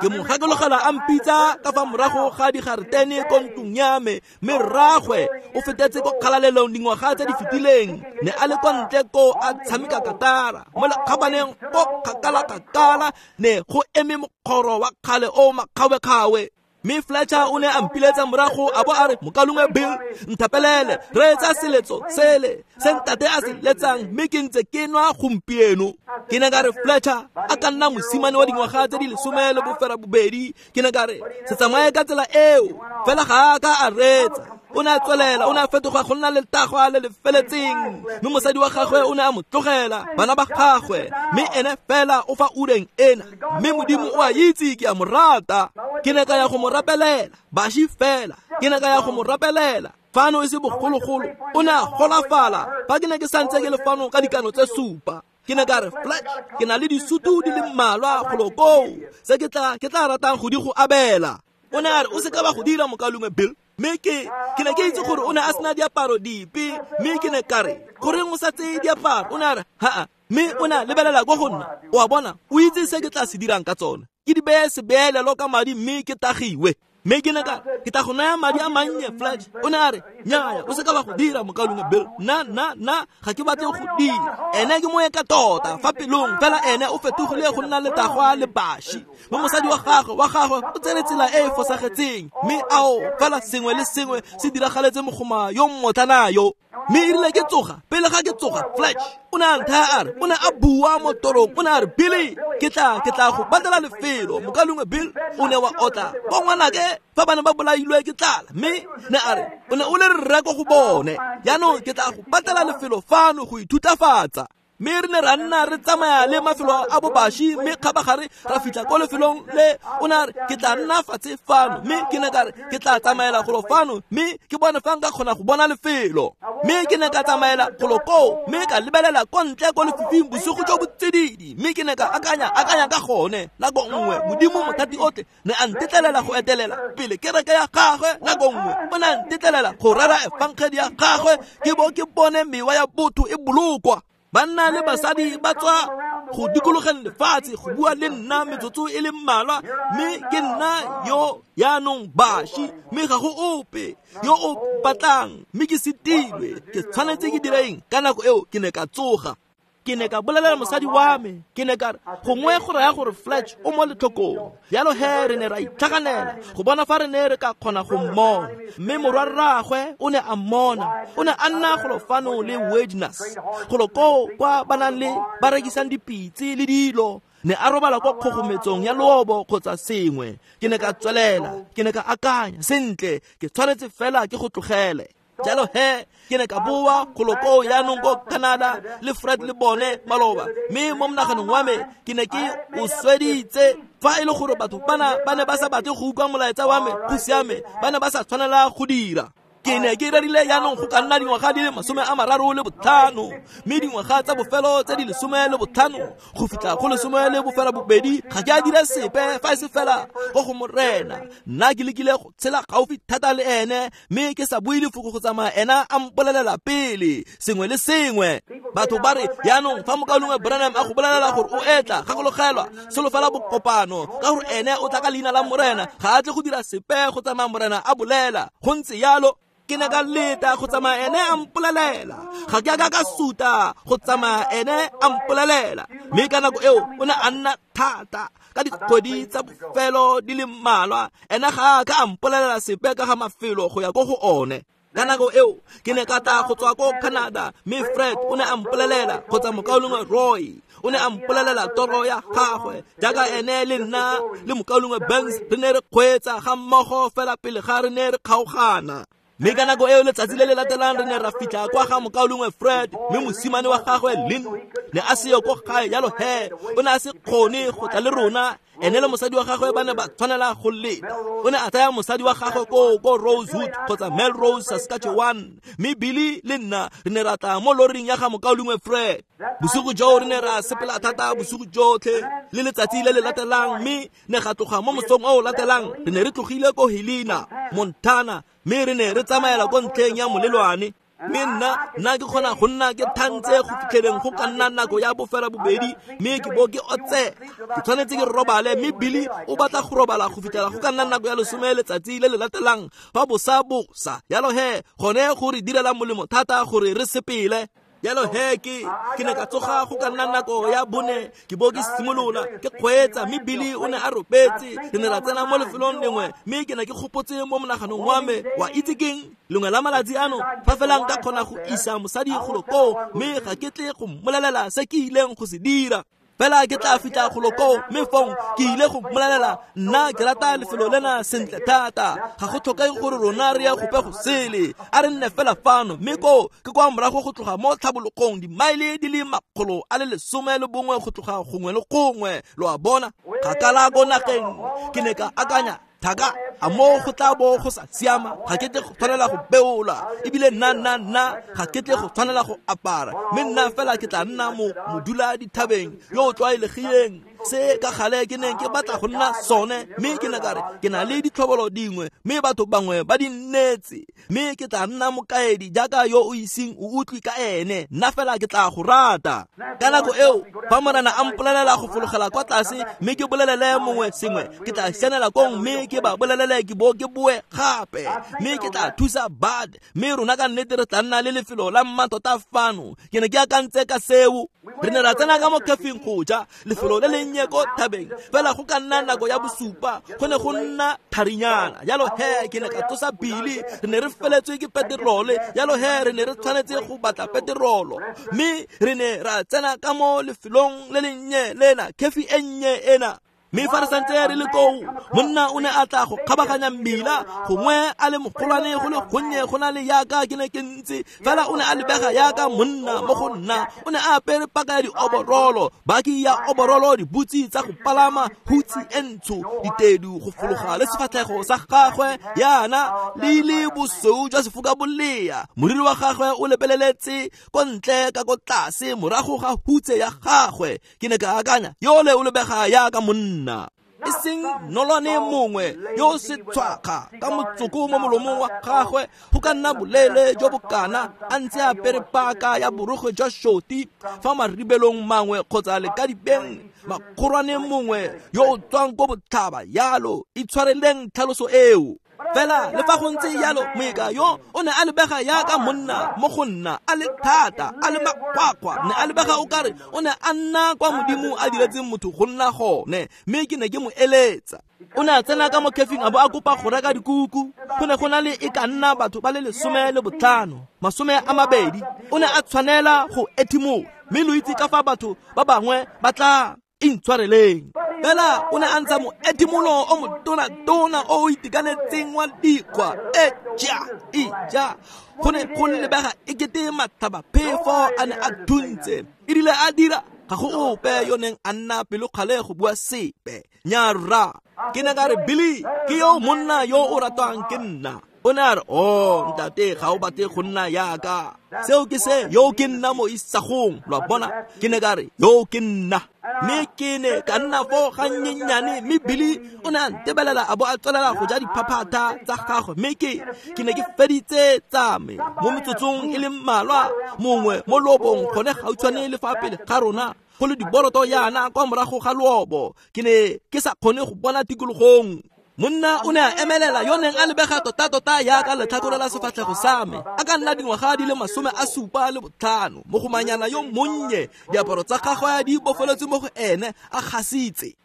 Ke mo gakologela a mpitsa ka fa morago ga digaretene ko ntlong ya me, mme rraagwe o fetetse ko kgalalelong dingwaga tse di fetileng, ne a le kwa ntle ko a tshameka katara mo lekgabaneng ko kgakala-kgakala, ne go eme mokgoro wa kgale o makgawe-kgawe. Mme Fletcher o ne a mpiletsa morago a bo a re, mokalongwe Bill, nthapelele, reetsa seletso sele se ntate a se letsang, mme ke ntse ke nwa gompieno. Ke ne ka re, Fletcher a ka nna mosimane wa dingwaga tse di lesome le bofera bobedi. Ke ne ka re, se tsamaye ka tsela eo, fela ga a ka a reetsa. O ne a tswelela, o ne a fetoga go nna letagwa le le feletseng, mme mosadi wa gagwe o ne a mo tlogela, bana ba gagwe, mme ene fela o fa ureng ena, mme Modimo o a itse ke a mo rata. Ke ne ka ya go mo rapelela, baši fela, ke ne ka ya go mo rapelela fano e se bogologolo, o ne a golafala fa ke ne ke santse ke le fano ka dikano tse supa. Ke ne ka re, Fletch, ke na le disutu di le mmalwa golo koo se ke tla ke tla ratang go di go abela. O ne a re, o se ka ba go dira mokalongwe Bill. Mme ke ke ne ke itse gore o ne a sena diaparo dipe, mme ke ne ka re, goreng o sa tseye diaparo? O ne a re, haa. Mme o ne a lebelela ko go nna, o a bona, o itse se ke tla se dirang ka tsone, ke di beye sebeelelo ka madi mme ke tagiwe. Mme ke ne ka ke tla go naya madi a mannye, Fletch. O ne a re, nnyaya, o se ka ba go dira mokalongwe Bill, nna nna nna ga ke batle go dira. Ene ke moeka tota fa pelong, fela ene o fetogile go nna letagwa le baši, mme mosadi wa gagwe wa gagwe o tsere tsela e e fosagetseng, mme ao fela sengwe le sengwe se diragaletse mogoma yo mmotlana yo. Mme e rile ke tsoga, pele ga ke tsoga, Fletch o ne a nthaya a re, o ne a bua mo torong, o ne a re, Billy, ke tla ke tla go batlela lefelo. Mokalongwe Bill, o ne wa otla bo ngwanake fa ba ne ba bolailwe ke tlala, mme ne a re, o ne o le rre ko go bone, jaanong ke tla go batlela lefelo fano go ithutafatsa. Mme re ne ra nna re tsamaya le mafelo a bobaši, mme kgabagare ra fitlha ko lefelong le o ne a re, ke tla nna fatshe fano, mme ke ne ka re, ke tla tsamaela golo fano, mme ke bone fa nka kgona go bona lefelo. Mme ke ne ka tsamaela golo koo, mme ka lebelela ko ntle ko lefifing bosigo jo bo tsididi, mme ke ne ka akanya akanya ka gone nako nngwe Modimo Mothati otlhe ne a ntetlelela go etelela pele kereke ya gagwe, nako nngwe o ne a ntetlelela go rera efangedi ya gagwe, ke bo ke bone mewa ya botho e bolokwa. Banna le basadi ba tswa go dikologeng lefatshe go bua le nna metsotso e le mmalwa, mme ke nna yo yaanong baši, mme ga go ope yo o batlang, mme ke setilwe, ke tshwanetse ke dire eng? Ka nako eo ke ne ka tsoga, ke ne ka bolelela mosadi wa me, ke ne ka re, gongwe go raya gore Fletch o mo letlhokong. Jalo he re ne ra itlhaganela go bona fa re ne re ka kgona go mmona, mme morwarraagwe o ne a mmona, o ne a nna golo fano le Wedness golo koo kwa ba nang le ba rekisang dipitse le dilo, ne a robala kwa kgogometsong ya lobo kgotsa sengwe. Ke ne ka tswelela, ke ne ka akanya, sentle, ke tshwanetse fela ke go tlogele. Jalo he ke ne ka boa golo koo jaanong ko Canada le Fred le bone maloba, mme mo monaganong wa me ke ne ke o sweditse. Fa e le gore batho bana ba ne ba sa batle go utlwa molaetsa wa me, go siame, ba ne ba sa tshwanela go dira. Ke ne ke rerile jaanong go ka nna dingwaga di le masome a mararo le botlhano, mme dingwaga tsa bofelo tse di lesome le botlhano go fitlha go lesome le bofela bobedi ga ke a dira sepe fa e se fela go go Morena. Nna ke lekile go tshela gaufi thata le ene, mme ke sa bue lefoko go tsamaya ena a mpolelela pele sengwe le sengwe. Batho ba re jaanong fa mokaulengwe Branham a go bolelela gore o etla, gakologelwa solofela bokopano, ka gore ene o tla ka leina la Morena, ga a tle go dira sepe go tsamaya Morena a bolela. Go ntse jalo. Ke ne ka leta go tsamaya ene a mpolelela, ga ke a ka ka suta go tsamaya ene a mpolelela. Mme ka nako eo o ne a nna thata ka dikgwedi tsa bofelo di le mmalwa, ene ga a ka a mpolelela sepe ka ga mafelo go ya ko go one. Ka nako eo ke ne ka tla go tswa ko Canada, mme Fred o ne a mpolelela kgotsa mokaulengwe Roy o ne a mpolelela toro ya gagwe, jaaka ene le nna le mokaulengwe Banks re ne re kgweetsa ga mmogo fela pele ga re ne re kgaogana. Mme ka nako eo letsatsi le le latelang re ne ra fitlha kwa ga mokaulengwe Fred, mme mosimane wa gagwe Lynn ne a seyo ko gae, jalo he o ne a se kgone go tla le rona. Ene le mosadi wa gagwe ba ne ba tshwanela go leta. O ne a tsaya mosadi wa gagwe ko ko Rosewood kgotsa Melrose, Saskatchewan, mme Billy le nna re ne ra tla mo loring ya ga mokaulengwe Fred. Bosigo joo re ne ra sepela thata bosigo jotlhe le letsatsi le le latelang, mme ne ga tloga mo mosong o o latelang re ne re tlogile ko Helena, Montana, mme re ne re tsamaela ko ntlheng ya molelwane. Mme nna nna ke kgona go nna ke thantse go fitlheleng go ka nna nako ya bofela bobedi, mme ke bo ke otse, ke tshwanetse ke robale, mme Billy o batla go robala go fitlhela go ka nna nako ya lesome letsatsi le le latelang fa bosa bosa. Jalo he gone go re direla molemo thata gore re sepele. Jalo he ke ke ne ka tsoga go ka nna nako ya bone, ke bo ke simolola ke kgweetsa, mme Billy o ne a robetse. Re ne ra tsena mo lefelong lengwe, mme ke ne ke gopotse mo monaganong wa me, wa itse keng, lengwe la malatsi ano fa fela nka kgona go isa mosadi golo koo, mme ga ke tle go mmolelela se ke ileng go se dira. Fela ke tla fitlha golo koo, mme fong ke ile go mmolelela nna ke rata lefelo lena sentle thata, ga go tlhokege gore rona re ye gope go sele, a re nne fela fano. Mme koo ke kwa morago go tloga mo tlhabologong dimaele di le makgolo a le lesome le bongwe go tloga gongwe le gongwe, lo a bona, kgakala ko nageng. Ke ne ka akanya, thaka a mo go tla bo go sa siama, ga ke tle go tshwanela go beola, ebile nna nna nna ga ke tle go tshwanela go apara, mme nna fela ke tla nna mo modula dithabeng yo o tlwaelegileng, se ka gale ke neng ke batla go nna sone. Mme ke ne ka re ke na le ditlhobolo dingwe, mme batho bangwe ba di nnetse, mme ke tla nna mokaedi jaaka yo o iseng o utlwe ka ene, nna fela ke tla go rata. Ka nako eo fa Morena a mpolelela go fologela kwa tlase mme ke bolelele mongwe sengwe, ke tla sianela kong mme ke ba bolelele ke bo ke boe gape, mme ke tla thusa Bud, mme rona ka nnete re tla nna le lefelo la mmatota fano. Ke ne ke akantse ka seo. Re ne ra tsena ka mo cafeng go ja, lefelo le lennye ko thabeng, fela go ka nna nako ya bosupa go ne go nna tharinyana. Jalo he ke ne ka tsosa Billy, re ne re feletswe ke peterole, jalo he re ne re tshwanetse go batla peterolo, mme re ne ra tsena ka mo lefelong le lennye lena, cafe e nnye ena. Mme fa re santse re le koo, monna o ne a tla go kgabaganya mmila, gongwe a le mogolwane go le gonnye go na le yaka ke ne ke ntse, fela o ne a lebega yaka monna mo go nna. O ne a apere paka ya dioborolo, baki ya oborolo, dibutsi tsa go palama, hutsi e ntsho, ditedu go fologa le sefatlhego sa gagwe yana le le bosweu jwa sefoka bolea. Moriri wa gagwe o lebeleletse ko ntle ka ko tlase morago ga hutse ya gagwe. Ke ne ka akanya, yole o lebega yaka monna, e seng nolwane mongwe yo o setshwakga ka motsoko mo molomong wa gagwe go ka nna boleele jo bokana, a ntse a apere paka ya borokgwe jwa shoti fa maribelong mangwe kgotsa lekadibeng, makgorwane mongwe yo o tswang ko botlhaba yalo. Itshwareleng tlhaloso eo. Fela le fa go ntse jalo, moeka yo o ne a lebega yaka monna mo go nna, a le thata, a le makgwakgwa, ne a lebega o kare o ne a nna kwa Modimo a diretseng motho go nna gone, mme ke ne ke mo eletsa. O ne a tsena ka mo cafeng a bo a kopa go reka dikuku. Go ne go na le e ka nna batho ba le lesome le botlhano, masome a mabedi. O ne a tshwanela go ethimola, mme lo itse ka fa batho ba bangwe ba tla Intshwareleng. Fela o ne a ntsha moedimolo o motona-tona o o itekanetseng wa dikgwa. Eja, eja. Go ne go lebega ekete matlhabaphefo a ne a thuntse. Erile a dira, ga go ope yo neng a nna pelokgale go bua sepe. Nyarra. Ke ne ka re, Billy, ke yo monna yo o ratwang ke nna. O ne a re, oh, ntate, ga o batle go nna yaka. Seo ke se, yo ke nna mo isagong. Lo a bona? Ke ne ka re, yo ke nna. Mme ke ne ka nna foo gannyenyane, mme Billy o ne a ntebelela a bo a tswelela go ja diphaphatha tsa gagwe. Mme ke ke ne ke feditse tsa me mo metsotsong e le mmalwa, mongwe mo loobong gone gautshwane le fa pele ga rona, go le diboroto yana kwa morago ga loobo. Ke ne ke sa kgone go bona tikologong. Monna o ne a emelela yo neng a lebega tota-tota yaka letlhakore la sefatlhego sa me, a ka nna dingwaga di le masome a supa le botlhano, mogomanyana yo monnye, diaparo tsa gagwe di bofeletswe mo go ene, a gasitse.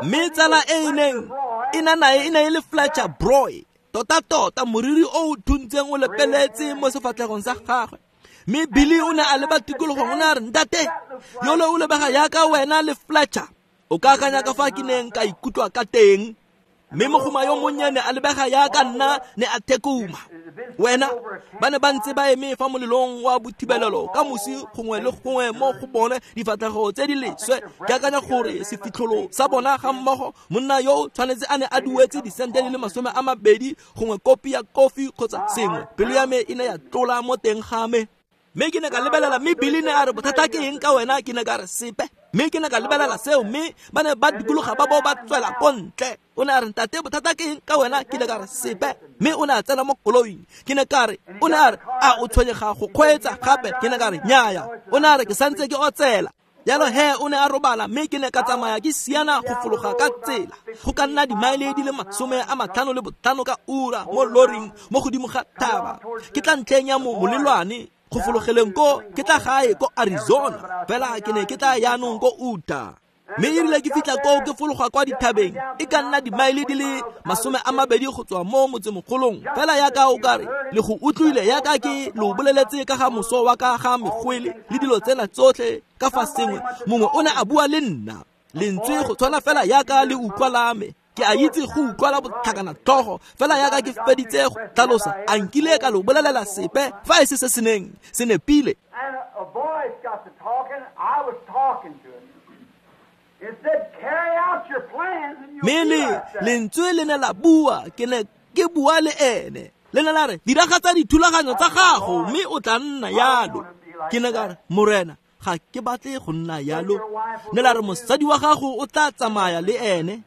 Mme tsala e e neng e na nae e ne e le Fletcher Broy, tota-tota moriri o o thuntseng o lepeletse mo sefatlhegong sa gagwe. Mme Billy o ne a leba tikologong, o ne a re, ntate, yole o lebega yaka wena le Fletcher. O ka akanya ka fa ke neng ka ikutlwa ka teng. Mme mogoma yo monnyane a lebega yaka nna ne a thekuma. Wena, ba ne ba ntse ba eme fa molelong wa bothibelelo ka mosi gongwe le gongwe mo go bone difatlhego tse di leswe. Ke akanya gore sefitlholo sa bona ga mmogo, monna yo tshwanetse a ne a duetse disente di le masome a mabedi gongwe kopi ya kofi kgotsa sengwe. Pelo ya me e ne ya tlola mo teng ga me. Mme ke ne ka lebelela, mme Billy ne a re, bothata ke eng ka wena? Ke ne ka re, sepe. Mme ke ne ka lebelela seo, mme ba ne ba dikologa ba bo ba tswela ko ntle. O ne a re, ntate, bothata ke eng ka wena? Ke ne ka re, sepe. Mme o ne a tsena mo koloing. Ke ne ka re, o ne a re, a o tshwenyega go kgweetsa gape? Ke ne ka re, nnyaya. O ne a re, ke santse ke otsela. Jalo he o ne a robala, mme ke ne ka tsamaya ke siana go fologa ka tsela. Go ka nna dimaele di le masome a matlhano le botlhano ka ura mo loring mo godimo ga thaba. Ke tla ntlheng ya mo molelwane go fologeleng ko, ke tla gae ko Arizona, fela ke ne ke tla yaanong ko Utah. Mme erile ke fitlha koo ke fologa kwa dithabeng, e ka nna dimaele di le masome a mabedi go tswa mo motsemogolong. Fela yaka o kare le go utlwile yaka ke lo boleletse ka ga moso wa ka ga megwele le dilo tsena tsotlhe ka fa sengwe. Mongwe o ne a bua le nna, lentswe go tshwana fela yaka le utlwa la me. Ke a itse go utlwala botlhakana tlhogo, fela yaka ke feditse go tlhalosa, a nkile ka lo bolelela sepe fa e se se se neng se nepile. Mme le lentswe le ne la bua, ke ne ke bua le ene. Le ne la re, diragatsa dithulaganyo tsa gago mme o tla nna yalo. Ke ne ka re, Morena, ga ke batle go nna yalo. Ne la re, mosadi wa gago o tla tsamaya le ene.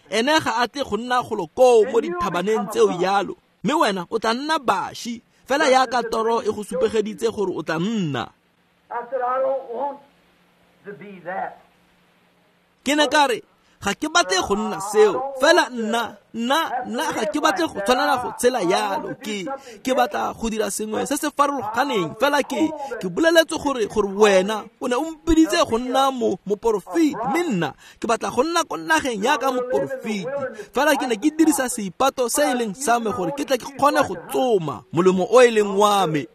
Ene ga a tle go nna golo koo mo dithabaneng tseo yalo, mme wena o tla nna baši, fela yaka toro e go supegeditse gore o tla nna. Ke ne ka re, ga ke batle go nna seo, fela nna, nna, nna ga ke batle go tshwanela go tshela yalo. Ke, ke batla go dira sengwe se se farologaneng, fela ke, ke boleletse gore, gore wena o ne o mpiditse go nna mo, moporofeti, mme nna ke batla go nna ko nageng yaka moporofeti. Fela ke ne ke dirisa seipato se e leng sa me gore ke tle ke kgone go tsoma molemo o e leng wa me.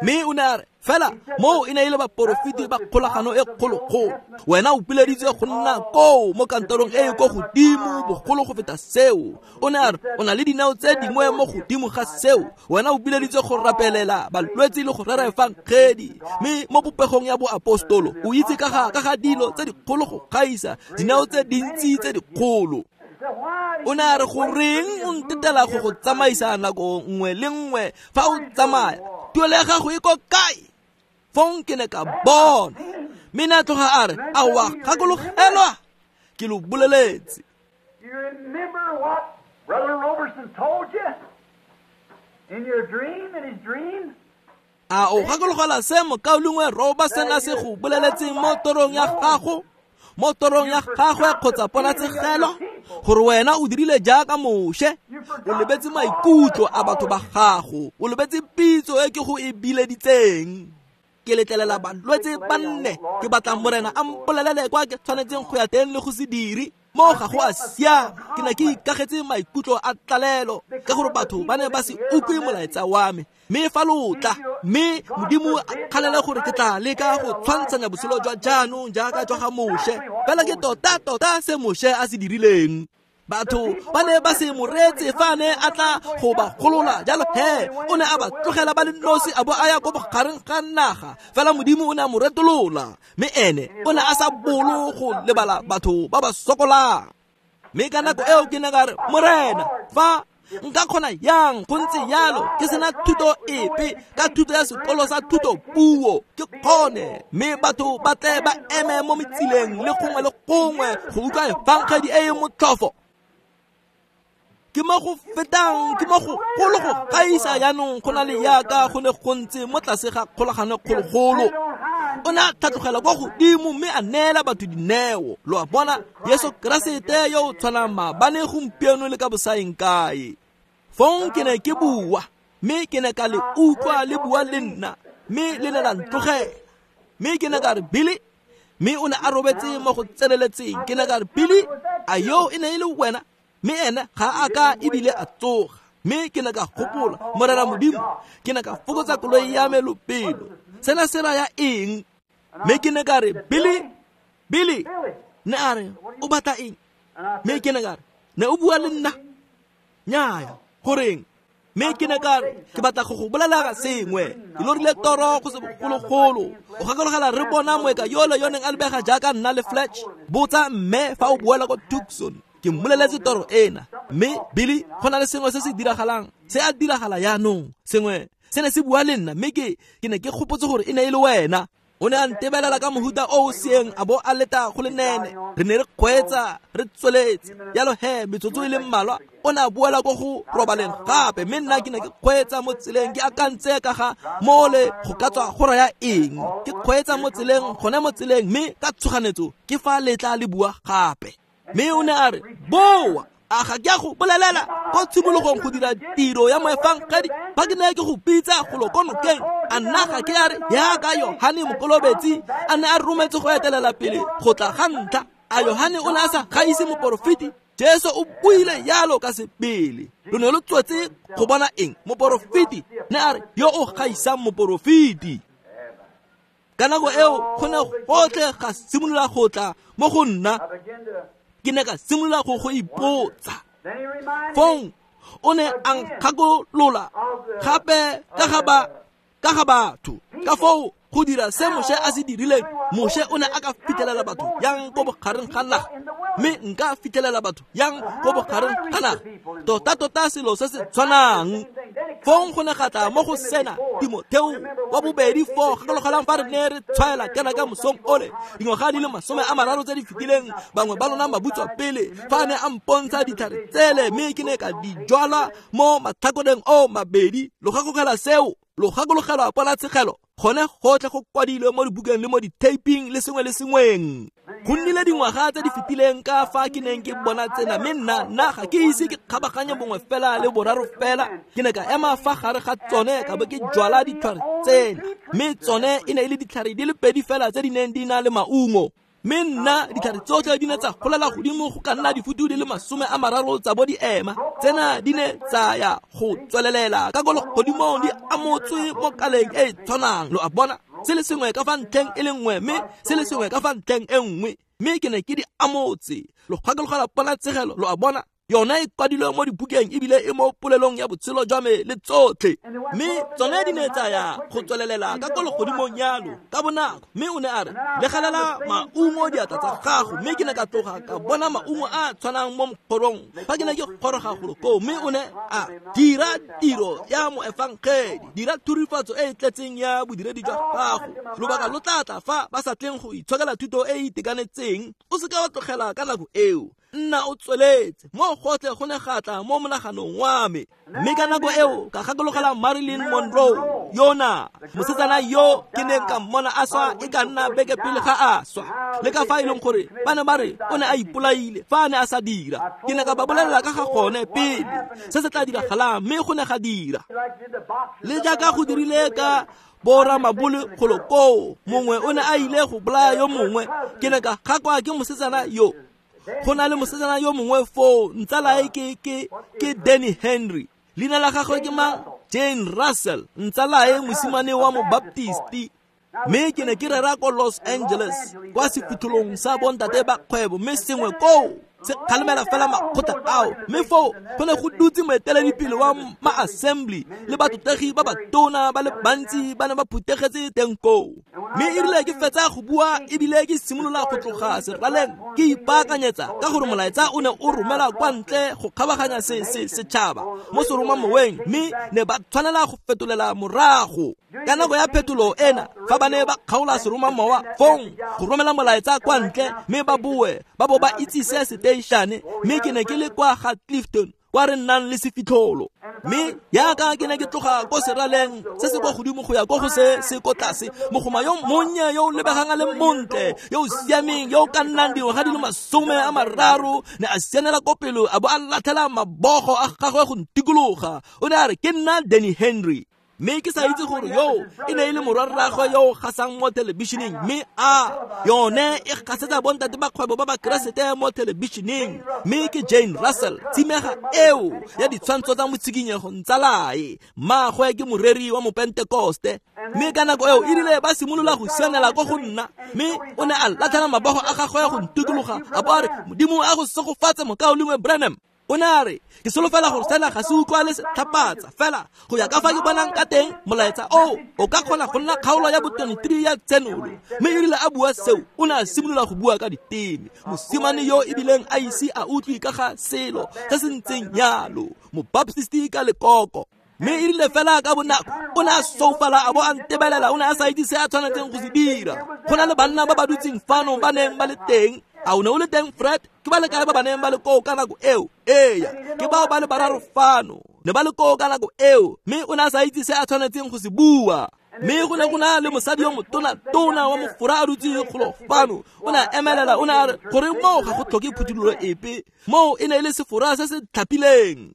Mme o ne a re, fela moo e ne e le baporofeti ba kgolagano e kgologolo. Wena o pileditswe go nna koo mo kantorong e e ko godimo bogolo go feta seo. O ne a re, o na le dinao tse dingwe mo godimo ga seo. Wena o pileditswe go rapelela balwetse le go rera efangedi. Mme mo popegong ya boapostolo o itse ka ga, ka ga dilo tse dikgolo go gaisa, dinao tse dintsi tse dikgolo. O ne a re, goreng o ntetela go go tsamaisa nako nngwe le nngwe fa o tsamaya? Tuelo ya gago e ko kae? Fong ke ne ka bona. Mme ne a tloga a re, aowa, gakologelwa, ke lo boleletse. You remember what Brother Roberson told you in your dream, in his dream? A o gakologelwa se mokaulengwe Roberson a se go boleletseng mo torong ya gago, mo torong ya gagwe kgotsa ponatshegelo, gore wena o dirile jaaka Moshe, o lebetse maikutlo a batho ba gago, o lebetse pitso e ke go e bileditseng. Ke letlelela balwetse ba nne, ke batla Morena a mpolelele kwa ke tshwanetseng go ya teng le go se dire. Mo ga go a siama, ke ne ke ikagetse maikutlo a tlalelo ka gore batho ba ne ba se utlwe molaetsa wa me. Mme fa lo tla, mme Modimo a kgalela gore ke tla leka go tshwantshanya botshelo jwa jaanong jaaka jwa ga Moshe, fela ke tota-tota se Moshe a se dirileng. Batho ba ne ba se mo reetse fa a ne a tla go ba golola, jalo he o ne a ba tlogela ba le nosi a bo a ya ko bogareng ga naga. Fela Modimo o ne a mo retolola, mme ene o ne a sa bolo go lebala batho ba ba sokolang. Mme ka nako eo ke ne ka re, Morena, fa nka kgona yang go ntse yalo ke sena thuto epe ka thuto ya sekolo sa thuto puo, ke kgone mme batho ba tle ba eme mo metsileng le gongwe le gongwe go utlwa efangedi e e motlhofo. Ke mo go fetang, ke mo go golo go gaisa jaanong go na le yaka go ne go ntse mo tlase ga kgolagano kgologolo. O ne a tlhatlogela kwa godimo mme a neela batho dineo. Lo a bona, Jesu Keresete yo o tshwanang maabane, gompieno le ka bosaeng kae. Fong ke ne ke bua, mme ke ne ka le utlwa le bua le nna, mme le ne la ntlogela. Mme ke ne ka re, Billy, mme o ne a robetse mo go tseneletseng. Ke ne ka re, Billy, a yo e ne e le wena? Mme ene ga a ka ebile a tsoga. Mme ke ne ka gopola, Morena Modimo, ke ne ka fokotsa koloi ya me lobelo. Sena se raya eng? Mme ke ne ka re, Billy, Billy, ne a re, o batla eng? Mme ke ne ka re, ne o bua le nna? Nnyaya, goreng? Mme ke ne ka re, ke batla go go bolela sengwe. Ke lorile toro go se bogologolo. O gakologela re bona moeka yole yo neng a lebega jaaka nna le Fletch? Botsa mme fa o boela ko Tucson. Ke mmoleletse toro ena. Mme Billy, go na le sengwe se se diragalang, se a diragala jaanong. Sengwe se ne se bua le nna, mme ke ke ne ke gopotse gore e ne e le wena. O ne a ntebelela ka mohuta o o seeng a bo a leta go le nene. Re ne re kgweetsa, re tsweletse. Jalo he, metsotso e le mmalwa, o ne a boela ko go robaleng gape. Mme nna ke ne ke kgweetsa mo tseleng, ke akantse ka ga mole go ka tswa go raya eng. Ke kgweetsa mo tseleng, gone mo tseleng, mme ka tshoganetso ke fa letla le bua gape. Mme o ne a re, boa, a ga ke a go bolelela ko tshimologong go dira tiro ya moefangedi fa ke ne ke go bitsa golo ko nokeng? A nna ga ke a re yaka Yohane Mokolobetsi a ne a rometse go etelela pele go tla ga ntlha? A Yohane o ne a sa gaise moporofeti? Jesu o buile yalo ka sebele. Lo ne lo tswetse go bona eng? Moporofeti. Ne a re yo o gaisang moporofeti. Ka nako eo go ne gotlhe ga simolola go tla mo go nna. Ke ne ka simolola go go ipotsa. Fong o ne a nkgakolola gape ka ga ba ka ga batho, ka foo go dira se Moshe a se dirileng. Moshe o ne a ka fitlhelela batho yang ko bogareng ga naga, mme nka fitlhelela batho yang ko bogareng ga naga, tota-tota selo se se tshwanang. Fong go ne ga tla mo go sena Timotheo wa bobedi four, gakologelang fa re ne re tshwaela kana ka mosong ole dingwaga di le masome a mararo tse di fetileng, bangwe ba lona mabutswa pele, fa a ne a mpontsha ditlhare tsele, mme ke ne ka di jwala mo matlhakoreng o mabedi. Lo gakologela seo? Lo gakologelwa ponatshegelo? Gone gotlhe go kwadilwe mo dibukeng le mo di-taping le sengwe le sengweng. Go nnile dingwaga tse di fetileng ka fa ke neng ke bona tsena, mme nna nna ga ke ise ke kgabaganye bongwe fela le boraro fela. Ke ne ka ema fa gare ga tsone ka bo ke jwala ditlhare tsena, mme tsone e ne e le ditlhare di le pedi fela tse di neng di na le maungo. Mme nna ditlhare tsotlhe di ne tsa golela godimo go ka nna difutu di le masome a mararo tsa bo di ema. Tsena di ne tsa ya go tswelelela ka ko legodimong di amotswe mo kaleng e e tshwanang. Lo a bona, se le sengwe ka fa ntlheng e le nngwe, mme se le sengwe ka fa ntlheng e nngwe, mme ke ne ke di amotse. Lo gakologela ponatshegelo? Lo a bona, yona e kwadilwe mo dibukeng ebile e mo polelong ya botshelo jwa me le tsotlhe. Mme tsone di ne tsa ya go tswelelela ka ko legodimong yalo ka bonako. Mme o ne a re, legelela maungo diatla tsa gago. Mme ke ne ka tloga ka bona maungo a tshwanang mo mokgorong fa ke ne ke goroga golo koo. Mme o ne a dira tiro ya moefangedi, dira thurifatso e e tletseng ya bodiredi jwa gago. Lobaka lo tla tla fa ba sa tleng go itshokela thuto e e itekanetseng. O seka wa tlogela ka nako eo, nna o tsweletse. Mo gotlhe go ne ga tla mo monaganong wa me. Mme ka nako eo ka gakologela Marilyn Monroe yona, mosetsana yo ke neng ka mmona a swa e ka nna beke pele ga a swa, le ka fa e leng gore ba ne ba re o ne a ipolaile fa a ne a sa dira. Ke ne ka ba bolelela ka ga gone pele se se tla diragalang, mme go ne ga dira. Le jaaka go dirile ka boramabole golo koo, mongwe o ne a ile go bolaya yo mongwe. Ke ne ka gakwa ke mosetsana yo. Go na le mosetsana yo mongwe foo, ntsalae ke ke ke Danny Henry. Leina la gagwe ke mang? Jane Russell, ntsalae mosimane wa mobaptisti. Mme ke ne ke rera ko Los Angeles kwa sephuthelong sa bontate ba kgwebo, mme sengwe koo se kgalemela fela makgotla ao. Mme foo go ne go dutse moeteledipele wa ma-assembly le batotegi ba batona ba le bantsi ba ne ba phuthegetse teng koo. Mme e rile ke fetsa go bua ebile ke simolola go tloga seraleng ke ipaakanyetsa ka gore molaetsa o ne o romela kwa ntle go kgabaganya se se setšhaba mo seromamoweng, mme ne ba tshwanela go fetolela morago. Ka nako ya phetolo ena, fa ba ne ba kgaola seromamowa fong go romela molaetsa kwa ntle mme ba boe ba bo ba itsise seteišane. Mme ke ne ke le kwa ga Clifton kwa re nnang le sefitlholo. Mme jaaka ke ne ke tloga ko seraleng se se kwa godimo go ya ko go se se ko tlase, mogoma yo monnye yo o lebegang a le montle, yo o siameng, yo o ka nnang dingwaga di le masome a mararo, ne a sianela ko pele a bo a latlhela mabogo a gagwe go ntikologa. O ne a re, ke nna Danny Henry. Mme ke sa itse gore yo e ne e le morwarraagwe yo o gasang mo thelebišeneng, mme a yone e gasetsa bontate ba kgwebo ba bakeresete mo thelebišeneng. Mme ke Jane Russell, tshimega eo ya ditshwantsho tsa motshikinyego ntsalae, mmaagwe ke moreri wa mopentekoste. Mme ka nako eo e rile ba simolola go sianela ko go nna, mme o ne a latlhela mabogo a gagwe go ntikologa a bo a re, Modimo a go segofatse mokaulengwe Branham. O ne a re, ke solofela gore sena ga se utlwale setlhapatsa, fela go ya ka fa ke bonang ka teng molaetsa o o ka kgona go nna kgaolo ya bo twenty-three ya Tsenolo. Mme e rile a bua seo, o ne a simolola go bua ka diteme. Mosimane yo ebileng a ise a utlwe ka ga selo se se ntseng yalo, mobaptisti ka lekoko. Mme e rile fela ka bonako o ne a soufala a bo a ntebelela, o ne a sa itse se a tshwanetseng go se dira. Go na le banna ba ba dutseng fano ba neng ba le teng. A o ne o le teng, Fred? Ke ba le kae ba ba neng ba le koo ka nako eo? Eya, ke bao ba le bararo fano ne ba le koo ka nako eo. Mme o ne a sa itse se a tshwanetseng go se bua. Mme go ne go na le mosadi yo motona-tona wa mofora a dutse golo fano. O ne a emelela, o ne a re gore moo ga go tlhoke phuthololo epe, moo e ne e le sefora se se tlhapileng.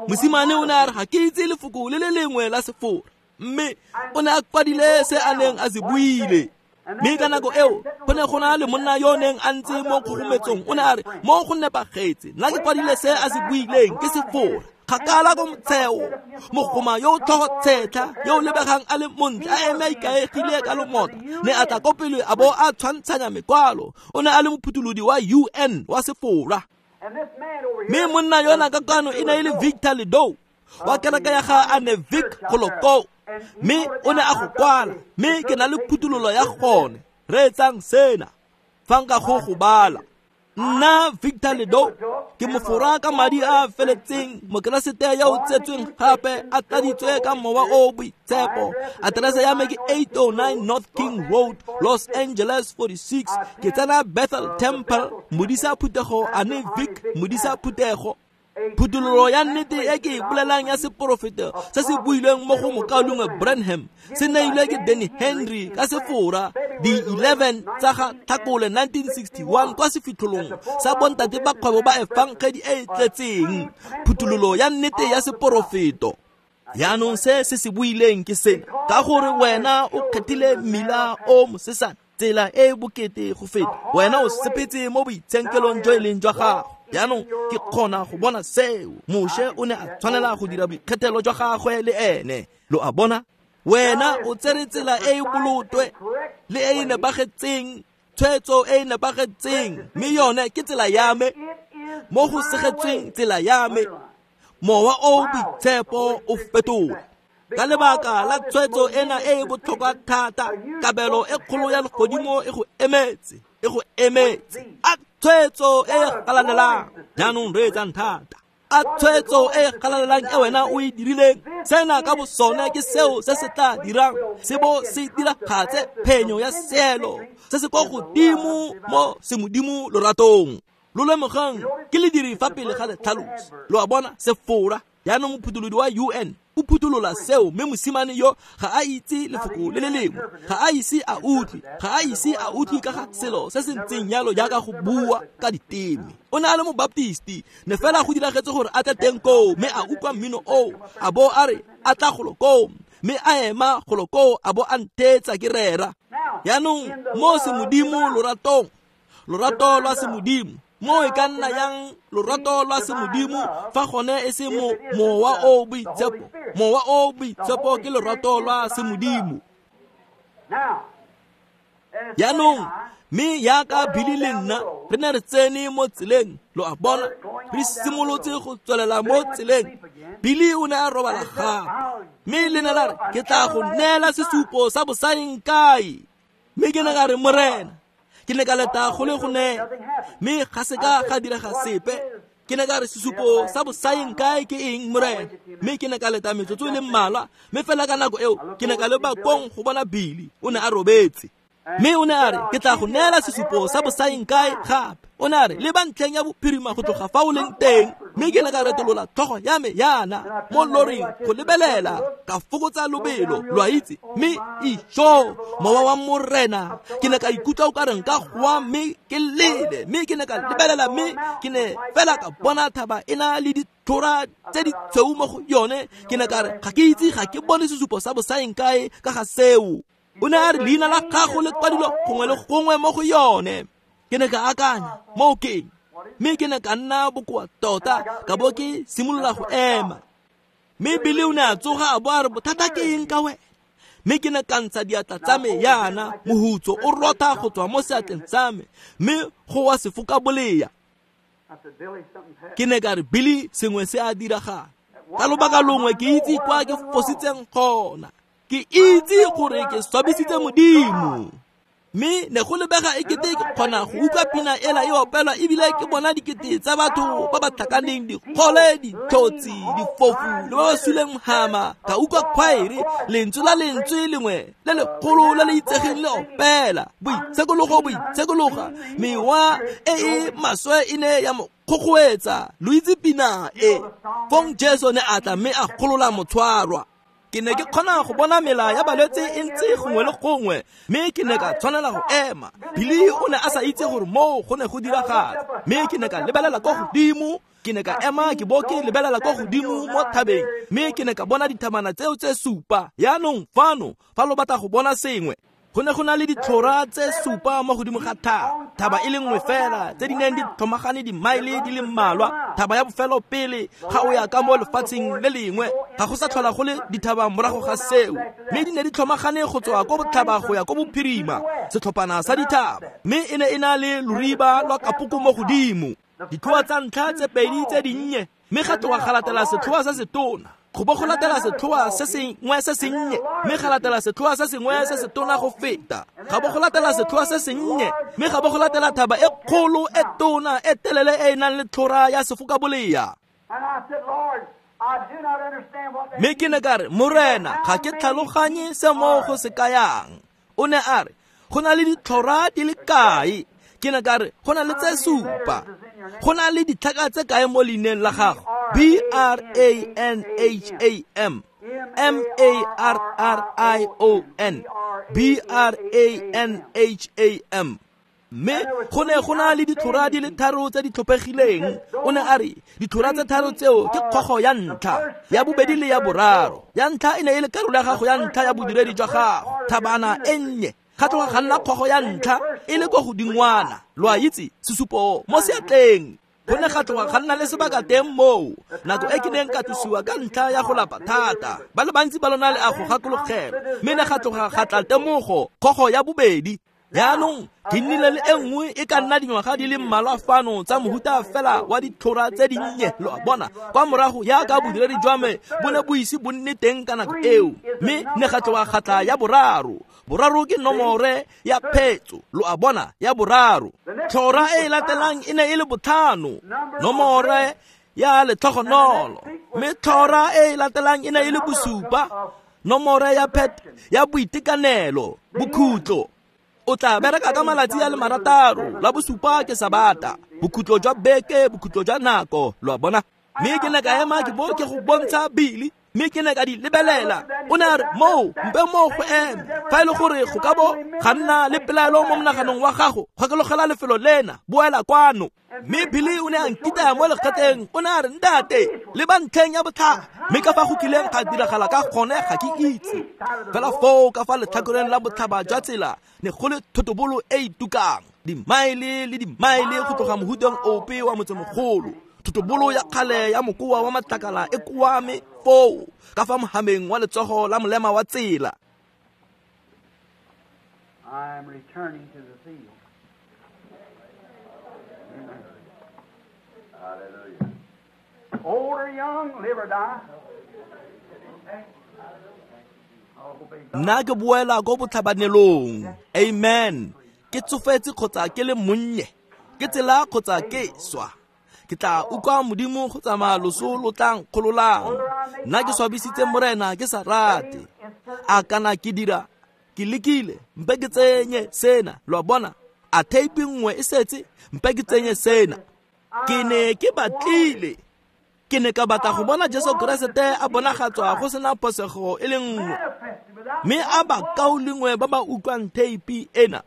Mosimane o ne a re, ga ke itse lefoko le le lengwe la sefora. Mme o ne a kwadile se a neng a se buile. Mme ka nako eo go ne go na le monna yo neng a ntse mo kgogometsong, o ne a re, mo go nepagetse, nna ke kwadile se a se buileng ke sefora. Kgakala ko motsheo, mogoma yo o tlhogo tshetlha, yo o lebegang a le montle, a eme a ikaegile ka lomota, ne a tla ko pele a bo a tshwantshanya mekwalo. O ne a le mophutholodi wa U N wa sefora. Mme monna yona ka kwano e ne e le Victor Ledoux wa kereke ya ga Anevic Goloko. Mme o ne a go kwala, mme ke na le phuthololo ya gone. Reetsang sena fa nka go go bala. Nna Victor Ledoux ke mofora ka madi a a feletseng, mokeresete yo o tsetsweng gape a tladitswe ka mowa o o boitshepo. Aterese ya me ke eight oh nine North King Road, Los Angeles forty-six. Ke tsena Bethel Temple, modisa phuthego Anevic, modisa phuthego. Phuthololo ya nnete e ke e bolelang ya seporofeto se se builweng mo go mokaulengwe Branham se neilwe ke Danny Henry ka sefora di eleven tsa ga Tlhakole nineteen sixty-one kwa sefitlholong sa bontate ba kgwebo ba efangedi e e tletseng. Phuthololo ya nnete ya seporofeto. Jaanong se se se buileng ke sena, ka gore wena o kgethile mmila o mosesane, tsela e e bokete go feta, wena o sepetse mo boitshenkelong jo e leng jwa gago. Jaanong ke kgona go bona seo. Moshe o ne a tshwanela go dira boikgethelo jwa gagwe le ene. Lo a bona? Wena o tsere tsela e e bolotwe le e e nepagetseng, tshwetso e e nepagetseng, mme yone ke tsela ya me, mo go segetsweng tsela ya me. Mowa o boitshepo o fetola. Ka lebaka la tshwetso ena e e botlhokwa thata, kabelo e kgolo ya legodimo e go emetse, e go emetse. A tshwetso e galalelang, jaanong reetsang thata. A tshwetso e galalelang e wena o e dirileng, sena ka bosone ke seo se se tla dirang se bo se diragatse phenyo ya seelo se se kwa godimo mo semodimo loratong. Lo lemogang ke lediri fa pele ga letlhalosi. Lo a bona, sefora. Jaanong mophutholodi wa U N o phutolola seo, mme mosimane yo ga a itse lefoko le le lengwe, ga a ise a utlwe, ga a ise a utlwe ka ga selo se se ntseng yalo jaaka go bua ka diteme. O ne a le mobaptisti, ne fela go diragetse gore a tle teng koo, mme a utlwa mmino oo, a bo a re a tla golo koo, mme a ema golo koo a bo a ntheetsa ke rera. Jaanong mo semodimo loratong, Lorato lwa semodimo. Mo e ka nna yang lorato lwa semodimo fa gone e se mo mowa o boitshepo. Mowa o boitshepo ke lorato lwa semodimo. Jaanong mme yaka Billy le nna re ne re tsene mo tseleng, lo a bona, re simolotse go tswelela mo tseleng. Billy o ne a robala gape, mme le ne la re ke tla go neela sesupo sa bosaeng kae. Mme ke ne ka re Morena, ke ne ka leta go le go neela, mme ga se ka ga direga sepe. Ke ne ka re sesupo sa bosaeng kae ke eng Morena? Mme ke ne ka leta metsotso e le mmalwa, mme fela ka nako eo ke ne ka leba kong go bona Billy, o ne a robetse. Mme o ne a re ke tla go neela sesupo sa bosaeng kae gape. O ne a re leba ntlheng ya bophirima go tloga fa o leng teng. Mme ke ne ka retolola tlhogo ya me yana mo loring go lebelela, ka fokotsa lobelo, lo a itse. Mme ijo mowa wa Morena, ke ne ka ikutlwa o ka reng ka goa mme ke lele. Mme ke ne ka lebelela, mme ke ne fela ka bona thaba e na le ditlhora tse di tshweu mo go yone. Ke ne ka re ga ke itse, ga ke bone sesupo sa bosaeng kae ka ga seo. O ne a re leina la gago le kwadilwe gongwe le gongwe mo go yone. Ke ne ka akanya mo ke eng, mme ke ne ka nna bokoa tota, ka bo ke simolola go ema. Mme Billy o ne a tsoga a bo a re bothata ke eng ka wena? Mme ke ne ka ntsha diatla tsa me yana, mohutso o rotha go tswa mo seatleng sa me, mme go wa sefoka bolea. Ke ne ka re Billy, sengwe se a diragala. Ka lobaka longwe ke itse kwa ke fositseng gona. Ke itse gore ke swabisitse Modimo. Mme ne go lebega e kete ke kgona go utlwa pina ela e opelwa, ebile ke bona dikete tsa batho ba ba tlhakaneng dikgole, ditlhotsi, difofu le ba ba suleng hama. Ka utlwa khwaere, lentswe la lentswe lengwe le legolo le le itsegeng le opela, boitshekologo, boitshekologa. Mewa e e maswe e ne ya mo kgokgoetsa. Lo itse pina e. Fong Jesu ne a tla mme a golola motshwarwa. Ke ne ke kgona go bona mela ya balwetse e ntse gongwe le gongwe, mme ke ne ka tshwanela go ema. Billy o ne a sa itse gore moo go ne go diragala, mme ke ne ka lebelela kwa godimo. Ke ne ka ema ke bo ke lebelela kwa godimo mo thabeng, mme ke ne ka bona dithabana tseo tse supa. Yaanong fano fa lo batla go bona sengwe, go ne go na le ditlhora tse supa mo godimo ga thaba, thaba e le nngwe fela tse di neng di tlhomagane dimaele di le mmalwa. Thaba ya bofelo pele ga o ya ka mo lefatsheng le lengwe, ga go sa tlhola go le dithaba morago ga seo. Mme di ne di tlhomagane go tswa ko botlhaba go ya ko bophirima, setlhophana sa dithaba, mme e ne e na le loriba lwa kapoko mo godimo. Ditlhoa tsa ntlha tse pedi tse dinnye, mme ga tloga ga latela setlhoa se setona, go bo go latela setlhoa se sengwe se sennye, mme ga latela setlhoa se sengwe se setona go feta, ga bo go latela setlhoa se sennye, mme ga bo go latela thaba e kgolo e tona e telele e e nang le tlhora ya sefokabolea. Mme ke ne ka re Morena, ga ke tlhaloganye se mo go se kayang. O ne a re go na le ditlhora di le kae? Ke ne ka re go na le tse supa. Go na le ditlhaka tse kae mo leineng la gago? B R A N H A M M A R R I O N, B R A N H A M. Mme go ne go na le ditlhora di le tharo tse di tlhophegileng. O ne a re ditlhora tse tharo tseo ke kgogo ya ntlha, ya bobedi le ya boraro. Ya ntlha e ne e le karolo ya gago ya ntlha ya bodiredi jwa gago, thabana e nnye. Ga tloga ga nna kgogo ya ntlha e le kwa godingwana, lo a itse, sesupo mo seatleng. Go ne ga tloga ga nna le sebaka teng moo, nako e ke neng ka tlosiwa ka ntlha ya go lapa thata. Ba le bantsi ba lona le a go gakologelwa. Mme ne ga tloga ga tla temogo, kgogo ya bobedi. Jaanong ke nnile le e nngwe e ka nna dingwaga di le mmalwa fano tsa mohuta fela wa ditlhora tse dinnye, lo a bona, kwa morago yaka bodiredi jwa me bo ne bo ise bo nne teng ka nako eo. Mme ne ga tloga ga tla ya boraro. Boraro ke nomore ya phetso, lo a bona, ya boraro. Tlhora e e latelang e ne e le botlhano, nomore ya letlhogonolo. Mme tlhora e e latelang e ne e le bosupa, nomore ya phet ya boitekanelo, bokhutlo. O tla bereka ka malatsi a le marataro, la bosupa ke sabata, bokhutlo jwa beke, bokhutlo jwa nako, lo a bona. Mme ke ne ka ema ke bo ke go bontsha Billy. Mme ke ne ka di lebelela. O ne a re, moo, mpe moo go eme. Fa e le gore go ka bo ga nna le pelaelo mo monaganong wa gago, kgokelogela lefelo lena, boela kwano. Mme Billy o ne a nkitaya mo lekgetleng, o ne a re, ntate, le ba ntlheng ya botlhaba. Mme ka fa go kileng ga diragala ka gone ga ke itse. Fela foo ka fa letlhakoreng la botlhaba jwa tsela ne go le thotobolo e e tukang, dimaele le dimaele go tloga mohuteng ope wa motsemogolo. Thotobolo ya kgale ya mokoa wa matlakala e koame foo ka fa mohameng wa letsogo la molema wa tsela. I am returning to the field. Hallelujah. Old or young, live or die. Nna ke boela ko botlhabanelong. Amen. Ke tsofetse kgotsa ke le monnye, ke tsela kgotsa ke swa. Ke tla utlwa Modimo go tsamaya loso lo tlang kgololang. Nna ke swabisitse Morena ke sa rate. A kana ke dira, ke lekile, mpe ke tsenye sena. Lo a bona, a theipi nngwe e setse, mpe ke tsenye sena. Ke ne ke batlile. Ke ne ka batla go bona Jesu Keresete a bonagatswa go sena phosego e le nngwe. Mme a bakaulengwe ba ba utlwang theipi ena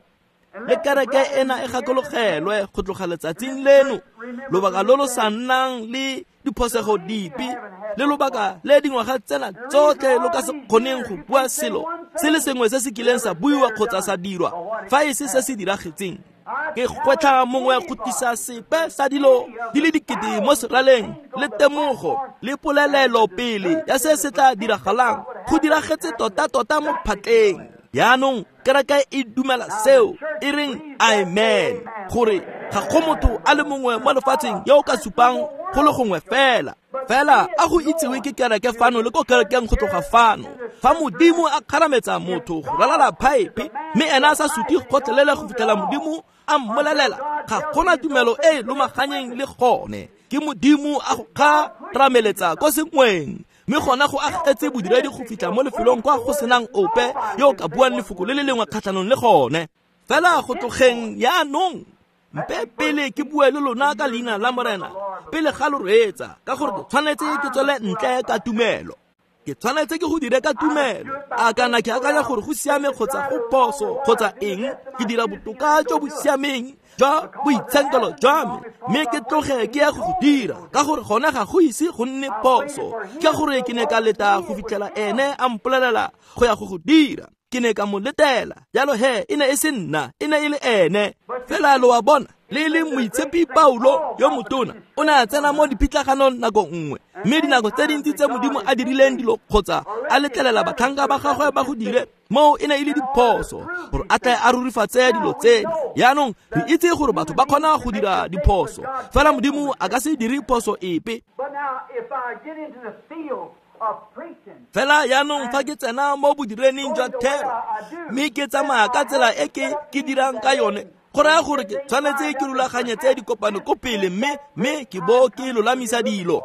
le kereke ena e gakologelwe go tloga letsatsing leno, lobaka lo lo sa nnang le diphosego dipe, le lobaka le dingwaga tsena tsotlhe lo ka se kgoneng go bua selo se le sengwe se se kileng sa buiwa kgotsa sa dirwa fa e se se se diragetseng. Ke gwetlha mongwe go tlisa sepe sa dilo di le dikete mo seraleng le temogo le polelelo pele ya se se tla diragalang go diragetse tota-tota mo phatleng. Yaanong kereke e dumela seo, e reng amen, gore ga go motho a le mongwe mo lefatsheng yo o ka supang go le gongwe fela. Fela a go itsewe ke kereke fano le ko kerekeng go tloga fano. Fa Modimo a kgarametsa motho go ralala phaephe, mme ena a sa suti gotlhelele go fitlhela Modimo a mmolelela, ga gona tumelo e e lomaganyeng le gone. Ke Modimo a go kgarameletsa ko sengweng, mme gona go agetse bodiredi go fitlha mo lefelong kwa go senang ope yo o ka buang lefoko le le lengwe kgatlhanong le gone. Fela go tlogeng yaanong, mpe pele ke bue le lona ka leina la Morena pele ga lo reetsa, ka gore ke tshwanetse ke tswele ntle ka tumelo. Ke tshwanetse ke go dire ka tumelo. A kana ke akanya gore go siame kgotsa go phoso kgotsa eng, ke dira botoka jo bo siameng jwa boitshenkelo jwa me, mme ke tloge ke ya go go dira, ka gore gona ga go ise go nne phoso. Ke gore ke ne ka leta go fitlhela ene a mpolelela go ya go go dira. Ke ne ka mo letela. Jalo he, e ne e se nna, e ne e le ene. Fela lo a bona, le le moitshepi Paulo yo motona o ne a tsena mo dipitlaganong nako nngwe, mme dinako tse dintsi tse Modimo a dirileng dilo kgotsa a letlelela batlhanka ba gagwe ba go dire, moo e ne e le diphoso gore a tle a rurifatse dilo tsena. Yaanong re itse gore batho ba kgona go dira diphoso, fela Modimo a ka se dire phoso epe. Fela yaanong fa ke tsena mo bodirening jwa thero, mme ke tsamaya ka tsela e ke ke dirang ka yone, go raya gore ke tshwanetse ke rulaganyetse dikopano ko pele, mme mme ke bo ke lolamisa dilo.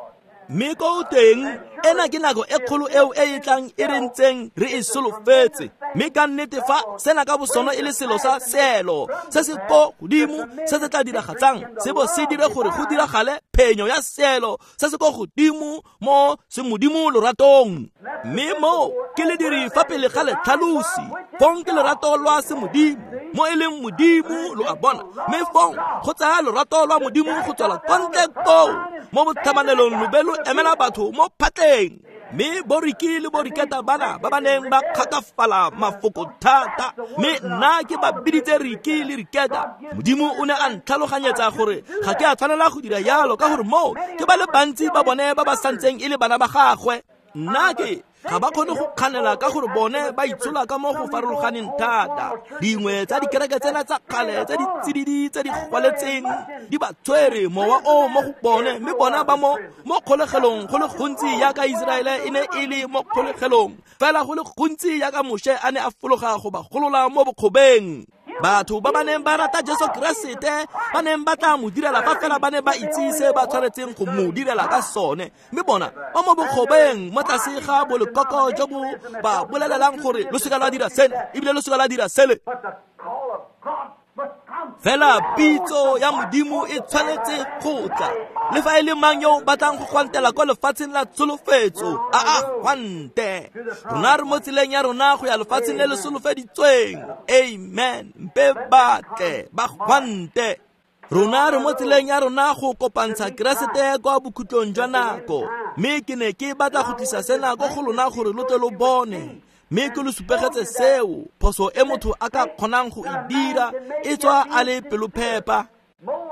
Mme ko teng ena ke nako e kgolo eo e e tlang e re ntseng re e solofetse. Mme ka nnete fa sena ka bosona e le selo sa seelo se se ko godimo se se tla diragatsang, se bo se dire gore go diragale phenyo ya seelo se se ko godimo mo semodimo loratong. Mme mo ke le diri fa pele ga letlhalosi, fong ke lorato lwa semodimo mo e leng Modimo, lo a bona. Mme fong go tsaya lorato lwa Modimo go tswela kwa ntle koo mo botlhabanelong lo be lo emela batho mo phatleng. Mme boriki le boriketa bana ba ba neng ba kgakafala mafoko thata, mme nna ke ba biditse Riki le Riketa. Modimo o ne a ntlhaloganyetsa gore ga ke a tshwanela go dira jalo, ka gore moo ke ba le bantsi ba bone ba ba santseng e le bana ba gagwe. Nna ke ga ba kgone go kganela ka gore bone ba itshola ka mo go farologaneng thata. Dingwe tsa dikereke tsena tsa kgale tse di tsididi tse di gwaletseng di ba tshwere mowa o mo go bone, mme bona ba mo mo kgolegelong go le gontsi yaka Iseraele e ne e le mo kgolegelong, fela go le gontsi yaka Moshe a ne a fologa go ba golola mo bokgobeng. Batho ba ba neng ba rata Jesu Keresete ba neng ba tla mo direla fa fela ba ne ba itse se ba tshwanetseng go mo direla ka sone, mme bona ba mo bokgobeng mo tlase ga bolekoko jo bo ba bolelelang gore lo seka lwa dira sena ebile lo seka lwa dira sele. Fela pitso ya Modimo e tshwanetse go tla. Le fa e le mang yo o batlang go gwantela kwa lefatsheng la tsholofetso, a a gwante. Rona re mo tseleng ya rona go ya lefatsheng le le solofeditsweng. Amen. Mpe ba tle ba gwante. Rona re mo tseleng ya rona go kopantsha Keresete kwa bokhutlong jwa nako. Mme ke ne ke batla go tlisa sena ko go lona gore lo tle lo bone. Mme ke lo supegetse seo phoso e motho a ka kgonang go e dira e tswa a le pelophepa.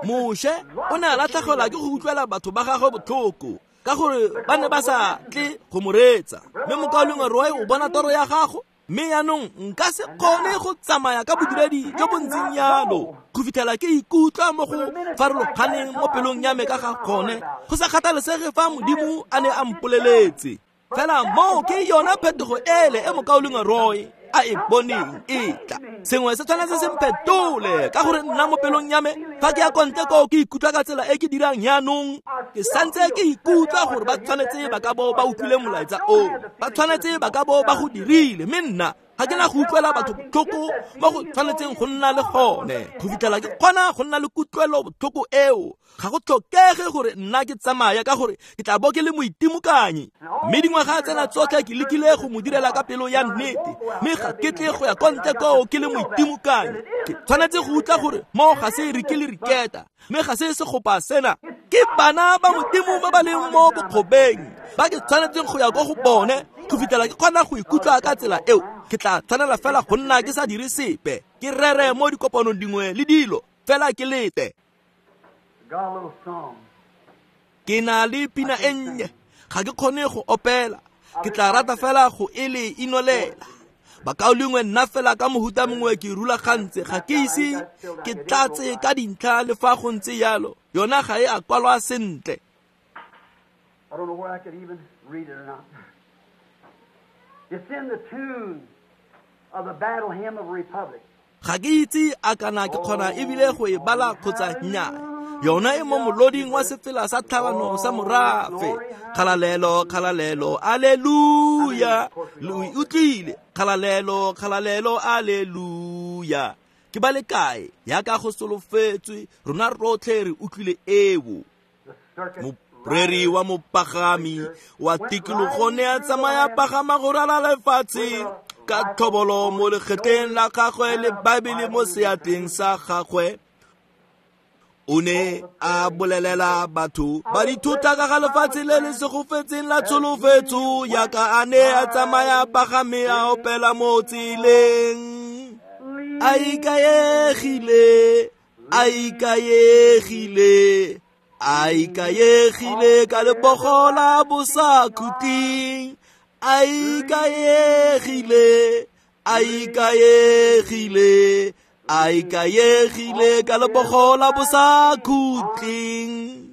Moshe o ne a latlhegelwa ke go utlwela batho ba gagwe botlhoko ka gore ba ne ba sa tle go mo reetsa. Mme mokaulengwe Roy o bona toro ya gago, mme yaanong nka se kgone go tsamaya ka bodiredi jo bo ntseng yalo go fitlhela ke ikutlwa mo go farologaneng mo pelong ya me ka ga gone, go sa kgathalesege fa Modimo a ne a mpoleletse. Fela moo ke yona phetogo ele e mokaulengwe Roy a e boneng e tla. Sengwe se tshwanetse se mphetole ka gore nna mo pelong ya me fa ke ya kwa ntle koo ke ikutlwa ka tsela e ke dirang yaanong, ke santse ke ikutlwa gore ba tshwanetse ba ka bo ba utlwile molaetsa oo, ba tshwanetse ba ka bo ba go dirile, mme nna ga ke na go utlwela batho botlhoko mo go tshwanetseng go nna le gone go fitlhela ke kgona go nna le kutlwelo botlhoko eo. Ga go tlhokege gore nna ke tsamaya ka gore ke tla bo ke le moitimokanyi. Mme dingwaga tsena tsotlhe ke lekile go mo direla ka pelo ya nnete, mme ga ke tle go ya kwa ntle koo ke le moitimokanyi. Ke tshwanetse go utlwa gore mo ga se re ke le riketa, mme ga se segopa sena. Ke bana ba Modimo ba ba leng mo bokgobeng ba ke tshwanetseng go ya ko go bone go fitlhela ke kgona go ikutlwa ka tsela eo. Ke tla tshwanela fela go nna ke sa dire sepe, ke rere mo dikopanong dingwe le dilo, fela ke lete. Ke na le pina e nnye, ga ke kgone go opela, ke tla rata fela go e le inolela. Bakaulengwe nna fela ka mohuta mongwe ke rulagantse, ga ke ise ke tlatse ka dintlha le fa go ntse yalo, yona ga e a kwalwa sentle. I don't know where I could even read it or not. It's in the tune of the battle hymn of Republic. Ga ke itse a kana ke kgona ebile go e bala kgotsa nnyaa. Yona e mo moloding wa sefela sa tlhabano sa morafe. Kgalalelo, kgalalelo, alleluia. Lo e utlwile. Kgalalelo, kgalalelo, alleluia. Ke ba le kae yaka go solofetswe, rona rotlhe re utlwile eo. Moreri wa mopagami wa tikologo ne a tsamaya pagama go ralala lefatshe ka tlhobolo mo legetleng la gagwe le Baebele mo seatleng sa gagwe. O ne a bolelela batho ba dithota ka ga lefatshe le le segofetseng la tsholofetso, yaka a ne a tsamaya pagame a opela mo tseleng. A ikaegile, a ikaegile, a ikaegile ka lebogo la bosakhutleng. A ikaegile, a ikaegile, a ikaegile ka lebogo la bosakhutleng.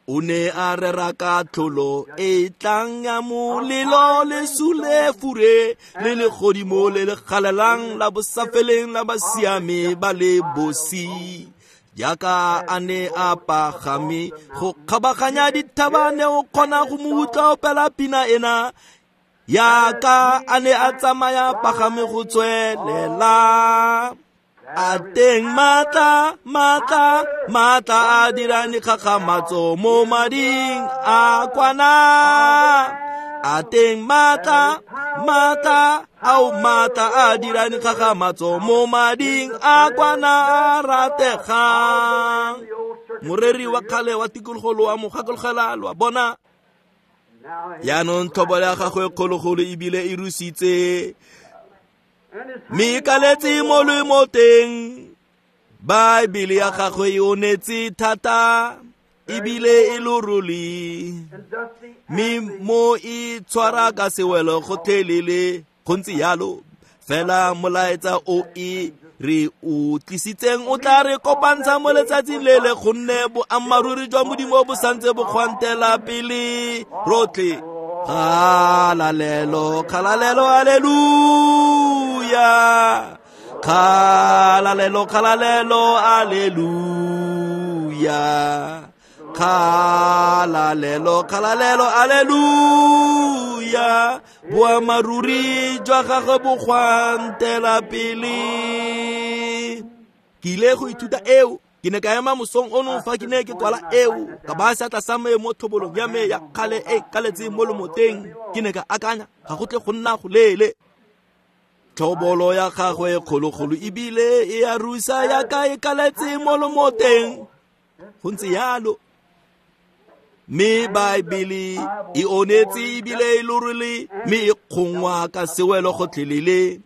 O ne a rera ka tlholo e tlang ya molelo le sulefure le legodimo le le galelang la bosafeleng la basiame ba le bosi. Jaaka a ne a pagame go kgabaganya dithaba, ne o kgona go mo utlwa opela pina ena. Yaka a ne a tsamaya pagame go tswelela. A teng matla, matla, matla a dirang dikgakgamatso mo mading a kwana. A teng matla, matla, ao matla a dirang dikgakgamatso mo mading a kwana a rategang. Moreri wa kgale wa tikologo lo a mo gakologela, lo a bona. Yaanong tlhobolo ya gagwe kgologolo ebile e rusitse, mme e kaletse mo lemoteng. Baebele ya gagwe e onetse thata ebile e lorole, mme mo e tshwara ka sewelo gotlhelele. Go ntse yalo fela molaetsa o e re o tlisitseng o tla re kopantsha mo letsatsing le le, gonne boammaaruri jwa Modimo bo santse bo kgwantela pele rotlhe. Kgalalelo, kgalalelo, alleluia. Kgalalelo, kgalalelo, alleluia. Kgalalelo, kgalalelo, alleluia. Boammaaruri jwa gagwe bo kgwantela pele. Ke ile go ithuta eo. Ke ne ka ema mosong ono fa ke ne ke kwala eo, ka baya seatla sa me mo thobolong ya me ya kgale e kaletseng mo lomoteng. Ke ne ka akanya, ga go tle go nna go leele. Tlhobolo ya gagwe e kgologolo ebile e a rusa ya ka e kaletse mo lomoteng. Go ntse yalo. Mme Baebele e onetse ebile e lorile, mme e kgongwa ka sewelo gotlhelele.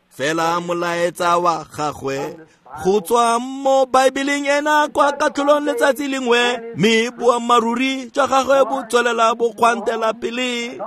Fela molaetsa wa gagwe go tswa mo Baebeleng ena kwa katlholong letsatsi lengwe, mme boammaaruri jwa gagwe bo tswelela bo kgwantela pele.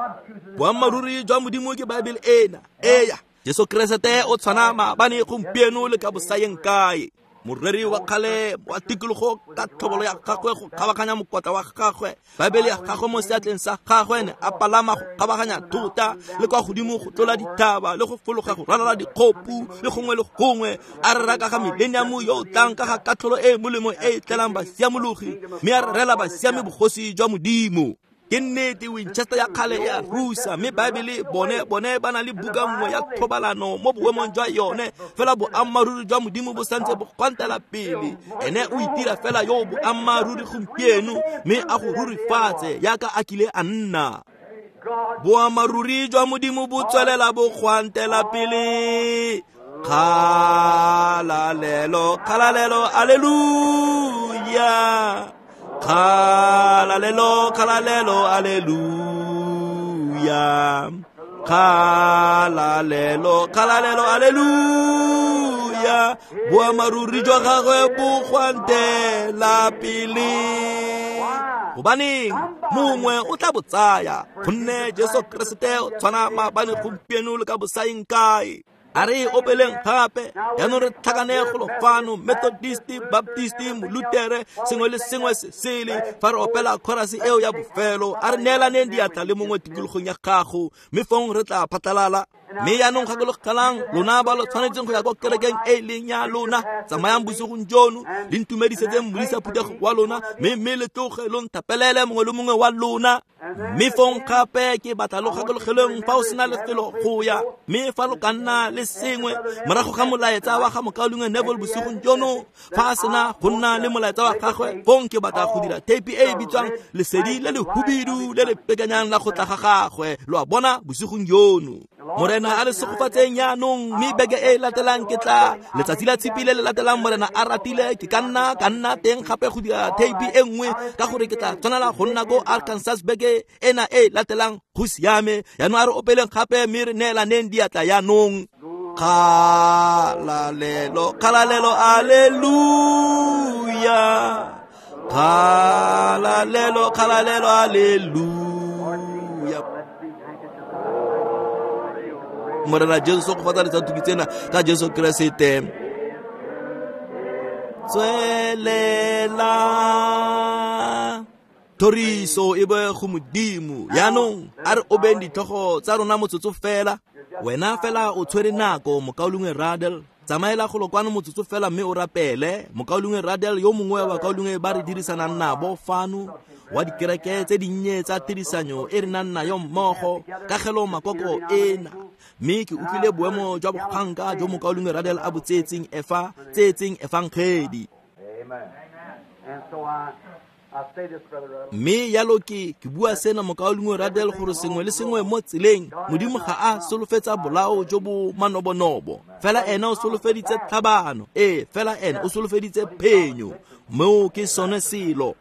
Boammaaruri jwa Modimo ke Baebele ena. Eya, Jesu Keresete o tshwana maabane, gompieno le ka bosayeng kae. Moreri wa kgale wa tikologo ka tlhobolo ya gagwe go kgabaganya mokotla wa gagwe, Baebele ya gagwe mo seatleng sa gagwe, ne a palama go kgabaganya thota le kwa godimo go tlola dithaba le go fologa go ralala dikgopu le gongwe le gongwe, a rera ka ga mileniamo yo o tlang, ka ga katlholo e e molemo e e tlelang basiamologi, mme a rerela basiami bogosi jwa Modimo. Ke nnete Winchester ya kgale ya rusa, mme Baebele bone bone ba na le buka nngwe ya thobalano mo boemong jwa yone, fela boammaaruri jwa Modimo bo santse bo gwantela pele. Ene o itira fela yo boammaaruri gompieno, mme a go rurifatse yaka a kile a nna. Boammaaruri jwa Modimo bo tswelela bo gwantela pele. Kgalalelo, kgalalelo, aleluya. Kgalalelo, kgalalelo, aleluya. Kgalalelo, kgalalelo, aleluya. Boammaaruri jwa gagwe bo gwantela pele. Gobaneng mongwe o tla bo tsaya, gonne Jesu Keresete o tshwana maabane, gompieno le ka bosayeng kae. A re opeleng gape, jaanong re tlhakane golo fano, Methodist, Baptist, Molutere, sengwe le sengwe se sele. Fa re opela chorus eo ya bofelo, a re neelaneng diatla le mongwe tikologong ya gago, mme fong re tla phatlalala. Mme jaanong gakologelang, lona ba lo tshwanetseng go ya kwa kerekeng e e leng ya lona, tsamayang bosigong jono, le ntumedisetseng modisa phuthego wa lona, mme mme le tloge lo nthapelele mongwe le mongwe wa lona. Mme fong gape ke batla lo gakologeleng fa o sena lefelo go ya, mme fa lo ka nna le sengwe morago ga molaetsa wa ga mokaulengwe Neville bosigong jono, fa a sena go nna le molaetsa wa gagwe, fong ke batla go dira theipi e e bitswang Lesedi le le hubidu le le pekanyang la go tla ga gagwe, lo a bona bosigong jono. Morena a le segofatseng jaanong, mme beke e e latelang ke tla letsatsi la tshipi le le latelang Morena a ratile, ke ka nna ka nna teng gape go dira theipi e nngwe, ka gore ke tla tshwanela go nna ko Arkansas beke ena e latelang. Go siame, jaanong a re opeleng gape mme re neelaneng diatla jaanong. Kgalalelo, kgalalelo, aleluya. Kgalalelo, kgalalelo, aleluya. Morena Jesu go fatsa letsatsi tsena ka Jesu Keresete. Tswelela thoriso e be go Modimo. Jaanong a re obeng ditlhogo tsa rona motsotso fela. Wena fela o tshwere nako, mokaulengwe Radel. Tsamaela golo kwano motsotso fela mme o rapele. Mokaulengwe Radel yo mongwe wa bakaulengwe ba re dirisanang nabo fano, wa dikereke tse dinnye tsa tirisanyo e re nang nayo mmogo, kagelo makoko ena. Mme ke utlwile boemo jwa bokganka jo mokaulengwe Radel a bo tseetseng efa tseetseng efangedi. Mme yalo ke ke bua sena mokaulengwe Radel gore sengwe le sengwe mo tseleng, Modimo ga a solofetsa bolao jo bo manobonobo, fela ena o solofeditse tlhabano, ee fela ena o solofeditse phenyo. Moo ke sone selo.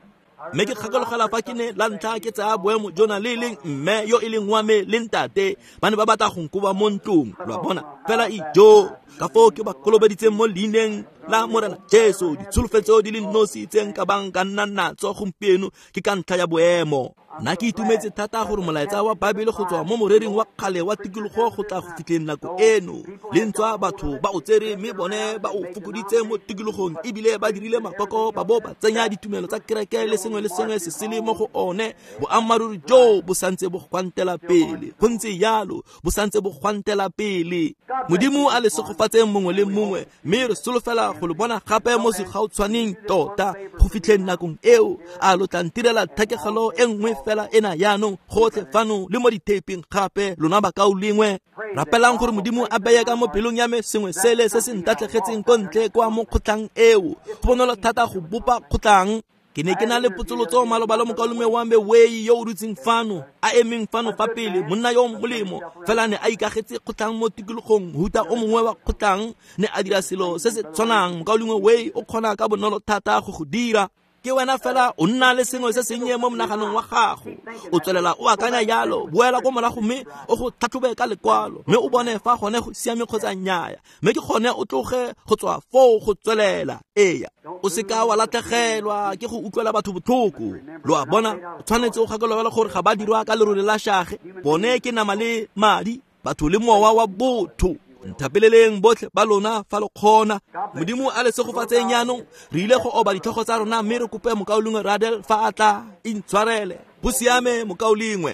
Mme ke kgakologela fa ke ne la ntlha ke tsaya boemo jona le leng mme yo e leng wa me le ntate ba ne ba batla go nkoba mo ntlong, lo a bona, fela ijo ka foo ke ba kolobeditseng mo leineng la Morena Jesu. Ditsholofetso di le nosi tse nka bang ka nna natso gompieno ke ka ntlha ya boemo. Nna ke itumetse thata gore molaetsa wa Baebele go tswa mo morering wa kgale wa tikologo go tla go fitlheng nako eno, le ntswa batho ba o tsere mme bone ba o fokoditse mo tikologong, ebile ba dirile makoko ba bo ba tsenya ditumelo tsa kereke le sengwe le sengwe se sele mo go one. Boammaaruri jo bo santse bo gwantela pele, go ntse jalo, bo santse bo gwantela pele. Modimo a le segofatseng mongwe le mongwe, mme re solofela go le bona gape mo segautshwaneng tota go fitlheng nakong eo. A lo tla ntirela thekegelo e nngwe fela ena yaanong gotlhe fano le mo dithapeng gape lona bakaulengwe. Rapelang gore Modimo a beye ka mo pelong ya me sengwe sele se se ntatlhegetseng ko ntle kwa mo kgotlang eo. Go bonolo thata go bopa kgotlang. Ke ne ke na le potsolotso maloba le mokaulengwe wa me Wei yo o dutseng fano, a emeng fano fa pele, monna yo molemo, fela ne a ikagetse kgotlang mo tikologong, mohuta o mongwe wa kgotlang, ne a dira selo se se tshwanang. Mokaulengwe Wei o kgona ka bonolo thata go go dira. Ke wena fela o nna le sengwe se sennye mo monaganong wa gago, o tswelela o akanya jalo, boela ko morago mme o go tlhatlhobe ka lekwalo, mme o bone fa gone go siame kgotsa nnyaya, mme ke gone o tloge go tswa foo go tswelela. Eya, o seka wa latlhegelwa ke go utlwela batho botlhoko. Lo a bona, o tshwanetse o gakologelwe gore ga ba dirwa ka lerole la shage, bone ke nama le madi, batho le mowa wa botho. Nthapeleleng botlhe ba lona fa lo kgona. Modimo a le segofatseng jaanong. Re ile go oba ditlhogo tsa rona mme re kope mokaulengwe Radel fa a tla intshwarele. Go siame mokaulengwe.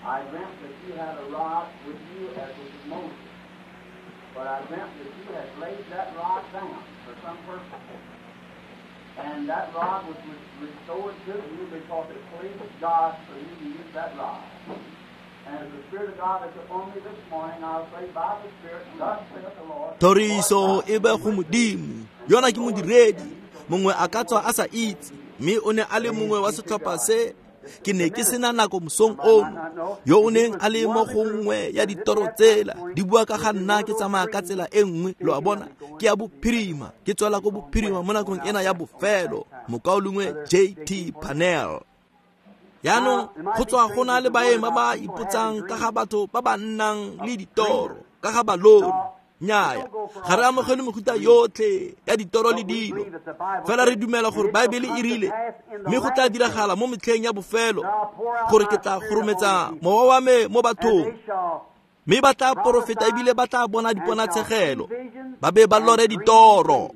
I dreamt that you had a rod with you as with Moses, but I dreamt that you had laid that rod down for some purpose. And that rod was restored to you because it pleased God for you to use that rod. And as the Spirit of God is upon me this morning, I'll say by the Spirit, thus saith the Lord. Thoriso e be go Modimo. Yona ke modiredi, mongwe a ka tswa a sa itse, mme o ne a le mongwe wa setlhopha se. Ke ne ke sena nako mosong ono, yo o neng a le mo go nngwe ya ditoro tsela, di bua ka ga nna ke tsamaya ka tsela e nngwe, lo a bona, ke ya bophirima, ke tswela ko bophirima mo nakong ena ya bofelo, mokaulengwe J T Panel. Jaanong go tswa go na le baeng ba ba ipotsang ka ga batho ba ba nnang le ditoro, ka ga balori. Nnyaya, ga re amogele mefuta yotlhe ya ditoro le dilo, fela re dumela gore Baebele e rile, mme go tla diragala mo metlheng ya bofelo gore ke tla gorometsa mowa wa me mo bathong, mme ba tla porofeta ebile ba tla bona diponatshegelo, ba be ba lore ditoro.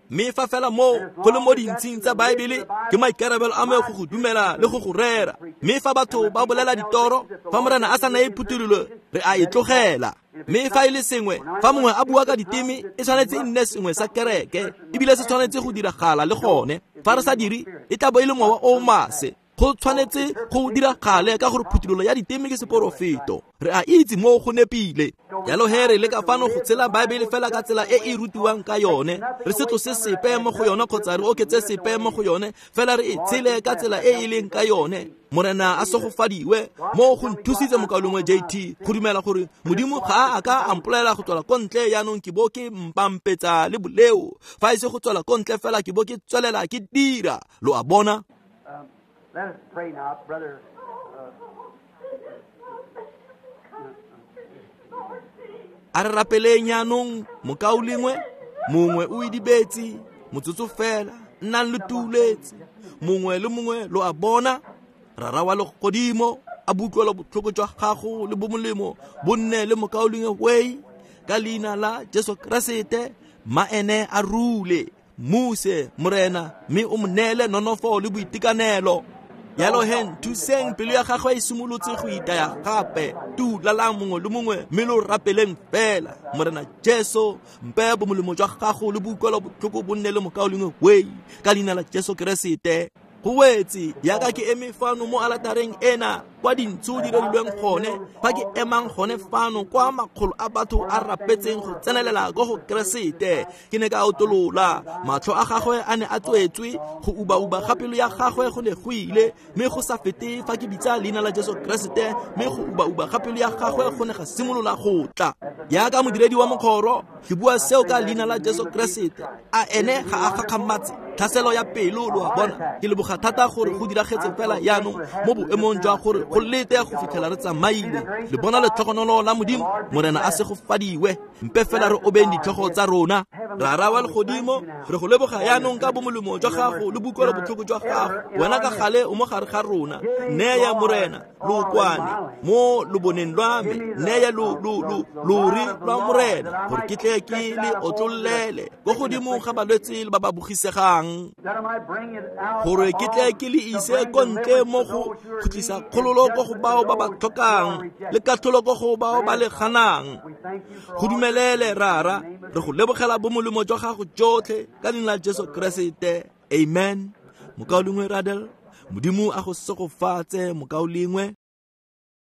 Mme fa fela moo go le mo dintshing tsa Baebele, ke maikarabelo a me go go dumela le go go rera. Mme fa batho ba bolela ditoro, fa Morena a sa naye phuthololo, re a e tlogela. Mme fa e le sengwe, fa mongwe a bua ka diteme, e tshwanetse e nne sengwe sa kereke, ebile se tshwanetse go diragala le gone. Fa re sa dire, e tla bo e le mowa o maswe. Go tshwanetse go diragale ka gore phuthololo ya diteme ke seporofeto. Re a itse moo go nepile. Jalo he re leka fano go tshela Baebele fela ka tsela e e rutiwang ka yone. Re se tlose sepe mo go yone kgotsa re oketse sepe mo go yone, fela re e tshele ka tsela e e leng ka yone. Morena a segofadiwe. Moo go nthusitse mokaulengwe J T go dumela gore Modimo ga a ka a mpolelela go tswela ko ntle jaanong ke bo ke mpampetsa le boleo. Fa e se go tswela ko ntle fela ke bo ke tswelela ke dira. Lo a bona? Let us pray now, brother. A re rapeleng jaanong mokaulengwe, mongwe o idibetse, motsotso fela, nnang le tuuletse, mongwe le mongwe lo a bona. Rara wa legodimo a butlwela botlhoko jwa gago le bomolemo bo nne le mokaulengwe Wei, ka leina la Jesu Keresete, ma ene a rule. Muse Morena, mme o mo neele nonofo le boitekanelo. Jalo he nthuseng, pelo ya gagwe e simolotse go itaya gape. Tulalang mongwe le mongwe mme lo rapeleng fela. Morena Jesu, mpe bomolemo jwa gago le boutlwelo botlhoko bo nne le mokaulengwe Wei, ka leina la Jesu Keresete. Go wetse yaka ke eme fano mo alatareng ena kwa dintsho di rerilweng gone, fa ke emang gone fano kwa makgolo a batho a rapetseng go tsenelela ko go Keresete. Ke ne ka otolola, matlho a gagwe a ne a tswetswe, go uba-uba ga pelo ya gagwe go ne go ile, mme go sa fete fa ke bitsa leina la Jesu Keresete, mme go uba-uba ga pelo ya gagwe go ne ga simolola go tla. Yaka modiredi wa mokgoro, ke bua seo ka leina la Jesu Keresete. A ene ga a gakgamatse tlhaselo ya pelo, lo a bona. Ke leboga thata gore go diragetse fela jaanong mo boemong jwa gore go lete go fitlhela re tsamaile. Le bona letlhogonolo la Modimo, Morena a segofadiwe. Mpe fela re obeng ditlhogo tsa rona. Rara wa legodimo, re go leboga jaanong ka bomolemo jwa gago le boutlwelo botlhoko jwa gago. Wena ka gale o mo gare ga rona. Neya Morena lookwane mo loboneng lwa me, neya lo lo lo lori lwa Morena, gore ke tle ke le otlollele ko godimo ga balwetse le ba ba bogisegang, gore ke tle ke le ise ko ntle mo go khutlisa kgololo katlholo ko go bao ba ba tlhokang le katlholo ko go bao ba le ganang. Go dumelele Rara, re go lebogela bomolemo jwa gago jotlhe ka leina la Jesu Keresete. Amen. Mokaulengwe Radel, Modimo a go segofatse mokaulengwe.